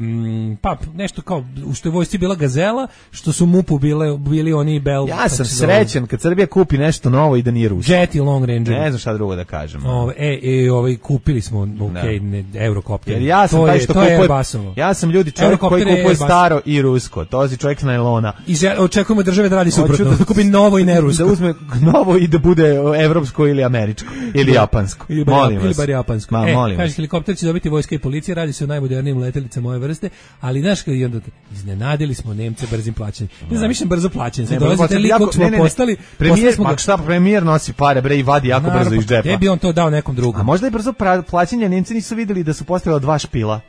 pa nešto kao u što je vojsci bila Gazela, što su MUP-u bile, bili oni Bell. Ja sam srećan kad Srbija kupi nešto novo i da nije rusko. Jet i Long Ranger. Ne znam šta drugo da kažem. Ove, e, e, ovaj, kupili smo, okay, ne, Eurocopter. Jer ja sam to taj je, što to kupuje, je ja sam ljudi čovjek koji kupuje staro i rusko. To je čovjek s najlona. I očekujemo države da radi suprotno, da, da kupi novo i ne rusko. Da uzme novo i da bude evropsko ili američko, ili japansko. Ili bar, molim ili bar japansko. Ma, e, molim kaže, helikopter će dobiti vojska i policija, radi se o najmodernijim letelicama moje vrste, ali znaš kad onda iznenadili smo Nemce brzim plaćanjem. Ne znam, mislim brzo plaćanje. Sad dolazite lik kog smo postali, premijer, pa šta premijer nosi pare bre i vadi jako naravno, brzo iz džepa. Gde bi on to dao nekom drugom? A možda je brzo plaćanje, Nemci nisu videli da su postavila dva špila.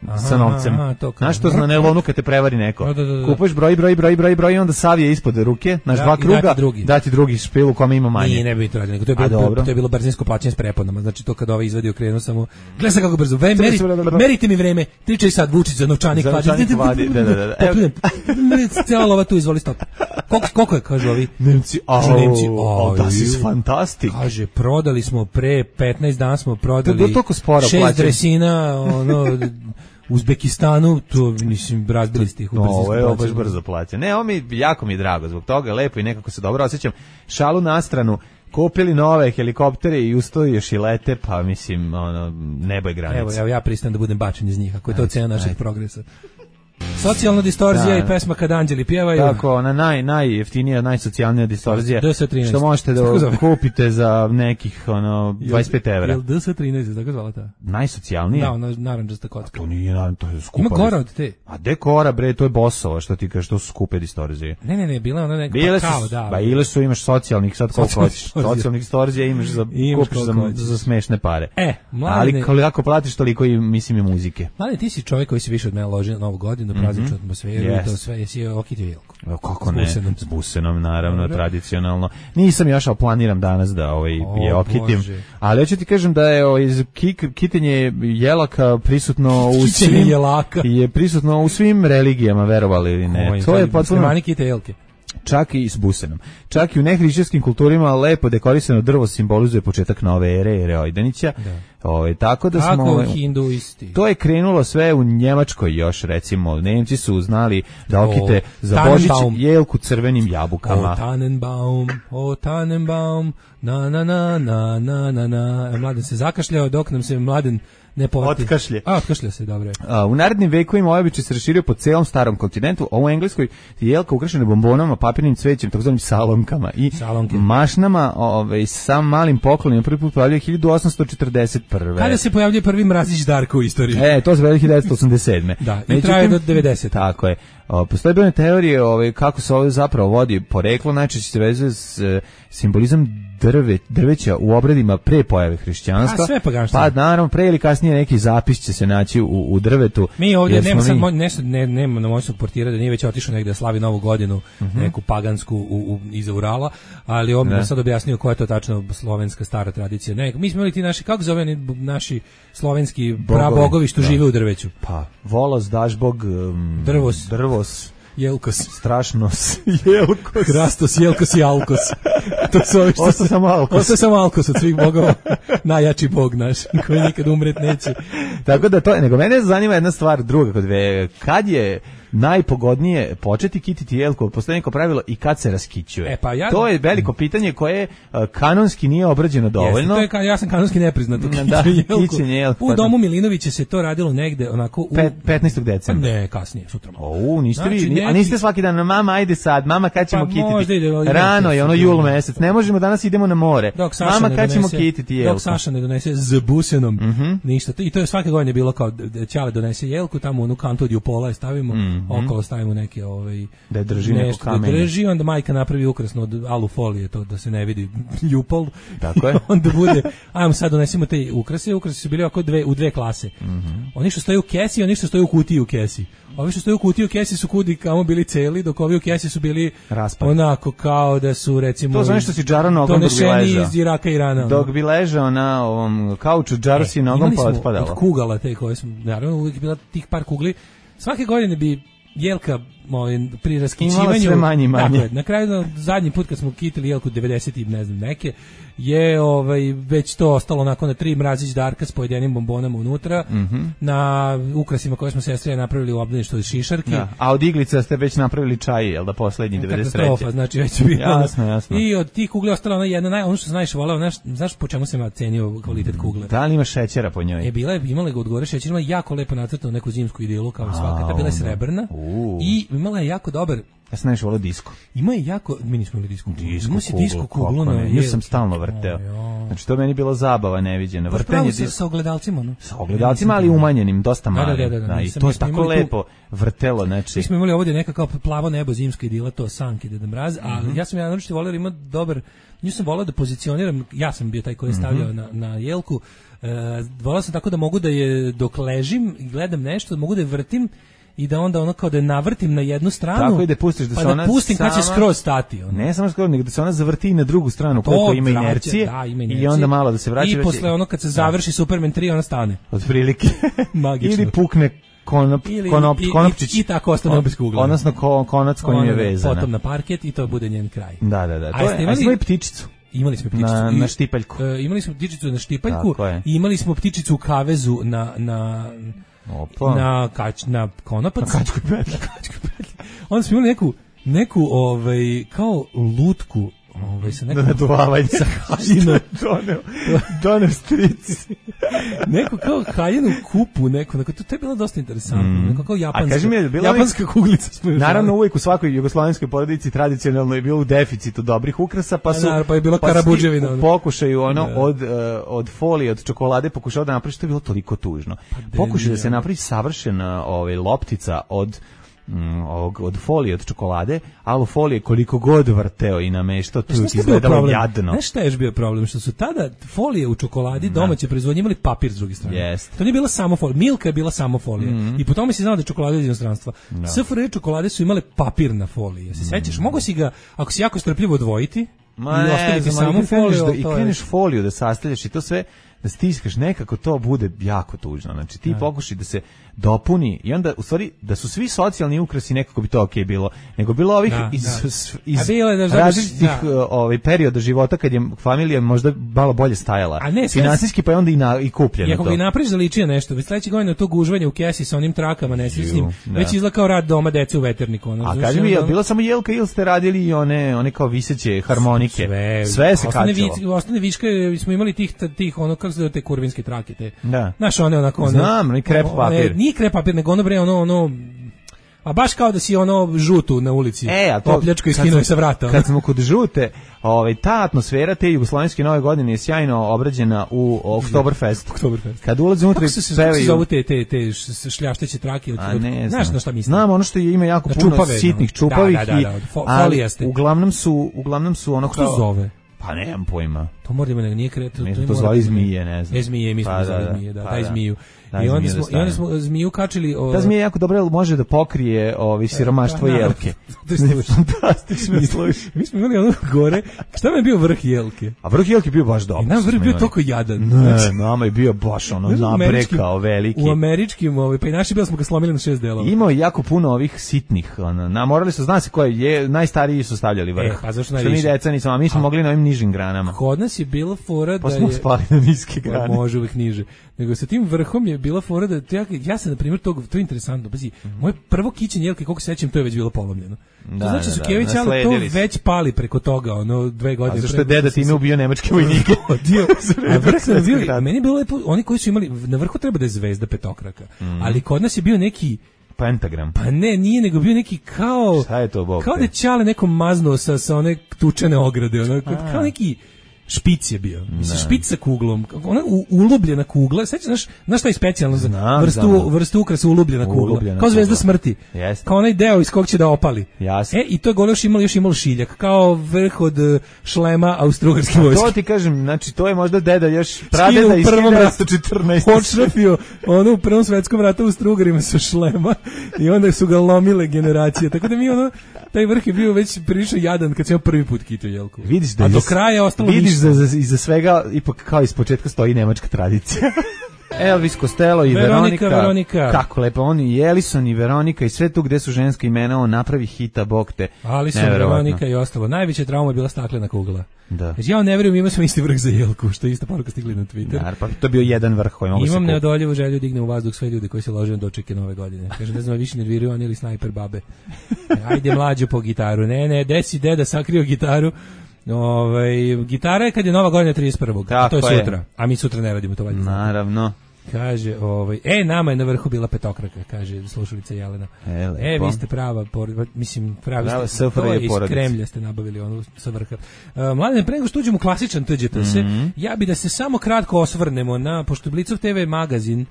Aha, sa novcem. Znaš što zna nelonu kad te prevari neko. Da, da, da. Kupuješ broj, broj, broj, broj, broj i onda savije ispod ruke, naš da, dva kruga, dati drugi. dati drugi špil u kome ima manje. Nije, ne bi to radio, nego to je bilo, to je bilo brzinsko plaćanje s preponama. Znači to kad ovaj izvadio krenuo samo, gledaj sad kako brzo, Ve, meri, merite mi vreme, tričaj sad Vučić za novčanik vadi. Da, da, da. Cijela lova tu, izvoli stop. Koliko, koliko je, kažu ovi? Nemci, au, Nemci, oh, das ist fantastic. Kaže, prodali smo pre petnaest dana smo prodali šest dresina, ono, Uzbekistanu, to mislim razbili ste ih u brzinsku plaćanju. No, ovo je baš brzo plaća. Ne, ovo mi jako mi je drago zbog toga, lepo i nekako se dobro osjećam. Šalu na stranu, kupili nove helikoptere i ustoji još i lete, pa mislim, ono, nebo je granica. Evo, evo ja pristajem da budem bačen iz njih, ako je to cena našeg progresa. Socijalna distorzija da, i pesma Kad anđeli pjevaju. Tako, ona naj, najjeftinija, najsocijalnija distorzija. D S trinaest. Što možete da kupite za nekih ono, dvadeset pet evra. Jel D S trinaest, tako zvala ta? Najsocijalnija? Da, ona narandžasta kocka. To nije, to je skupa. Ima gora od te. A de gora, bre, to je Bosova, što ti kažeš, to su skupe distorzije. Ne, ne, ne, bila ona neka bile pa kao, su, da. Ba ile su, imaš socijalnih, sad koliko hoćeš. Socijalnih distorzija imaš za, imaš kupiš za, za smešne pare. E, mladine. Ali kako platiš toliko i, mislim, i muzike. Mladine, ti si čovjek koji se više od mene loži na Novu godinu, prazničnu atmosferu. Yes. To sve jesi okitio Jelku. Evo kako ne, s busenom naravno, dobro. Tradicionalno. Nisam još, ali planiram danas da ovaj o, je okitim. Bože. Ali hoću ti kažem da je ovaj kik, kitenje jelaka prisutno u svim jelaka. Je prisutno u svim religijama, verovali ili ne. Oj, to je potpuno mani kite jelke. Čak i s busenom. Čak i u nehrišćanskim kulturima lepo dekorisano drvo simbolizuje početak nove ere, ere Ojdanića. Ovaj tako da tako smo hinduisti. To je krenulo sve u Njemačkoj još, recimo. Nemci su znali da okite o, za Božić jelku crvenim jabukama. O Tannenbaum, o Tannenbaum, na na na na na na na. Mladen se zakašljao dok nam se Mladen ne povati. Otkašlje. A, otkašlje se, dobro. A, u narednim vekovima ovaj običaj se raširio po celom starom kontinentu, a u Engleskoj je jelka ukrašena bombonama, papirnim cvećem, takozvanim salonkama i Salonke. mašnama, ovaj, sa malim poklonima. Prvi put pojavljuje hiljadu osamsto četrdeset prve. Kada se pojavljuje prvi mrazić Darko u istoriji? E, to se pojavljuje hiljadu devetsto osamdeset sedme. Da, i traje do devedesete. Tako je. O, postoje brojne teorije ovaj, kako se ovo zapravo vodi poreklo, najčešće se vezuje s e, simbolizam drve, drveća u obredima pre pojave hrišćanstva. A sve paganstvo. Pa naravno, pre ili kasnije neki zapis će se naći u, u drvetu. Mi ovdje nema sad, mi... ne, ne, nema na moćnog portira da nije već otišao negde da slavi novu godinu, uh-huh. neku pagansku u, u, iza Urala, ali on bi sad objasnio koja je to tačno slovenska stara tradicija. Ne, mi smo imali ti naši, kako zove naši slovenski prabogovi što da. žive u drveću? Pa, volos, dažbog, um, drvos. drvos. Jelkos. Strašnos. Jelkos. Krastos, Jelkos i Alkos. To su ovi što Osta samo Alkos. Osta samo Alkos od svih bogova. Najjači bog naš, koji nikad umret neće. Tako da to, nego mene zanima jedna stvar druga kod ve. Kad je najpogodnije početi kititi jelku, postoji neko pravilo i kad se raskićuje. E, pa ja... To je veliko pitanje koje uh, kanonski nije obrađeno dovoljno. Jeste, to je ka, ja sam kanonski nepriznat u da, kićenje jelku. U domu Milinovića se to radilo negde onako u... Pet, petnaestog decembra. Ne, kasnije, sutra. O, niste znači, vi, neki... a niste svaki dan, mama, ajde sad, mama, kad ćemo pa, kititi? Ide, Rano je, ono jul mesec, ne možemo, danas idemo na more. Mama, kad ćemo kititi jelku? Dok Saša ne donese z busenom, mm -hmm. ništa. I to je svake godine bilo kao, Ćale donese jelku, tamo onu kantu od jupola je stavimo, mm -hmm. okolo stavimo neke, ovaj, da drži neko kamenje. Da drži, onda majka napravi ukrasno od alufolije, to da se ne vidi jupol. Tako je. Onda bude, ajmo sad donesimo te ukrase, ukrase su bili oko dve, u dve klase. Mm -hmm. Oni što stoje u kesi, oni što stoje u kutiji u kesi. Ovi što stoje u kutiji u kesi su kudi kamo bili celi, dok ovi u kesi su bili raspad. Onako kao da su recimo... To znači što si džaro nogom dok bi ležao. Iz Iraka i Irana. Dok bi ležao na ovom kauču, džaro e, si nogom pa otpadalo. Od kugala te koje smo, naravno uvijek bila tih par kugli. Svake godine bi jelka ovaj, pri raskićivanju... sve manje manje. Dakle, na kraju, zadnji put kad smo kitili jelku devedeset i ne znam neke, je ovaj, već to ostalo onako na tri mrazić darka s pojedenim bombonama unutra, mm -hmm. na ukrasima koje smo sestre napravili u obdaništu od šišarki. Da. A od iglica ste već napravili čaj, jel da poslednji devedeset treće? Katastrofa, znači već bilo. Jasno, jasno. I od tih kugli ostala ona jedna, naj, ono što sam najviše voleo, znaš, znaš po čemu sam ja cenio kvalitet kugle? Da li ima šećera po njoj? Je bila je, imala ga odgore šećer, imala jako lepo nacrtanu neku zimsku idilu, kao i svaka, ta bila je srebrna uh. i imala je jako dobar. Ja sam najviše volio disko. Ima je jako, mi nismo imali disku. Disko ima kuglu, disko kuglu na ja sam stalno vrteo. Znači to je meni bilo zabava neviđena. Vrtenje sa, sa ogledalcima, no? Sa ogledalcima, ali umanjenim, dosta mali. Da, da, da, da, da, i to je tako lepo vrtelo, znači. Mi smo imali ovdje neka kao plavo nebo, zimska idila, to sanki, Deda Mraz, ali mm -hmm. ja sam ja naročito volio ima dobar, nju sam volio da pozicioniram, ja sam bio taj koji je stavljao mm -hmm. na, na jelku, e, volio sam tako da mogu da je, dok ležim i gledam nešto, da mogu da je vrtim, i da onda ono kao da je navrtim na jednu stranu. Tako i da pustiš da pa se ona da pustim sama, kad će skroz stati. Ono. Ne samo skroz, nego da se ona zavrti i na drugu stranu koliko ima inercije, da, ima inercije. I onda malo da se vraća. I posle ono kad se završi da. Superman tri ona stane. Od prilike. Magično. Ili pukne konop, ili, konop, i, konopčić. I, i tako ostane bez kugle. Odnosno ko, konac kojim je vezana. Potom na parket i to bude njen kraj. Da, da, da. To je, imali, a i ptičicu. Imali smo ptičicu na, i, na štipaljku. Uh, imali smo ptičicu na štipaljku i imali smo ptičicu u kavezu na... na Opa. na kač na konopac, na kačkoj petlji. Na kačkoj petlji. Onda smo imali neku neku ovaj kao lutku, ovaj sa nekom naduvavanje sa haljinom doneo doneo stric. Neku kao haljinu kupu, neku, neko, to je bilo dosta interesantno, mm. neko kao japanska, mi je, bila japanska uvijek, kuglica. Smo naravno uvijek u svakoj jugoslovenskoj porodici tradicionalno je bilo u deficitu dobrih ukrasa, pa su ja, pa je bilo pa karabuđevina. U pokušaju ono, da. od, uh, od folije, od čokolade pokušao da napravi, što je bilo toliko tužno. Pa pokušao da se napravi savršena ovaj, loptica od Mm, ovog, od folije, od čokolade, alu folije koliko god vrteo i nameštao, tu je izgledalo jadno. Znaš šta je još bio problem? Što su tada folije u čokoladi domaće proizvodnje imali papir s druge strane. Yes. To nije bila samo folija. Milka je bila samo folija. Mm -hmm. I po tome si znao da je čokolada iz inostranstva. No. S F R čokolade su imale papir na foliji. Se sećaš? Mm. Mogu si ga, ako si jako strpljivo odvojiti, Ma i ostaviti samo foliju. Da, I kreneš foliju da sastavljaš i to sve da stiskaš, nekako to bude jako tužno. Znači ti pokušaj da se dopuni i onda u stvari da su svi socijalni ukrasi nekako bi to okej okay bilo, nego bilo ovih da, iz, da. iz da različitih da. ovaj, perioda života kad je familija možda malo bolje stajala. A ne, finansijski pa je onda i, na, i kupljeno. I ako ga napraviš da liči na nešto, već sledeće godine to gužvanje u kesi sa onim trakama nesrećnim, već izgleda kao rad doma dece u veterniku. Ono, a kaži mi, je bilo samo jelka ili ste radili i one, one kao viseće harmonike? Sve, sve se kačalo. Vi, ostane viške, smo imali tih, tih ono, kako se te kurvinske trake, te. Da. Znaš, one onako, one, znam, i krep papir. One, nije krep papir, nego ono bre, ono, ono, a baš kao da si ono žutu na ulici. E, a to pljačko iskinuo sa vrata. Kad smo kod žute, ovaj ta atmosfera te jugoslovenske nove godine je sjajno obrađena u Oktoberfest. Oktoberfest. Kad ulaze unutra i pevaju. Kako se zovu te te te šljašteće trake od? Znaš na šta mislim? Znam, ono što je ima jako puno čupave, sitnih čupavih da, da, da, da, folijaste. Uglavnom su, uglavnom su ono što zove. Pa nemam pojma. To mora da nije kreto. Mi smo to zvali zmije, ne znam. E, zmije, mi smo pa, zvali zmije, da, pa, daj zmiju. Da, I onda smo, i onda smo zmiju kačili... O... Ta zmija jako dobro može da pokrije ovi siromaštvo e, pa, jelke. Fantastično sluši. Mi smo imali ono gore, šta mi je bio vrh jelke? A vrh jelke bio baš dobro. I nam vrh bio toliko jadan. Ne, znači, nama je bio baš ono nabrekao veliki. U američkim, ovaj, pa i naši bili smo ga slomili na šest delova. Imao je jako puno ovih sitnih. Ono, na, morali su, zna se koje je, najstariji su stavljali vrh. E, pa zašto najviše? Što mi deca nismo, a mi smo mogli na ovim nižim granama. Kod nas nas je bila fora pa da smo je... spali na niske grane. Može uvek niže. Nego sa tim vrhom je bila fora da... Ja, ja sam, na primjer, to, to je interesantno. Pazi, mm-hmm. moje prvo kićenje jelke, koliko se sećam, to je već bilo polomljeno. Da, to znači da, su da, Kević, ali to već pali preko toga, ono, dve godine. A zašto je deda time ubio nemačke vojnike? A vrh sam bio, meni je bilo lepo, oni koji su imali, na vrhu treba da je zvezda petokraka, mm. ali kod nas je bio neki pentagram. Pa ne, nije, nego bio neki kao... Šta je to, Bog? Kao da je Ćale nekom maznuo sa, sa one tučene ograde, ono, kao neki... Špic je bio. Mislim, špic sa kuglom. Ona ulubljena kugla. Sećaš, znaš, znaš šta je specijalno za znam, vrstu, znam. vrstu ukrasa ulubljena kugla. Ulubljena kao zvezda kugla. Smrti. Jeste. Kao onaj deo iz kog će da opali. Jasne. E, i to je gore još imalo, još imalo šiljak. Kao vrh od uh, šlema austrougarske vojske. To ti kažem, znači, to je možda deda još pradeda iz hiljadu devetsto četrnaeste. Odšrafio ono u prvom svetskom ratu u Austrougarima sa šlema i onda su ga lomile generacije. Tako da mi ono, taj vrh je bio već prilično jadan kad sam prvi put kitao jelku. Vidiš da a do iz, kraja je ostalo vidiš ništa. da za, iza svega ipak kao iz početka stoji nemačka tradicija. Elvis Costello i Veronika, Veronika. Veronika. Kako lepo, oni i Ellison i Veronika i sve tu gde su ženska imena, on napravi hita, bog te. Alison, Veronika i ostalo. Najveća trauma je bila staklena kugla. Da. Znači, ja ne verujem, imao sam isti vrh za jelku, što je ista poruka stigli na Twitter. Nar, pa to je bio jedan vrh koji mogu se Imam kupiti. neodoljivu želju dignem u vazduh sve ljude koji se lože na dočeke nove godine. Kaže, ne znam, više nerviraju oni ili snajper babe. Ajde mlađu po gitaru. Ne, ne, desi deda sakrio gitaru. Ovaj gitara je kad je nova godina trideset prvog A to je sutra. Je. A mi sutra ne radimo to valjda. Naravno. Kaže, ovaj, e, nama je na vrhu bila petokraka, kaže slušalica Jelena. E, e vi ste prava, por, mislim, pravi prava ste, to je iz Kremlja ste nabavili onu sa vrha. Uh, Mladen, pre nego što uđemo u klasičan T Ž T S, mm-hmm. ja bi da se samo kratko osvrnemo na, pošto Blicov te ve magazin.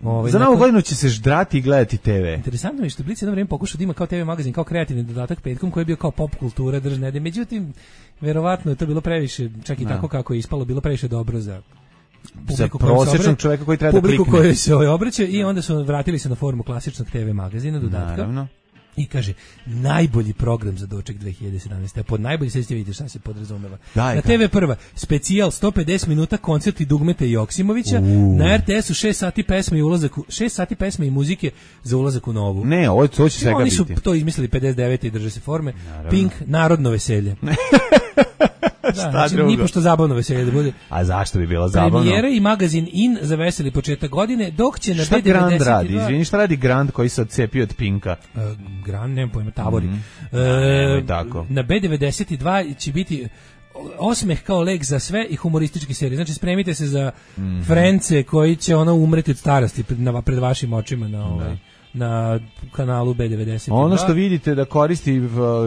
Ovaj, za novu godinu će se ždrati i gledati te ve. Interesantno je što Blic jedno vreme pokušao da ima kao te ve magazin, kao kreativni dodatak petkom, koji je bio kao pop kultura, držne, međutim, verovatno je to bilo previše, čak i no. tako kako je ispalo, bilo previše dobro za za prosječnog čovjeka koji treba da klikne. Publiku koji se ovaj obraća i onda su vratili se na formu klasičnog te ve magazina, dodatka. Naravno. I kaže, najbolji program za doček dve hiljade sedamnaeste. A pod najbolji, sad ćete vidjeti šta se podrazumeva. Daj, na te ve prva, specijal sto pedeset minuta koncerti Dugmeta i Joksimovića. Uh. Na er te esu šest sati pesme i ulazak u, šest sati pesme i muzike za ulazak u novu. Ne, ovo to će svega Oni biti. su to izmislili pedeset devete i drže se forme. Naravno. Pink, narodno veselje. Da, znači, nipošto zabavno veselje da bude. A zašto bi bilo zabavno? Premijera i magazin In za veseli početak godine, dok će na šta be devedeset dva... Grand radi? Izvini, šta radi Grand koji se odcepio od Pinka? Uh, Grand, nemam pojma, Tavori. Mm -hmm. uh, tako. Na be devedeset dva će biti osmeh kao lek za sve i humorističke serije. Znači, spremite se za mm -hmm. Frence koji će ono umreti od starosti pred, na, pred vašim očima na ovaj... na kanalu be devedeset dva. Ono što vidite da koristi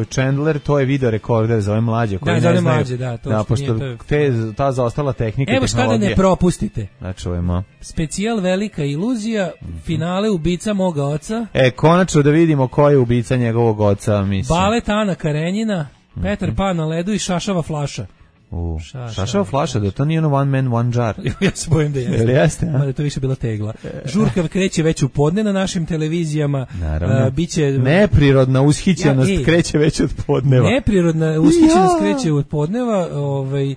Chandler, to je video rekorder za ove mlađe koji da, ne znaju. Mlađe, da, to da, pošto nije, to je... te, ta zaostala tehnika Evo šta da ne propustite. Da čujemo. Specijal Velika iluzija, finale Ubica moga oca. E, konačno da vidimo ko je ubica njegovog oca, mislim. Balet Ana Karenjina, Petar mm -hmm. Pan na ledu i Šašava flaša. U, Šašava, šašava flaša, da to nije ono one man, one jar. Ja se bojim da jeste. Jel jeste, a? Da je to više bila tegla. Žurka kreće već u podne na našim televizijama. Naravno. Uh, biće... Neprirodna ushićenost ja, kreće već od podneva. Neprirodna ushićenost ja. kreće od podneva. Ovaj,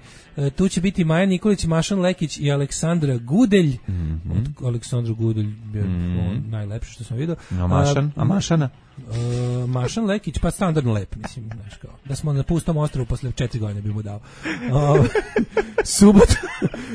tu će biti Maja Nikolić, Mašan Lekić i Aleksandra Gudelj. Mm -hmm. Od Aleksandra Gudelj je mm -hmm. najlepše što sam vidio. A Mašan? A, a Mašana? Uh, Mašan Lekić, pa standardno lep, mislim, znaš kao. Da smo na pustom ostrvu posle četiri godine bi mu dao. Uh, subota,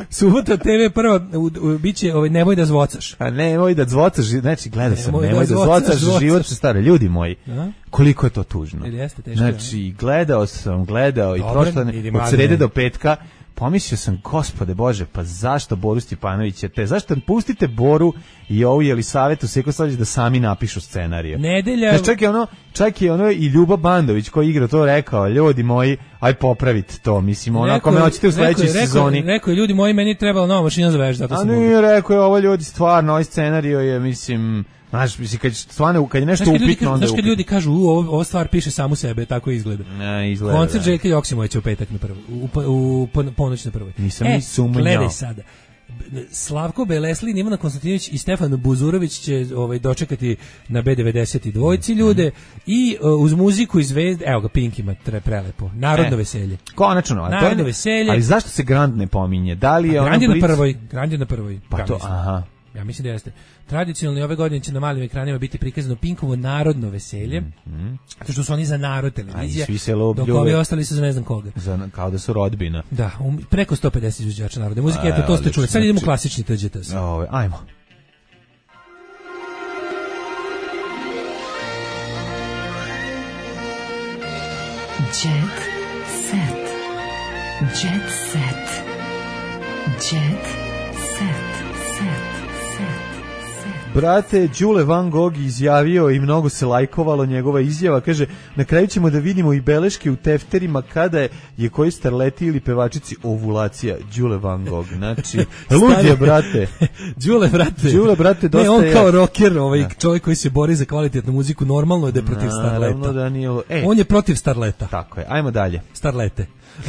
subota te ve prva, u, u, biće, ovaj, nemoj da zvocaš. A nemoj da zvocaš, znači gledao sam, nemoj, nemoj da, da zvocaš, zvocaš, život se stare, ljudi moji. A? Koliko je to tužno. Jeste, teško, znači, gledao sam, gledao i prošlo od srede do petka, pomislio sam, gospode Bože, pa zašto Boru Stjepanovića te, zašto pustite Boru i ovu Jelisavetu Sekosavljić da sami napišu scenariju. Nedelja... Znači, čak je ono, čak je ono i Ljuba Bandović koji igra to rekao, ljudi moji, aj popravite to, mislim, ono, ako me hoćete u sledećoj rekao, sezoni. Rekao je, ljudi moji, meni trebala nova mašina za veš, zato sam... A nije, rekao je, ovo ljudi, stvarno, ovaj scenariju je, mislim... Znaš, mislim, kad, stvarno, kad je nešto znaš, upitno, ljudi, onda znaš kad ljudi kažu, u, ovo, ovo stvar piše samu sebe, tako izgleda. Ne, izgleda. Koncert Željka Joksimovića u petak na prvoj, u, u, u ponoć na prvoj. Nisam e, ni sumnjao. Gledaj sada. Slavko Belesli, Ivana Konstantinović i Stefan Buzurović će ovaj, dočekati na be devedeset dva ljude mm-hmm. i uh, uz muziku i zvezde, evo ga, Pink ima tre, prelepo, narodno e, veselje. Konačno, a narodno to je, veselje. Ali zašto se Grand ne pominje? Da li je Grand je Blitz... na prvoj, Grand je na prvoj. Pa to, aha. Ja mislim da jeste. Tradicionalno ove godine će na malim ekranima biti prikazano Pinkovo narodno veselje, mm-hmm. zato što su oni za narod televizija, dok ovi ostali su za ne znam koga. Za, kao da su rodbina. Da, um, preko sto pedeset izvođača narodne muzike, eto to ste čuli. Sad idemo klasični T Ž T S. Ove, ajmo. Jet set. Jet set. Jet set. Brate, Đule Van Gogh izjavio i mnogo se lajkovalo njegova izjava, kaže, na kraju ćemo da vidimo i beleške u tefterima kada je, je koji starleti ili pevačici ovulacija. Đule Van Gogh, znači, ludje, brate. Đule, brate. Đule, brate, dosta ne, on je... kao rocker, ovaj ja. čovjek koji se bori za kvalitetnu muziku, normalno je da je protiv starleta. Da nije... e, on je protiv starleta. Tako je, ajmo dalje. Starlete. Uh,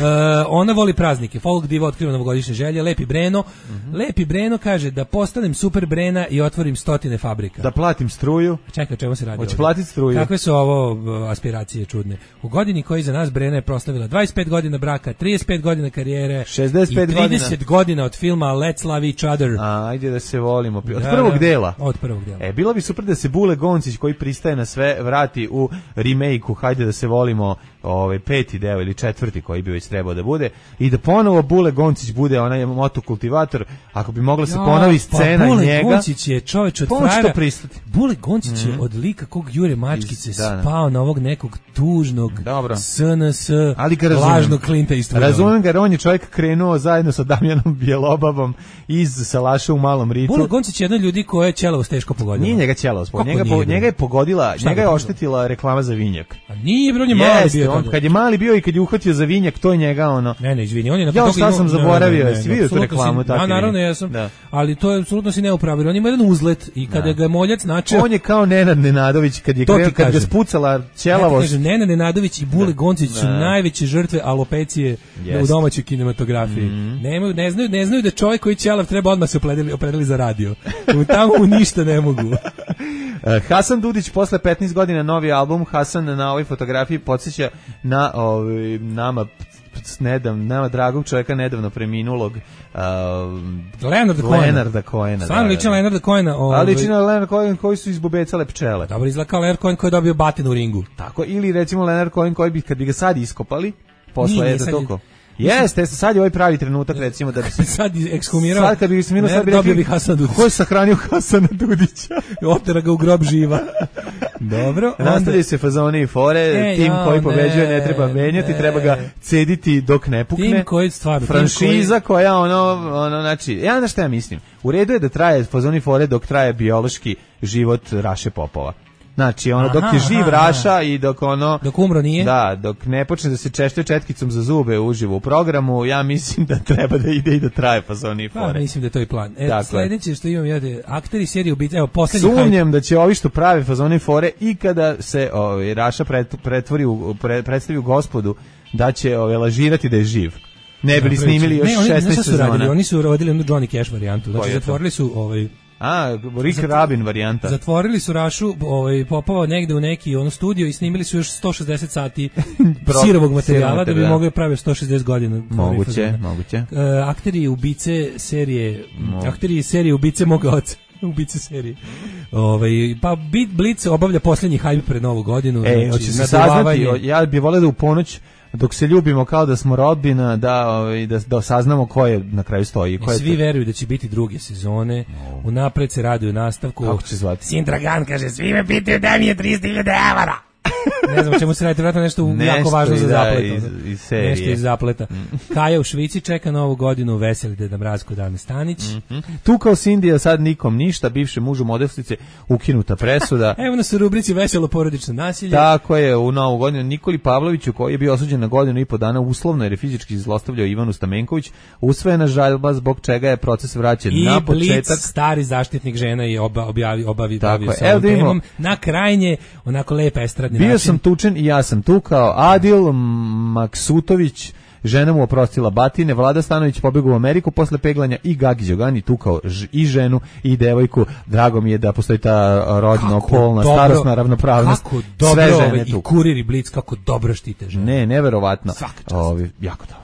ona voli praznike. Folk diva otkriva novogodišnje želje. Lepi Breno. Mm-hmm. Lepi Breno kaže da postanem super Brena i otvorim stotine fabrika. Da platim struju. Čekaj, o čemu se radi? Hoće platiti struju. Kakve su ovo aspiracije čudne? U godini koji za nas Brena je proslavila dvadeset pet godina braka, trideset pet godina karijere šezdeset pet i trideset godina od filma Let's Love Each Other. A, ajde da se volimo. Od da, prvog dela. Od prvog dela. E, bilo bi super da se Bule Goncić, koji pristaje na sve, vrati u remake-u Hajde da se volimo, ovaj peti deo ili četvrti koji bi već trebao da bude, i da ponovo Bule Goncić bude onaj motokultivator, ako bi mogla se ja, ponovi scena pa Bule njega. Bule Goncić je čovjek od frajera. Bule Goncić mm-hmm. je od lika kog Jure Mačkice da, spao na ovog nekog tužnog dobro. S N S lažnog Klinta Eastwooda. Razumem ga, jer on je čovjek krenuo zajedno sa Damjanom Bjelobavom iz Salaša u Malom Ritu. Bule Goncić je jedan ljudi koje je ćelavost teško pogodila. Nije njega ćelavost, njega, po, njega je pogodila, šta njega je oštetila reklama za vinjak. A nije, bro, on je mali Jeste, bio. On, kad je mali bio i kad je uhvatio za vinjak, to je njega ono. Ne, ne, izvini, on je na ja šta sam zaboravio, jesi vidio tu reklamu tako? Ja naravno jesam. Da. Ali to je apsolutno si neupravilo. On ima jedan uzlet i kada da. ga je moljac načeo. On je kao Nenad Nenadović kad je krenuo, kad ga spucala ćelavost. Kaže Nenad Nenadović i Bule Goncić su najveće žrtve alopecije yes. u domaćoj kinematografiji. Mm-hmm. Nemaju, ne znaju, ne znaju da čovjek koji ćelav treba odmah se opredeli, opredeli za radio. Tamo mu ništa ne mogu. Hasan Dudić posle petnaest godina novi album. Hasan na ovoj fotografiji podsjeća na ovaj nama nedavno, nama dragog čovjeka nedavno preminulog uh, Leonarda Cohena. Leonarda Cohena. Stvarno liči na Leonarda Cohena. Ovaj. Ali liči na Leonarda Cohena koji su izbubecale pčele. Dobro, izgleda kao Leonard Cohen koji je dobio batinu u ringu. Tako, ili recimo Leonard Cohen koji bi, kad bi ga sad iskopali, posle je da toko. Jeste, sad je ovaj pravi trenutak, recimo, da bi se... sad ekshumirao... Sad kad bi se minuo, sad bi rekli... Ko je sahranio Hasana Dudića? Otera ga u grob živa. Dobro. Nastavljaju se fazone i fore, e, tim ja, koji pobeđuje ne, ne treba menjati, ne. treba ga cediti dok ne pukne. Tim koji stvarno... Franšiza koji... koja, ono, ono, znači... Ja znaš šta ja mislim? U redu je da traje fazone i fore dok traje biološki život Raše Popova. Znači, ono, dok je živ aha, Raša aha. i dok ono... Dok umro nije? Da, dok ne počne da se češće četkicom za zube uživo u programu, ja mislim da treba da ide i da traje fazoni i fore. Pa, mislim da je to i plan. E, dakle, sledeće što imam, jede, akteri serije ubice, evo, poslednji... Sumnjam hajde. Da će ovi što prave fazoni i fore i kada se ovaj, Raša pret, pretvori u, pre, predstavi u gospodu, da će ovaj, lažirati da je živ. Ne bili snimili još ne, šesnaest sezona. Radili? Oni su radili jednu Johnny Cash varijantu. Znači, zatvorili su... Ovaj, A, Rick Zatvor, Rabin varijanta. Zatvorili su Rašu, ovaj, Popova negde u neki ono studio i snimili su još sto šezdeset sati sirovog materijala da bi mogli praviti sto šezdeset godina. Moguće, moguće. Uh, akteri ubice serije, Mo. akteri serije ubice moga oca. Ubice serije. Ovaj pa Blitz obavlja poslednji hajp pred Novu godinu, e, znači se saznati, ja bih voleo da u ponoć dok se ljubimo kao da smo rodbina, da ovaj da da saznamo ko je na kraju stoji, ko je. Svi veruju da će biti druge sezone. No. Unapred se raduju nastavku. Kako će se zvati? Sindragan kaže svi me pitaju da mi je tristo hiljada evra. Ne znam čemu se radi, vjerojatno nešto, nešto jako važno za zaplet. Iz, iz serije. Nešto iz zapleta. Kaja u Švici čeka Novu godinu, veseli Deda Mrazko Dane Stanić. Mm-hmm. Tu kao Sindija sad nikom ništa, bivše mužu modelstice ukinuta presuda. Evo nas u rubrici veselo porodično nasilje. Tako je, u Novu godinu Nikoli Pavloviću, koji je bio osuđen na godinu i po dana uslovno jer je fizički zlostavljao Ivanu Stamenković, usvojena žalba zbog čega je proces vraćen I na početak. I Blic, stari zaštitnik žena je oba, objavi, obavi bavio sa ovom temom. Na krajnje, onako lepa estradni bio način. Sam tučen i ja sam tukao. Adil Maksutović, žena mu oprostila batine. Vlada Stanović pobegao u Ameriku posle peglanja i Gagi Đogani tukao ž, i ženu i devojku. Drago mi je da postoji ta rodno, polna, starosna ravnopravnost. Kako dobro, sve žene i Kurir i Blic, kako dobro štite žene. Ne, neverovatno. Ovi, jako dobro.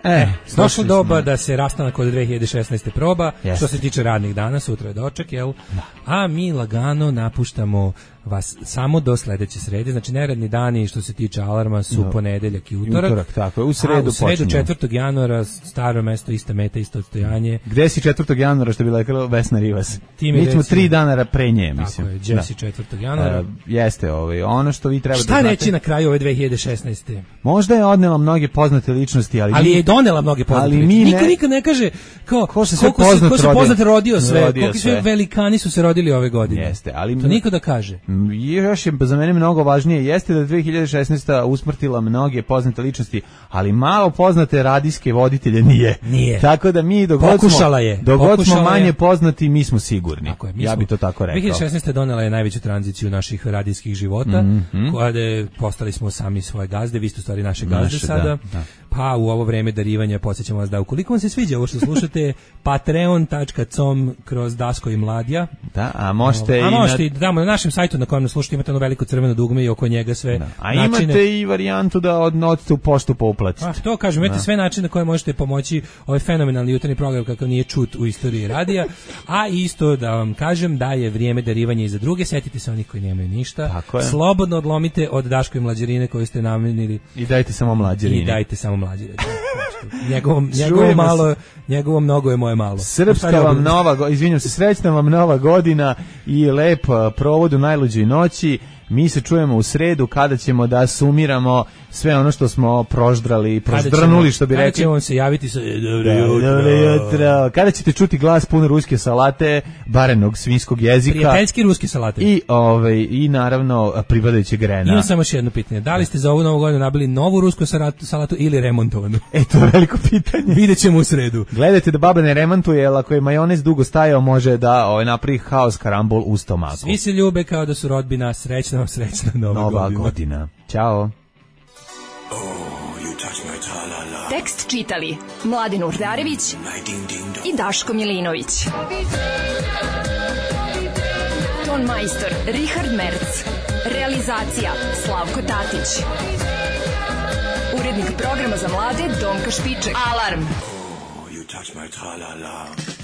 E, došlo doba da se rastanak od dve hiljade šesnaeste proba, Jeste. što se tiče radnih dana, sutra je doček, jel? Da. A mi lagano napuštamo vas samo do sledeće srede, znači neradni dani što se tiče alarma su no. ponedeljak i utorak. Utorak, tako je, u sredu, u sredu četvrtog januara, staro mesto, ista meta, isto odstojanje. Gde si četvrtog januara, što bi rekla Vesna Rivas? Mi, mi smo reci, tri dana pre nje, mislim. Tako je, gde si četvrtog januara. Uh, jeste, ovaj, ono što vi treba Šta da znate... reći na kraju ove dve hiljade šesnaeste? Možda je odnela mnoge poznate ličnosti, ali... Ali je donela mnoge poznate ali ličnosti. Ne... Niko nikad ne kaže kao, ko se sve poznat ko se poznat rodio sve, rodio koliko sve velikani su se rodili ove godine. Jeste, ali... To niko da kaže. Još je za mene mnogo važnije, jeste da dve hiljade šesnaesta usmrtila mnoge poznate ličnosti, ali malo poznate radijske voditelje nije. Nije. Tako da mi dogod Pokušala smo, je. dogod Pokušala smo manje je. poznati, mi smo sigurni. Tako je, mi ja smo, bi to tako rekao. dve hiljade šesnaeste donela je najveću tranziciju naših radijskih života, mm-hmm. kada postali smo sami svoje gazde, vi ste u stvari naše gazde naše, sada. Da, da. Pa u ovo vreme darivanja podsjećamo vas da ukoliko vam se sviđa ovo što slušate, patreon tačka com kroz Dasko i Mladja. Da, a možete a i možete na... i tamo na našem sajtu na kojem nas slušate imate ono veliko crveno dugme i oko njega sve da. A načine. imate i varijantu da odnodite u poštu pa uplatite. A to kažem, imate da. sve načine na koje možete pomoći ovaj fenomenalni jutarnji program kakav nije čut u istoriji radija, a isto da vam kažem da je vrijeme darivanja i za druge, setite se onih koji nemaju ništa, slobodno odlomite od Daško i Mlađerine koju ste namenili i dajte samo Mlađerine. I dajte samo Mlađerine. Njegovom, njegovo malo, njegovo mnogo je moje malo. Srpska vam nova, izvinjam se, srećna vam nova godina i lep provod u najluđoj noći. Mi se čujemo u sredu kada ćemo da sumiramo sve ono što smo proždrali, proždrnuli, što bi rekli. Kada ćemo se javiti sa dobro jutro. Dobro jutro. Kada ćete čuti glas pun ruske salate, barenog svinjskog jezika. Prijateljski ruske salate. I, ovaj, i naravno pripadajućeg grena. Imam samo još jedno pitanje. Da li ste za ovu novu godinu nabili novu rusku salatu ili remontovanu? E, to je veliko pitanje. Vidjet ćemo u sredu. Gledajte da baba ne remontuje, jer ako je majonez dugo stajao, može da ovaj, napravi haos karambol u stomaku. Svi se ljube kao da su rodbina. Srećna vam srećna nova, nova godina. godina. Ćao. Tekst čitali Mladin Urdarević i Daško Milinović. Ton majstor Richard Merc. Realizacija Slavko Tatić. Urednik programa za mlade Donka Špiček. Alarm! Oh, you touch my tra-la-la.